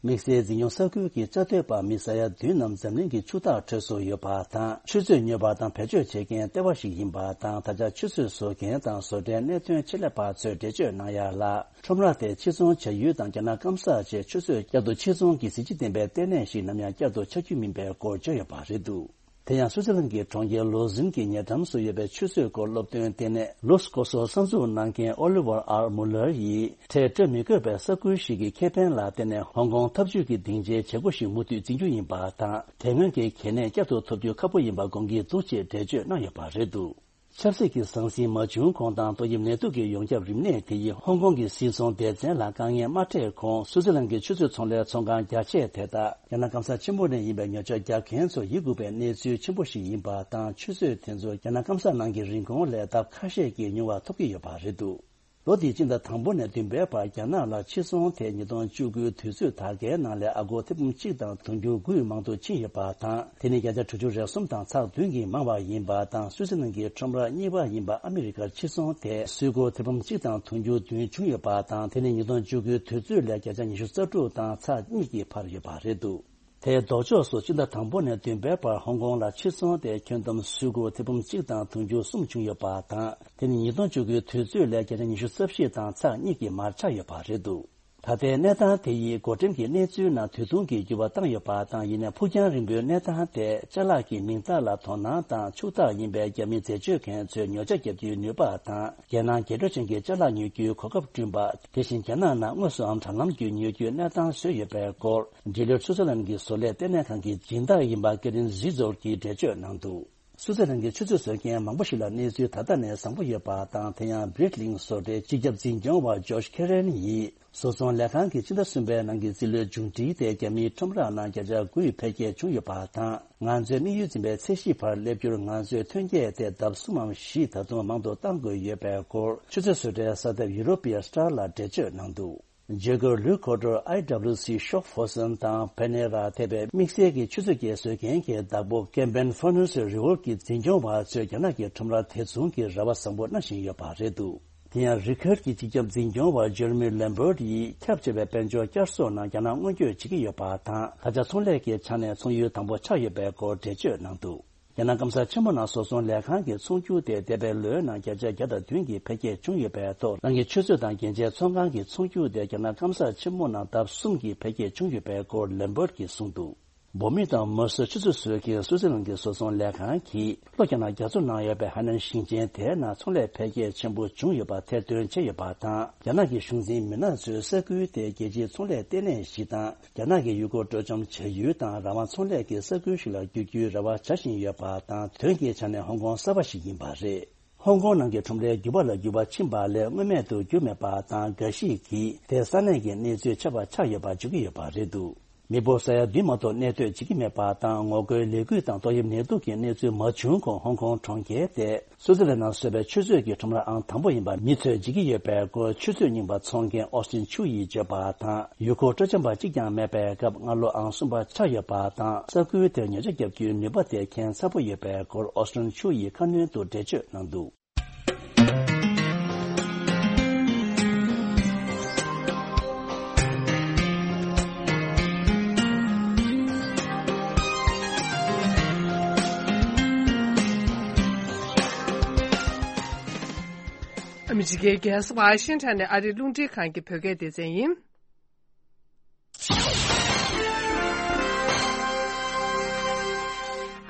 དམིགས་བསལ་འཛིན་སྐྱོང་ས་ཁུལ་གྱི་བཅའ་སྡོད་པ་མི་ས་ཡ་བདུན་རྣམས་འཛམ་གླིང་གི་ཆུ་རྟགས་ཁྲོད་སུ་ཡོད་པ་དང་། ཆུ་མཛོད་ཉོ་བ་དང་བེད་སྤྱོད་བྱེད་མཁན་ལྟེ་བ་ཞིག་ཡིན་པ་དང་། ད་ཆ་ཆུ་མཛོད་བཟོ་མཁན་དང་བཟོ་གྲྭའི་གནད་དོན་ཆེད་ལས་པ་ཚོས་འགྲེལ་བརྗོད་གནང་ཡ་ལ། ཁྲོམ་ར་དེ་ཕྱིར་ཚོང་བྱ་ཡུལ་དང་རྒྱ་ནག་སྐམ་ས་བཅས་ཆུ་མཛོད་བསྐྱར་དུ་ཕྱིར་ཚོང་གི་གཟི་བརྗིད་ལྡན་པའི་ལྟེ་གནས་ཤིག་ནམ་ཡང་བསྐྱར་དུ་ཆགས་རྒྱུ་མིན་པའི་སྐོར་བརྗོད་ཡོད་པ་རེད་འདུག་དེ་ཡང་སུའུ་ཙི་ལན་གྱི་གྲོང་ཁྱེར་ལོ་ཟིན་གྱི་ཉེ་འགྲམ་སུ་ཡོད་པའི་ཆུ་མཛོད་སྐོར་སློབ་སྟོན་ལྟེ་གནས་ལུས་ཀོ་སོ་གསར་འཛུགས་གནང་མཁན་ཨོ་ལི་ཝར་ཨར་མུ་ལར་ཡིས། ཁྲལ་སྤྲོད་མི་དགོས་པའི་ས་ཁུལ་ཞིག་གི་ཁེ་ཕན་ལ་བརྟེན་ནས་ཧོང་ཀོང་འཐབ་ཇུས་ཀྱི་སྡིངས་ཆའི་བྱེད་སྒོ་ཞིག་མུ་མཐུད་འཛིན་རྒྱུ་ཡིན་པ་དང་། དེ་སྔོན་གྱི་གལ་གནད་བསྐྱར་དུ་ཐོབ་རྒྱུ་ཁག་པོ་ཡིན་པ་དགོངས་ཀྱི་འདུག་ཅེས་འགྲེལ་བརྗོད་གནང་ཡོད་པ་རེད་འདུག་ཆབ་སྲིད་ཀྱི་ཟང་ཟིང་མ་བྱུང་གོང་དང་། ཏོག་དབྱིབས་ནད་དུག་གི་ཡོངས་ཁྱབ་རིམས་ནད་དེ་ཡིས་ཧོང་ཀོང་གི་སིལ་ཚོང་སྡེ་ཚན་ལ་དཀའ་ངལ་མ་འཕྲད་གོང་། སུའུ་ཙི་ལན་གྱི་ཆུ་མཛོད་ཚོང་ལས་ཚོང་ཁང་རྒྱ་ཆེ་དེ་དག་རྒྱ་ནག་སྐམ་ས་ཆེན་པོ་ནས་ཡིན་པའི་ཉོ་ཆ་རྒྱག་མཁན་ཚོར་ཡིད་འགུག་པའི་གནས་ཚུལ་ཆེན་པོ་ཞིག་ཡིན་པ་དང་། ཆུ་མཛོད་དེ་ཚོ་རྒྱ་ནག་སྐམ་ས་ནང་གི་རིན་གོང་ལས་ལྡབ་ཁ་ཤས་ཀྱིས་ཉུང་བ་ཐོབ་ཀྱི་ཡོད་པ་རེད་འདུག་ལོ་འདིའི་སྤྱི་ཟླ་དང་པོ་ནས་བདུན་པའི་བར་རྒྱ་ནག་ལ་ཕྱིར་ཚོང་དེ་ཉིས་སྟོང་བཅུ་དགུའི་དུས་ཚོད་དག་གའི་ནང་ལས་ཨ་སྒོར་ཐེར་འབུམ་གཅིག་དང་དུང་ཕྱུར་དགུ་ཡི་མང་དུ་ཕྱིན་ཡོད་པ་དང་། དེ་ནི་བརྒྱ་ཆ་དྲུག་ཅུ་རེ་གསུམ་དང་ཚེག་བདུན་གྱིས་མང་བ་ཡིན་པ་དང་། སུའུ་ཙི་ལན་གྱི་ཁྲོམ་ར་གཉིས་པ་ཡིན་པ་ཨ་མི་རི་ཀར་ཕྱིར་ཚོང་དེ་སུའི་སྒོར་ཐེར་འབུམ་གཅིག་དང་དུང་ཕྱུར་བདུན་བྱུང་ཡོད་པ་དང་། དེ་ནི་ཉིས་སྟོང་བཅུ་དགུའི་དུས་ཚོད་ལས་བརྒྱ་ཆ་ཉི་ཤུ་རྩ་དྲུག་དང་ཚེག་གཉིས་ཀྱིས་འཕར་ཡོད་པ་རེད་འདུག་དེའི་ལྡོག་ཕྱོགས་སུ་སྤྱི་ཟླ་དང་པོ་ནས་བདུན་པའི་བར་ཧོང་ཀོང་ལ་ཕྱིར་ཚོང་དེ་ཁྱོན་བསྡོམས་སུད་སྒོར་ཐེར་འབུམ་གཅིག་དང་དུང་ཕྱུར་གསུམ་བྱུང་ཡོད་པ་དང་། དེ་ནི་ཉིས་སྟོང་བཅུ་དགུའི་དུས་ཚོད་ལས་བརྒྱ་ཆ་ཉི་ཤུ་རྩ་བཞི་དང་ཚེག་གཉིས་ཀྱིས་མར་ཆག་ཡོད་པ་རེད་འདུག་ད་ལྟའི་གནས་སྟངས་དེ་ཡིས་བགོ་འགྲེམས་ཀྱི་གནས་ཚུལ་ནང་དུས་ཐུང་གི་འགྱུར་བ་བཏང་ཡོད་པ་དང་། ཡིན་ནའི་ཕུགས་རྒྱང་རིང་པོའི་གནས་སྟངས་དེ་ཅ་ལག་གི་མིང་རྟགས་ལ་དོ་སྣང་དང་ཕྱུག་བདག་ཡིན་པའི་རྒྱ་མི་འཛད་སྤྱོད་མཁན་ཚོས་ཉོ་ཆ་བརྒྱབ་རྒྱུའི་ནུས་པ་དང་། རྒྱལ་ནང་རྒྱས་སྤྲོས་ཅན་གྱི་ཅ་ལག་ཉོ་རྒྱུའི་གོ་སྐབས་བསྐྲུན་པ། དེ་བཞིན་རྒྱ་ནག་ནང་དངོས་སུའམ་དྲ་ལམ་བརྒྱུད་ཉོ་རྒྱུའི་གནས་སྟངས་བཟོས་ཡོད་པའི་སྐོར། འབྲེལ་ཡོད་སུའུ་ཙེར་ལན་གྱི་བཟོ་ལས་ལྟེ་གནས་ཁང་གི་སྦྱིན་བདག་ཡིན་པ་ཀེ་རིན་ཟི་ཛོར་གྱིས་འགྲེལ་བརྗོད་གནང་འདུག་སུའུ་ཙེར་ལན་གྱི་ཆུ་ཚོད་བཟོ་མཁན་མང་པོ་ཞིག་ལ་གནས་ཚུལ་ད་ལྟ་ནས་བཟང་པོ་ཡོད་པ་དང་། དེ་ཡང་བྷི་རིཊ་ལིང་བཟོ་གྲྭའི་སྤྱི་ཁྱབ་འཛིན་སྐྱོང་བ་ཇོརྗ་ཁེ་རན་ཡིས། བཟོ་ཚོང་ལས་ཁང་གིས་ཕྱི་ཟླ་གསུམ་པའི་ནང་གི་རྩིས་ལོའི་མཇུག་འགྲིལ་དེ་རྒྱ་མིའི་ཁྲོམ་ར་ནང་བརྒྱ་ཆ་དགུ་ཡི་འཕེལ་རྒྱས་བྱུང་ཡོད་པ་དང་། ང་ཚོའི་དམིགས་ཡུལ་འཛིན་པའི་ཚད་གཞི་བར་སླེབས་རྒྱུར་ང་ཚོའི་ཐོན་སྐྱེད་དེ་ལྡབ་གསུམ་མམ་བཞི་ད་དུང་མང་དུ་གཏང་དགོས་ཡོད་པའི་སྐོར། ཆུ་ཚོད་བཟོ་གྲྭའི་གསར་ཐབས་ཡུ་རོ་པི་ཡ་སི་ཊར་ལ་འགྲེལ་བརྗོད་གནང་འདུག་བརྗེ་སྒོར་ལུའུ་ཁོ་ཊར་ཨའི་ཌབ་ལིའུ་སི་ཤོག་ཧྥོ་སན་དང་ཕེ་ནེ་ར་ཐེ་བའི་དམིགས་བསལ་གྱི་ཆུ་ཚོད་བརྒྱད་བཟོ་མཁན་གྱི་བདག་པོ་ཀེམ་པན་ཧྥོ་ནུ་སི་རི་ཝོལ་གྱི་འཛིན་སྐྱོང་བ་ཚོས་རྒྱ་ནག་གི་ཁྲོམ་ར་དེ་མཚུངས་ཀྱི་རེ་བ་བཟང་པོ་གནང་བཞིན་ཡོད་པ་རེད་འདུག་དེ་ཡང་རི་ཁར་གྱི་སྤྱི་ཁྱབ་འཛིན་སྐྱོང་བ་ཇེ་རི་མི་ལེམ་བར་ཡིས་ཁྱབ་ཆེ་བའི་དཔལ་འབྱོར་བསྐྱར་གསོ་ནང་རྒྱ་ནག་སྔོན་སྐྱོད་བྱེད་ཀྱི་ཡོད་པ་དང་། ད་ཆ་ཚོང་ལས་ཀྱི་ཆ་ནས་ཚོང་ཡུལ་དང་པོ་ཆགས་ཡོད་པའི་སྐོར་འགྲེལ་བརྗོད་གནང་འདུག་རྒྱ་ནག་སྐམ་ས་ཆེན་མོ་ནང་བཟོ་ཚོང་ལས་ཁང་གི་ཚོང་རྒྱུག་དེ་འདས་པའི་ལོའི་ནང་བརྒྱ་ཆ་བརྒྱ་དང་བདུན་གྱི་འཕེལ་རྒྱས་བྱུང་ཡོད་པའི་ཐོག་རང་གི་ཆུ་ཚོད་དང་རྒྱན་ཆའི་ཚོང་ཁང་གི་ཚོང་རྒྱུག་དེ་རྒྱ་ནག་སྐམ་ས་ཆེན་མོ་ནང་ལྡབ་གསུམ་གྱི་འཕེལ་རྒྱས་བྱུང་ཡོད་པའི་སྐོར་ལེམ་བར་གྱིས་གསུངས་འདུག་བོད་མི་དང་མ་སུ་ཆུ་ཚོད་བཟོ་མཁན་སུའུ་ཙི་ལན་གྱི་བཟོ་ཚོང་ལས་ཁང་གིས་ལྷོ་རྒྱ་ནག་རྒྱ་མཚོ་ནང་ཡོད་པའི་ཧའེ་ནན་ཞིང་ཆེན་དེའི་ནང་ཚོང་ལས་འཕེལ་རྒྱས་ཆེན་པོ་བྱུང་ཡོད་པ་ཐེར་འདོན་བྱས་ཡོད་པ་དང་། རྒྱ་ནག་གི་གཞུང་འཛིན་མི་སྣ་ཚོས་ས་ཁུལ་དེ་རྒྱལ་སྤྱིའི་ཚོང་ལས་ལྟེ་གནས་ཤིག་དང་། རྒྱ་ནག་གི་ཡུལ་སྐོར་སྤྲོ་འཆམ་བྱ་ཡུལ་དང་རང་དབང་ཚོང་ལས་ཀྱི་ས་ཁུལ་ཞིག་ལ་བསྒྱུར་རྒྱུའི་རེ་བ་བྱ་བཞིན་ཡོད་པ་དང་། དོན་གྱི་ཆ་ནས་ཧོང་ཀོང་གསར་པ་ཞིག་ཡིན་པ་རེད། ཧོང་ཀོང་ནང་གི་ཁྲོམ་རའི་འགྱུར་བ་ལ་འགྱུར་བ་ཕྱིན་པ་ལས་སྔོན་མེད་དུ་གྱུར་མེད་པ་དང་། འགའ་ཞིག་གིས་དེ་ས་གནས་ཀྱི་གནས་ཚུལ་ཆགས་པ་ཆགས་ཡོད་པ་བརྗོད་ཀྱི་ཡོད་པ་རེད་འདུག་མི་འབོར་ས་ཡ་བདུན་མ་གཏོགས་གནས་སྡོད་བྱེད་ཀྱི་མེད་པ་དང་། ངོ་རྒོལ་ལས་འགུལ་དང་ཏོག་དབྱིབས་ནད་དུག་གི་གནས་ཚུལ་མ་བྱུང་གོང་ཧོང་ཀོང་གྲོང་ཁྱེར་དེ་སུའུ་ཙི་ལན་ནང་བཟོས་པའི་ཆུ་ཚོད་ཀྱི་ཁྲོམ་ར་ཨང་དང་པོ་ཡིན་པ་མི་ཚོས་བརྗེད་ཀྱི་ཡོད་པའི་སྐོར། ཆུ་ཚོད་རྙིང་པ་འཚོང་མཁན་ཨོ་སི་ཊིན་ཆུ་ཡིས་བརྗོད་པ་དང་། ཡུལ་སྐོར་སྤྲོ་འཆམ་པ་གཅིག་ཀྱང་མེད་པའི་སྐབས་སྔ་ལོ་ཨང་གསུམ་པ་ཆགས་ཡོད་པ་དང་། ས་ཁུལ་དེར་ཉོ་ཆ་བརྒྱབ་རྒྱུའི་ནུས་པ་དེ་མཁྱེན་ཚ་པོ་ཡོད་པའི་སྐོར་ཨོ་སི་ཊིན་ཆུ་ཡིས་ཁ་སྣོན་དུ་འགྲེལ་བརྗོད་གནང་འདུག་ཨ་མི་རི་ཀའི་རྒྱལ་ས་ཝ་ཤིང་ཊོན་ནས་ཨ་རིའི་རླུང་འཕྲིན་ཁང་གི་བོད་སྐད་སྡེ་ཚན་ཡིན།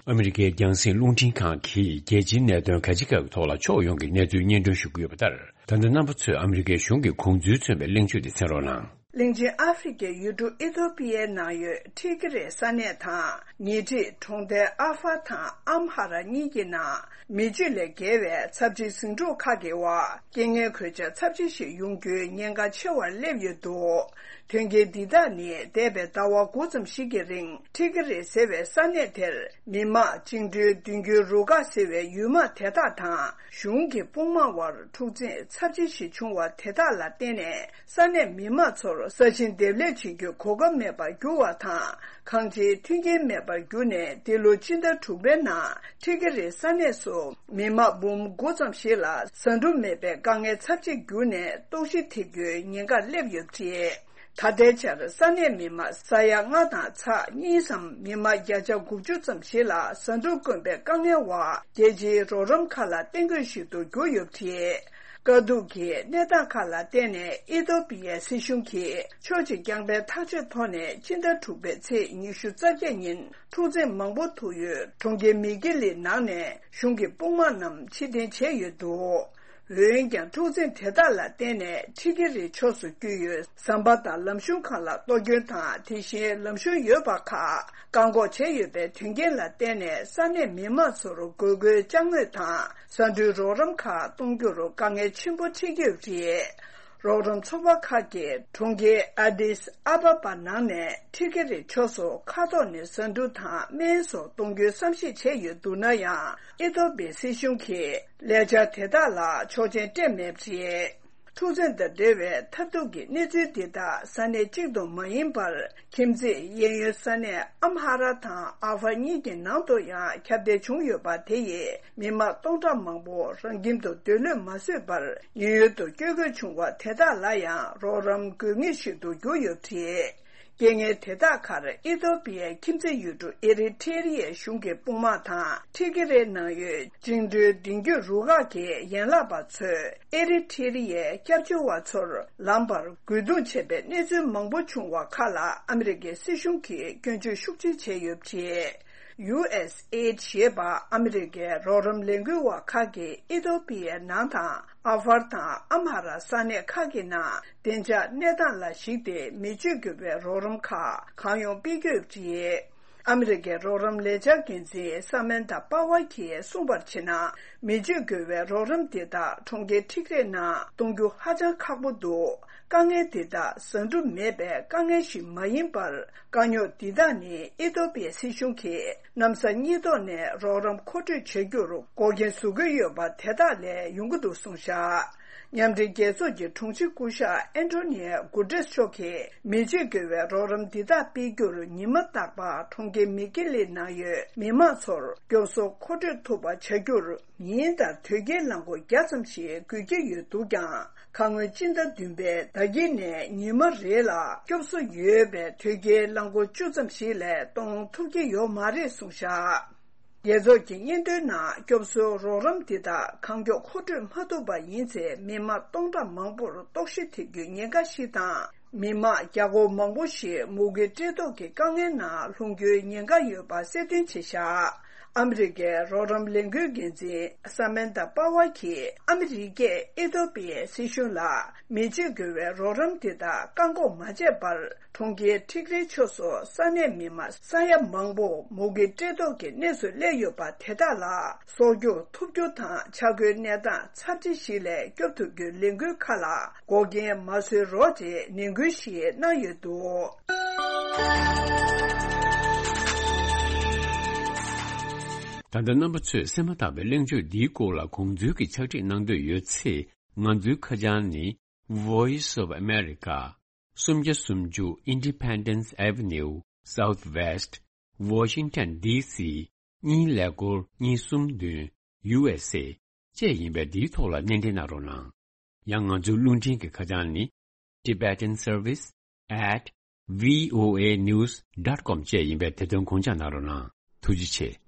ཨ་མི་རི་ཀའི་རྒྱང་སྲིང་རླུང་འཕྲིན་ཁང་གིས་རྒྱལ་སྤྱིའི་གནད་དོན་ག་ཅི་ག་གི་ཐོག་ལ་ཕྱོགས་ཡོངས་ཀྱི་གནས་ཚུལ་སྙན་སྒྲོན་ཞུ་གི་ཡོད་པ་ལྟར། ད་ལྟ་རྣམ་པ་ཚོས་ཨ་མི་རི་ཀའི་གཞུང་གི་དགོངས་ཚུལ་མཚོན་པའི་གླེང་བརྗོད་དེ་གསན་རོགས་གནང་། གླིང་ཆེན་ཨ་ཧྥེ་རི་ཁའི་ཡུལ་གྲུ་ཨི་ཐོ་པི་ཡའི་ནང་ཡོད་ཁྲི་ཀི་རི་ས་གནས་དང་ཉེ་འཁྲིས་གྲོང་རྡལ་ཨ་ཧྥ་དང་ཨམ་ཧ་ར་གཉིས་ཀྱི་ནང་མི་སྤྱོད་ལས་བརྒལ་བའི་ཚབས་ཆེའི་ཟིང་འཁྲུག་ཁག་གི་འོག་རྐྱེན་ངན་གོད་ཆག་ཚབས་ཆེ་ཞིག་ཡོང་རྒྱུའི་ཉེན་ཁ་ཆེ་བར་སླེབས་ཡོད་འདུག་དོན་རྐྱེན་འདི་དག་ནི་འདས་པའི་ཟླ་བ་དགུ་ཙམ་ཞིག་གི་རིང་ཁྲི་ཀི་རི་ཟེར་བའི་ས་གནས་དེར་མི་དམངས་བཅིངས་འགྲོལ་མདུན་སྐྱོད་རུ་ཁག་ཟེར་བའི་ཡུལ་དམག་དེ་དག་དང་གཞུང་གི་དཔུང་དམག་དབར་འཁྲུག་འཛིང་ཚབས་ཆེ་ཞིག་བྱུང་བ་དེ་དག་ལ་བརྟེན་ནས། ས་གནས་མི་དམངས་ཚོར་ས་ཞིང་འདེབས་ལས་བྱེད་རྒྱུའི་གོ་སྐབས་མེད་པར་གྱུར་བ་དང་། ཁང་ཆེའི་མཐུན་རྐྱེན་མེད་པར་གྱུར་ནས། འདི་ལོ་སྤྱི་ཟླ་དྲུག་པའི་ནང་ཁྲི་ཀི་རི་ས་གནས་སུ་མི་དམངས་འབུམ་དགུ་ཙམ་ཞིག་ལ་ཟ་འབྲུ་མེད་པའི་དཀའ་ངལ་ཚབས་ཆེ་གྱུར་ནས། ལྟོགས་ཤི་ཐེབས་རྒྱུའི་ཉེན་ཁར་སླེབས་ཡོད་པ་རེད། ད་ལྟའི་ཆར་ས་གནས་མི་དམངས་ས་ཡ་ལྔ་དང་ཚེག་གཉིས་སམ་མི་དམངས་བརྒྱ་ཆ་དགུ་བཅུ་ཙམ་ཞིག་ལ་ཟ་འབྲུ་དཀོན་པའི་དཀའ་ངལ་འོག་རྒྱལ་སྤྱིའི་རོགས་རམ་ཁག་ལ་གཏན་སྡོད་ཞིག་ཏུ་གྱུར་ཡོད་པ་རེད། དཀའ་སྡུག་གི་གནས་སྟངས་ཁག་ལ་བརྟེན་ནས་ཨི་ཐོ་པི་ཡའི་སྲིད་གཞུང་གིས་ཕྱོགས་གཅིག་རྐྱང་པའི་ཐག་གཅོད་ཐོག་ནས་སྤྱི་ཟླ་དྲུག་པའི་ཚེས་ཉི་ཤུ་རྩ་བརྒྱད་ཉིན་འཁྲུག་འཛིང་མང་པོ་ཐུག་ཡུལ་གྲོང་ཁྱེར་མི་ཀི་ལི་ནང་ནས་གཞུང་གི་དཔུང་དམག་རྣམས་ཕྱིར་འཐེན་བྱས་ཡོད་འདུག་འོན་ཀྱང་འཁྲུག་འཛིང་དེ་དག་ལ་བརྟེན་ནས་ཁྲི་ཀི་རི་ཕྱོགས་སུ་བསྐྱོད་ཡུལ་ཟམ་པ་དང་ལམ་གཞུང་ཁག་ལ་གཏོར་སྐྱོན་དང་། དེ་བཞིན་ལམ་གཞུང་ཡོད་པ་ཁག་བཀག་འགོག་བྱས་ཡོད་པའི་དོན་རྐྱེན་ལ་བརྟེན་ནས་ས་གནས་མི་དམངས་ཚོར་དགོས་མཁོའི་ཅ་དངོས་དང་ཟ་འབྲུའི་རོགས་རམ་ཁག་གཏོང་རྒྱུར་དཀའ་ངལ་ཆེན་པོ་འཕྲད་ཀྱི་ཡོད་པ་རེད། རོགས་རམ་ཚོགས་པ་ཁག་གིས་གྲོང་ཁྱེར་ཨ་དིས་ཨ་བ་བ་ནང་ནས་ཁྲི་ཀི་རི་ཕྱོགས་སུ་མཁའ་ཐོག་ནས་ཟ་འབྲུ་དང་སྨན་སོགས་གཏོང་རྒྱུའི་བསམ་གཞིག་བྱས་ཡོད་འདུག་ན་ཡང་། ཨི་ཐོ་པིའི་སྲིད་གཞུང་གིས་ལས་འཆར་དེ་དག་ལ་ཆོག་མཆན་སྤྲད་མེད་པ་རེད། འཁྲུག་འཛིང་དང་འབྲེལ་བའི་མཐར་ཐུག་གི་གནས་ཚུལ་འདི་དག་ས་གནས་གཅིག་ཏུ་མ་ཡིན་པར། ཁྱིམ་མཚེས་གཡས་གཡོན་ས་གནས་ཨམ་ཧ་ར་དང་ཨ་ཧྥ་གཉིས་ཀྱི་ནང་དུ་ཡང་ཁྱབ་གདལ་བྱུང་ཡོད་པ་དེ་ཡིས་མི་དམངས་སྟོང་ཕྲག་མང་པོ་རང་ཁྱིམ་དུ་སྡོད་ལོས་མ་བཟོད་པར་ཉེན་གཡོལ་དུ་བསྐྱོད་དགོས་བྱུང་བ་དེ་དག་ལ་ཡང་རོགས་རམ་དགོས་ངེས་ཤིག་ཏུ་གྱུར་ཡོད་པ་རེད། རྐྱེན་ངན་དེ་དག་ཁར་ཨི་ཐོ་པི་ཡའི་ཁྱིམ་མཚེས་ཡུལ་གྲུ་ཨེ་རི་ཐེ་རི་ཡའི་གཞུང་གི་དཔུང་དམག་དང་ཁྲི་ཀི་རེ་ནང་ཡོད་བཅིངས་འགྲོལ་མདུན་སྐྱོད་རུ་ཁག་གི་ཡན་ལག་པ་ཚོས་ཨེ་རི་ཐེ་རི་ཡའི་སྐྱབས་བཅོལ་བ་ཚོར་ལམ་བར་རྒོལ་རྡུང་བྱས་པའི་གནས་ཚུལ་མང་པོ་བྱུང་བ་ཁག་ལ་ཨ་མི་རི་ཀའི་སྲིད་གཞུང་གིས་སྐྱོན་བརྗོད་ཤུགས་ཆེ་བྱས་ཡོད་པ་རེད། ཡུ་ཨེས་ཨེ་ཌི་ཞེས་པ་ཨ་མི་རི་ཀའི་རོགས་རམ་ལས་འགུལ་བ་ཁག་གིས་ཨི་ཐོ་པི་ཡའི་ནང་དང་ཨ་ཧྥར་དང་ཨམ་ཧ་ར་ས་གནས་ཁག་གི་ནང་བདེ་འཇགས་གནས་སྟངས་ལ་གཞིགས་ཏེ་མི་སྤྱོད་དགོས་པའི་རོགས་རམ་ཁག་གང་ཡོང་སྤེལ་གྱི་ཡོད་པ་རེད། ཨ་མི་རི་ཀའི་རོགས་རམ་ལས་འཆར་འགན་འཛིན་ས་མན་ཐ་པ་ཝ་གིས་གསུངས་པར་བྱས་ན། མི་སྤྱོད་དགོས་པའི་རོགས་རམ་འདི་དག་གྲོང་ཁྱེར་ཊིག་རེ་ནང་གཏོང་རྒྱུ་ཧ་ཅང་ཁག་པོ་འདུག་དཀའ་ངལ་འདི་དག་བཟང་སྒྲུབ་མེད་པའི་དཀའ་ངལ་ཞིག་མ་ཡིན་པར། དཀའ་རྙོག་འདི་དག་ནི་ཨི་ཐོ་པི་ཡའི་སྲིད་གཞུང་གིས་གནམ་ས་གཉིས་ཐོག་ནས་རོགས་རམ་མཁོ་སྤྲོད་བྱ་རྒྱུར་འགོག་རྐྱེན་བཟོ་གི་ཡོད་པ་དེ་དག་ལས་ཡོང་གི་འདུག་གསུངས་བཞག་མཉམ་འབྲེལ་རྒྱལ་ཚོགས་ཀྱི་དྲུང་ཆེ་སྐུ་ཞབས་ཨན་ཐོ་ནི་ཡ་གུ་ཏྲེས་མཆོག་གིས་མི་སྤྱོད་དགོས་པའི་རོགས་རམ་འདི་དག་སྤེལ་རྒྱུར་ཉི་མ་རྟག་པར་གྲོང་ཁྱེར་མི་ཀི་ལི་ནང་ཡོད་མི་མང་ཚོར་སྐྱོབ་གསོ་མཁོ་སྤྲོད་ཐུབ་པ་བྱ་རྒྱུར། ཉིན་ལྟར་དོས་སྐྱེལ་རླངས་འཁོར་བརྒྱ་ཙམ་ཞིག་དགོས་ཀྱི་ཡོད་འདུག་ཀྱང་། ཁ་སྔོན་སྤྱི་ཟླ་བདུན་པའི་ཟླ་དཀྱིལ་ནས་ཉི་མ་རེ་ལ་སྐྱོབ་གསོ་ཡོད་པའི་དོས་སྐྱེལ་རླངས་འཁོར་བཅུ་ཙམ་ཞིག་ལས་གཏོང་ཐུབ་ཀྱི་ཡོད་མ་རེད་གསུངས་བཞག་རྒྱལ་ཚོགས་ཀྱི་སྙན་ཐོའི་ནང་སྐྱོབ་གསོའི་རོགས་རམ་འདི་དག་གང་མགྱོགས་མཁོ་སྤྲོད་མ་ཐུབ་པ་ཡིན་ཚེ་མི་མང་སྟོང་ཕྲག་མང་པོར་ལྟོགས་ཤི་ཐེབས་རྒྱུའི་ཉེན་ཁ་ཞིག་དང་། མི་མང་རྒྱ་སྒོར་མང་པོ་ཞིག་མུ་གེ་བཀྲེས་ལྟོགས་ཀྱི་དཀའ་ངལ་ནང་ལྷུང་རྒྱུའི་ཉེན་ཁ་ཡོད་པ་གསལ་སྟོན་བྱས་བཞག་ཨ་མི་རི་ཀའི་རོགས་རམ་ལས་འགུལ་འགན་འཛིན་ས་མན་ཐ་པ་ཝ་གིས་ཨ་མི་རི་ཀས་ཨི་ཐོ་པི་ཡའི་སྲིད་གཞུང་ལ་མི་སྤྱོད་དགོས་པའི་རོགས་རམ་དེ་དག་བཀག་འགོག་མ་བྱས་པར། གྲོང་ཁྱེར་ཊིག་རེ་ཕྱོགས་སུ་ས་གནས་མི་མང་ས་ཡ་མང་པོ་མུ་གེ་བཀྲེས་ལྟོགས་ཀྱི་གནས་སུ་སླེབས་ཡོད་པ་དེ་དག་ལ་གསོག་རྒྱུ་ཐུབ་རྒྱུ་དང་ཆ་བགོས་གནས་སྟངས་ཚབས་ཆེ་ཞིག་ལས་སྐྱོབ་ཐུབ་རྒྱུའི་ལས་འགུལ་ཁག་ལ་འགོག་རྐྱེན་མ་བཟོས་རོགས་ཅེས་ནན་སྐུལ་ཞིག་གནང་ཡོད་འདུག་ད་ལྟ་རྣམ་པ་ཚོས་གསན་མ་ཐག་པའི་གླེང་བརྗོད་འདིའི་སྐོར་ལ་དགོངས་ཚུལ་གྱི་ཕྱག་བྲིས་གནང་འདོད་ཡོད་ཚེ། ང་ཚོའི་ཁ་བྱང་ནི། Voice of America། སུམ་བརྒྱ་སུམ་ཅུ་Independence Avenue Southwest Washington D C གཉིས་ཀླད་ཀོར་གཉིས་གསུམ་བདུན། U S A བཅས་ཡིན་པས་འདིའི་ཐོག་ལ་སྣེ་འདྲེན་གནང་རོགས་གནང་། ཡང་ང་ཚོའི་རླུང་འཕྲིན་གྱི་ཁ་བྱང་ནི། Tibetan Service at V O A news dot com བཅས་ཡིན་པས་དེ་དོན་དགོངས་འཇགས་གནང་རོགས་གནང་། ཐུགས་རྗེ་ཆེ།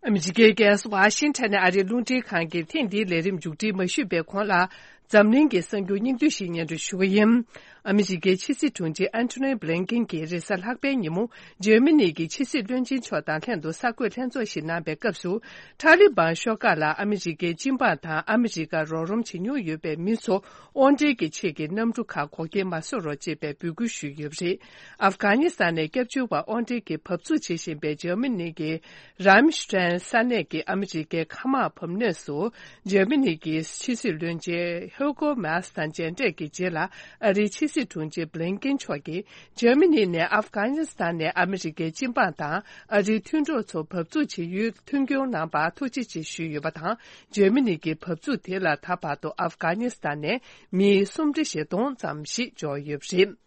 ཨ་མི་རི་ཀའི་རྒྱལ་ས་ཝ་ཤིང་ཊོན་ནས་ཨ་རིའི་རླུང་འཕྲིན་ཁང་གིས་ཐེངས་འདིའི་ལས་རིམ་མཇུག་སྒྲིལ་མ་ཞུས་པའི་གོང་ལ། འཛམ་གླིང་གི་གསར་འགྱུར་སྙིང་བསྡུས་ཤིག་སྙན་སྒྲོན་ཞུ་གི་ཡིན། ཨ་མི་རི་ཀའི་ཕྱི་སྲིད་དྲུང་ཆེ་ཨན་ཐོ་ནི་བྷི་ལིན་ཀིན་གྱིས་རེས་གཟའ་ལྷག་པའི་ཉིན་མོ། འཇར་མ་ནི་གི་ཕྱི་སྲིད་བློན་ཆེན་མཆོག་དང་ལྷན་དུ་གསར་འགོད་ལྷན་ཚོགས་ཤིག་གནང་པའི་སྐབས་སུ། ཐ་ལི་བན་ཤོག་ཁག་ལ་ཨ་མི་རི་ཀའི་སྤྱི་འབངས་དང་ཨ་མི་རི་ཀར་རོགས་རམ་བྱེད་མྱོང་ཡོད་པའི་མི་ཚོ། དབང་སྒྲིལ་གྱི་ཆེད་ཀྱི་གནམ་གྲུ་ཁག་འགོག་རྐྱེན་མ་བཟོ་རོགས་ཅེས་པའི་འབོད་སྐུལ་ཞུས་ཡོད་པ་རེད། ཨབ་གྷ་ནི་སི་ཐན་ནས་སྐྱབས་བཅོལ་བ་དབང་སྒྲིལ་གྱིས་བབས་ཚུགས་བྱེད་བཞིན་པའི་འཇར་མ་ནི་གི་རམ་ཤི་ཊེན་ས་གནས་ཀྱི་ཨ་མི་རི་ཀའི་མཁའ་དམག་བབས་གནས་སུ། འཇར་མ་ནི་གི་ཕྱི་སྲིད་བློན་ཆེན་ཧེའུ་གོ་མཱས་དང་མཇལ་འཕྲད་ཀྱི་རྗེས་ལ། ཨ་རིའི་ཕྱི་སྲིད་དྲུང་ཆེ་བྷི་ལིན་ཀིན་མཆོག་གིས། འཇར་མ་ནི་ནས་ཨབ་གྷ་ནི་སི་ཐན་ནས་ཨ་མི་རི་ཀའི་སྤྱི་འབངས་དང་ཨ་རིའི་མཐུན་གྲོགས་ཚོ་བབས་ཚུགས་བྱེད་ཡུལ་མཐུན་འགྱུར་གནང་བར་ཐུགས་རྗེ་ཆེ་ཞུས་ཡོད་པ་དང་། འཇར་མ་ནི་གི་བབས་ཚུགས་དེ་ལ་ད་བར་དུ་ཨབ་གྷ་ནི་སི་ཐན་ནས་མི་སུམ་ཁྲི་བཞི་སྟོང་ཙམ་ཞིག་འབྱོར་ཡོད་པ་རེད།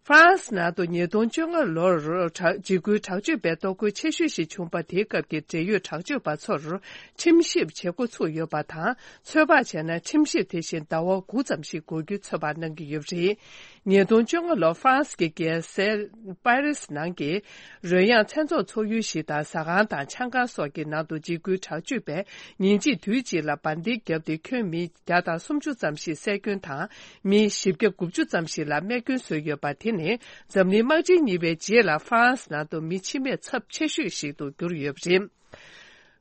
ཧྥ་རན་སི་ནང་དུ་ཉིས་སྟོང་བཅོ་ལྔ་ལོར་དྲག་འཇིགས་སྐུལ་དྲག་སྤྱོད་པའི་གཏོར་རྒོལ་ཆེ་ཤོས་ཤིག་བྱུང་བ་དེའི་སྐབས་ཀྱི་འབྲེལ་ཡོད་དྲག་སྤྱོད་པ་ཚོར་ཁྲིམས་ཞིབ་བྱེད་འགོ་ཚུགས་ཡོད་པ་དང་། ཚོད་དཔག་བྱས་ན་ཁྲིམས་ཞིབ་དེ་བཞིན་ཟླ་བ་དགུ་ཙམ་ཞིག་འགོར་རྒྱུའི་ཚོད་དཔག་གནང་གི་ཡོད་པ་རེད། ཉིས་སྟོང་བཅོ་ལྔ་ལོར་ཧྥ་རན་སི་གི་རྒྱལ་སའི་པེ་རིས་ནང་གི་རོལ་དབྱངས་མཚན་ཚོགས་ཚོགས་ཡུལ་ཞིག་དང་ཟ་ཁང་དང་ཆང་ཁང་སོགས་ཀྱི་ནང་དུ་འཇིགས་སྐུལ་དྲག་སྤྱོད་པས་ཉིན་གཅིག་དུས་གཅིག་ལ་འབར་མདེལ་བརྒྱབ་སྟེ་ཁྱོན་མི་བརྒྱ་དང་སུམ་ཅུ་ཙམ་ཞིག་བསད་སྐྱོན་དང་། མི་བཞི་བརྒྱ་དགུ་བཅུ་ཙམ་ཞིག་ལ་རྨས་སྐྱོན་བཟོས་ཡོད་པ་དེ་ནི་འཛམ་གླིང་དམག་འཁྲུག་གཉིས་པའི་རྗེས་ལ་ཧྥ་རན་སི་ནང་དུ་མི་འཆི་རྨས་ཚབས་ཆེ་ཤོས་ཤིག་ཏུ་གྱུར་ཡོད་པ་རེད།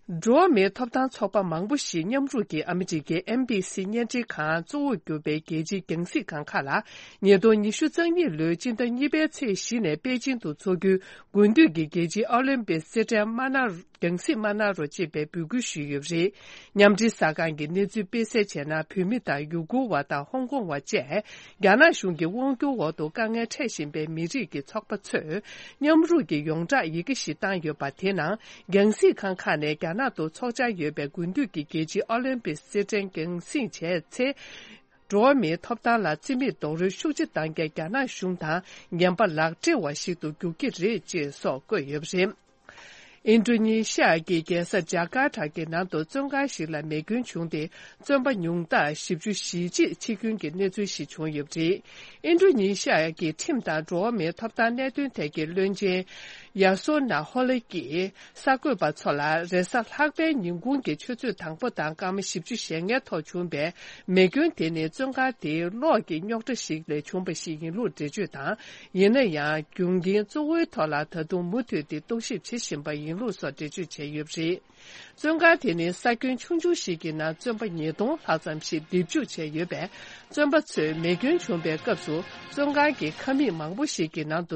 འགྲོ་བ་མིའི་ཐོབ་ཐང་ཚོགས་པ་མང་པོ་ཞིག་མཉམ་རུབ་ཀྱིས་ཨ་མི་རི་ཀའི་ཨེན་བྷི་སི་བརྙན་འཕྲིན་ཁང་གཙོ་བོར་གྱུར་པའི་རྒྱལ་སྤྱིའི་རྒྱང་སྲིང་ཁང་ཁག་ལ། ཉིས་སྟོང་ཉི་ཤུ་རྩ་གཉིས་ལོའི་སྤྱི་ཟླ་གཉིས་པའི་ཚེས་བཞི་ནས་པེ་ཅིང་དུ་འཚོགས་རྒྱུའི་དགུན་དུས་ཀྱི་རྒྱལ་སྤྱིའི་ཨོ་ལིམ་པིག་རྩེད་འགྲན་དམར་ནག་རྒྱང་སྲིང་དམར་ནག་རོ་ཅེས་པའི་འབོད་སྐུལ་ཞུས་ཡོད་པ་རེད། མཉམ་འབྲེལ་གསར་ཁང་གིས་གནས་ཚུལ་སྤེལ་གསལ་བྱས་ན། བོད་མི་དང་ཡུ་གུར་བ་དང་ཧོང་ཀོང་བ་བཅས་རྒྱ་ནག་གཞུང་གི་དབང་སྒྱུར་འོག་ཏུ་དཀའ་ངལ་འཕྲད་བཞིན་པའི་མི་རིགས་ཀྱི་ཚོགས་པ་ཚོས་མཉམ་རུབ་ཀྱི་ཡོངས་གྲགས་ཡི་གེ་ཞིག་བཏང་ཡོད་པ། དེའི་ནང་རྒྱང་སྲིང་ཁང་ཁག་ནས་རྒྱ་ནག་ཏུ་འཚོགས་འཆར་ཡོད་པའི་དགུན་དུས་ཀྱི་རྒྱལ་སྤྱིའི་ཨོ་ལིམ་པིག་རྩེད་འགྲན་རྒྱང་སྲིང་བྱས་ཚེ། འགྲོ་བ་མིའི་ཐོབ་ཐང་ལ་བརྩི་མེད་རྡོག་རོལ་ཤུགས་ཆེ་བཏང་མཁན་རྒྱ་ནག་གཞུང་དང་ངན་པ་ལག་སྦྲེལ་བ་ཞིག་ཏུ་འགྱུར་གྱི་རེད་ཅེས་སོགས་བཀོད་ཡོད་པ་རེད། ཨིན་ཌོ་ནེ་ཤི་ཡ་གི་རྒྱལ་ས་ཇ་ཀར་ཏ་གི་ནང་དུ་བཙོན་ཁང་ཞིག་ལ་མེ་སྐྱོན་བྱུང་སྟེ། བཙོན་པ་ཉུང་མཐར་བཞི་བཅུ་ཞེ་གཅིག་འཆི་སྐྱོན་གྱི་གནས་ཚུལ་ཞིག་བྱུང་ཡོད་པ་རེད། ཨིན་ཌོ་ནེ་ཤི་ཡ་གི་ཁྲིམས་དང་འགྲོ་བ་མིའི་ཐོབ་ཐང་གནད་དོན་ཐད་ཀྱི་བློན་ཆེན་ཡ་སོ་ན་ཧོ་ལེ་ཀྱིས། གསར་འགོད་པ་ཚོ་ལ་རེས་གཟའ་ལྷག་པའི་ཉིན་གུང་གི་ཆུ་ཚོད་དང་པོ་དང་སྐར་མ་བཞི་བཅུ་ཞེ་ལྔའི་ཐོག་བྱུང་བའི་མེ་སྐྱོན་དེ་ནི་བཙོན་ཁང་དེའི་གློག་གི་རྙོག་དྲ་ཞིག་ལས་བྱུང་བ་ཞིག་ཡིན་ལུགས་འགྲེལ་བརྗོད་དང་། ཡིན་ན་ཡང་། རྒྱུ་རྐྱེན་གཙོ་བོའི་ཐོག་ལ་ད་དུང་མུ་མཐུད་དེ་རྟོག་ཞིབ་བྱེད་བཞིན་པ་ཡིན་ལུགས་སོགས་འགྲེལ་བརྗོད་བྱས་ཡོད་པ་རེད། བཙོན་ཁང་དེ་ནི་ས་ཁྱོན་ཆུང་ཆུང་ཞིག་གི་ནང་བཙོན་པ་ཉིས་སྟོང་ལྷག་ཙམ་ཞིག་སྡེབ་འཇུག་བྱས་ཡོད་པས། བཙོན་པ་ཚོས་མེ་སྐྱོན་བྱུང་བའི་སྐབས་སུ་བཙོན་ཁང་གི་ཁང་མིག་མང་པོ་ཞིག་གི་ནང་དུ།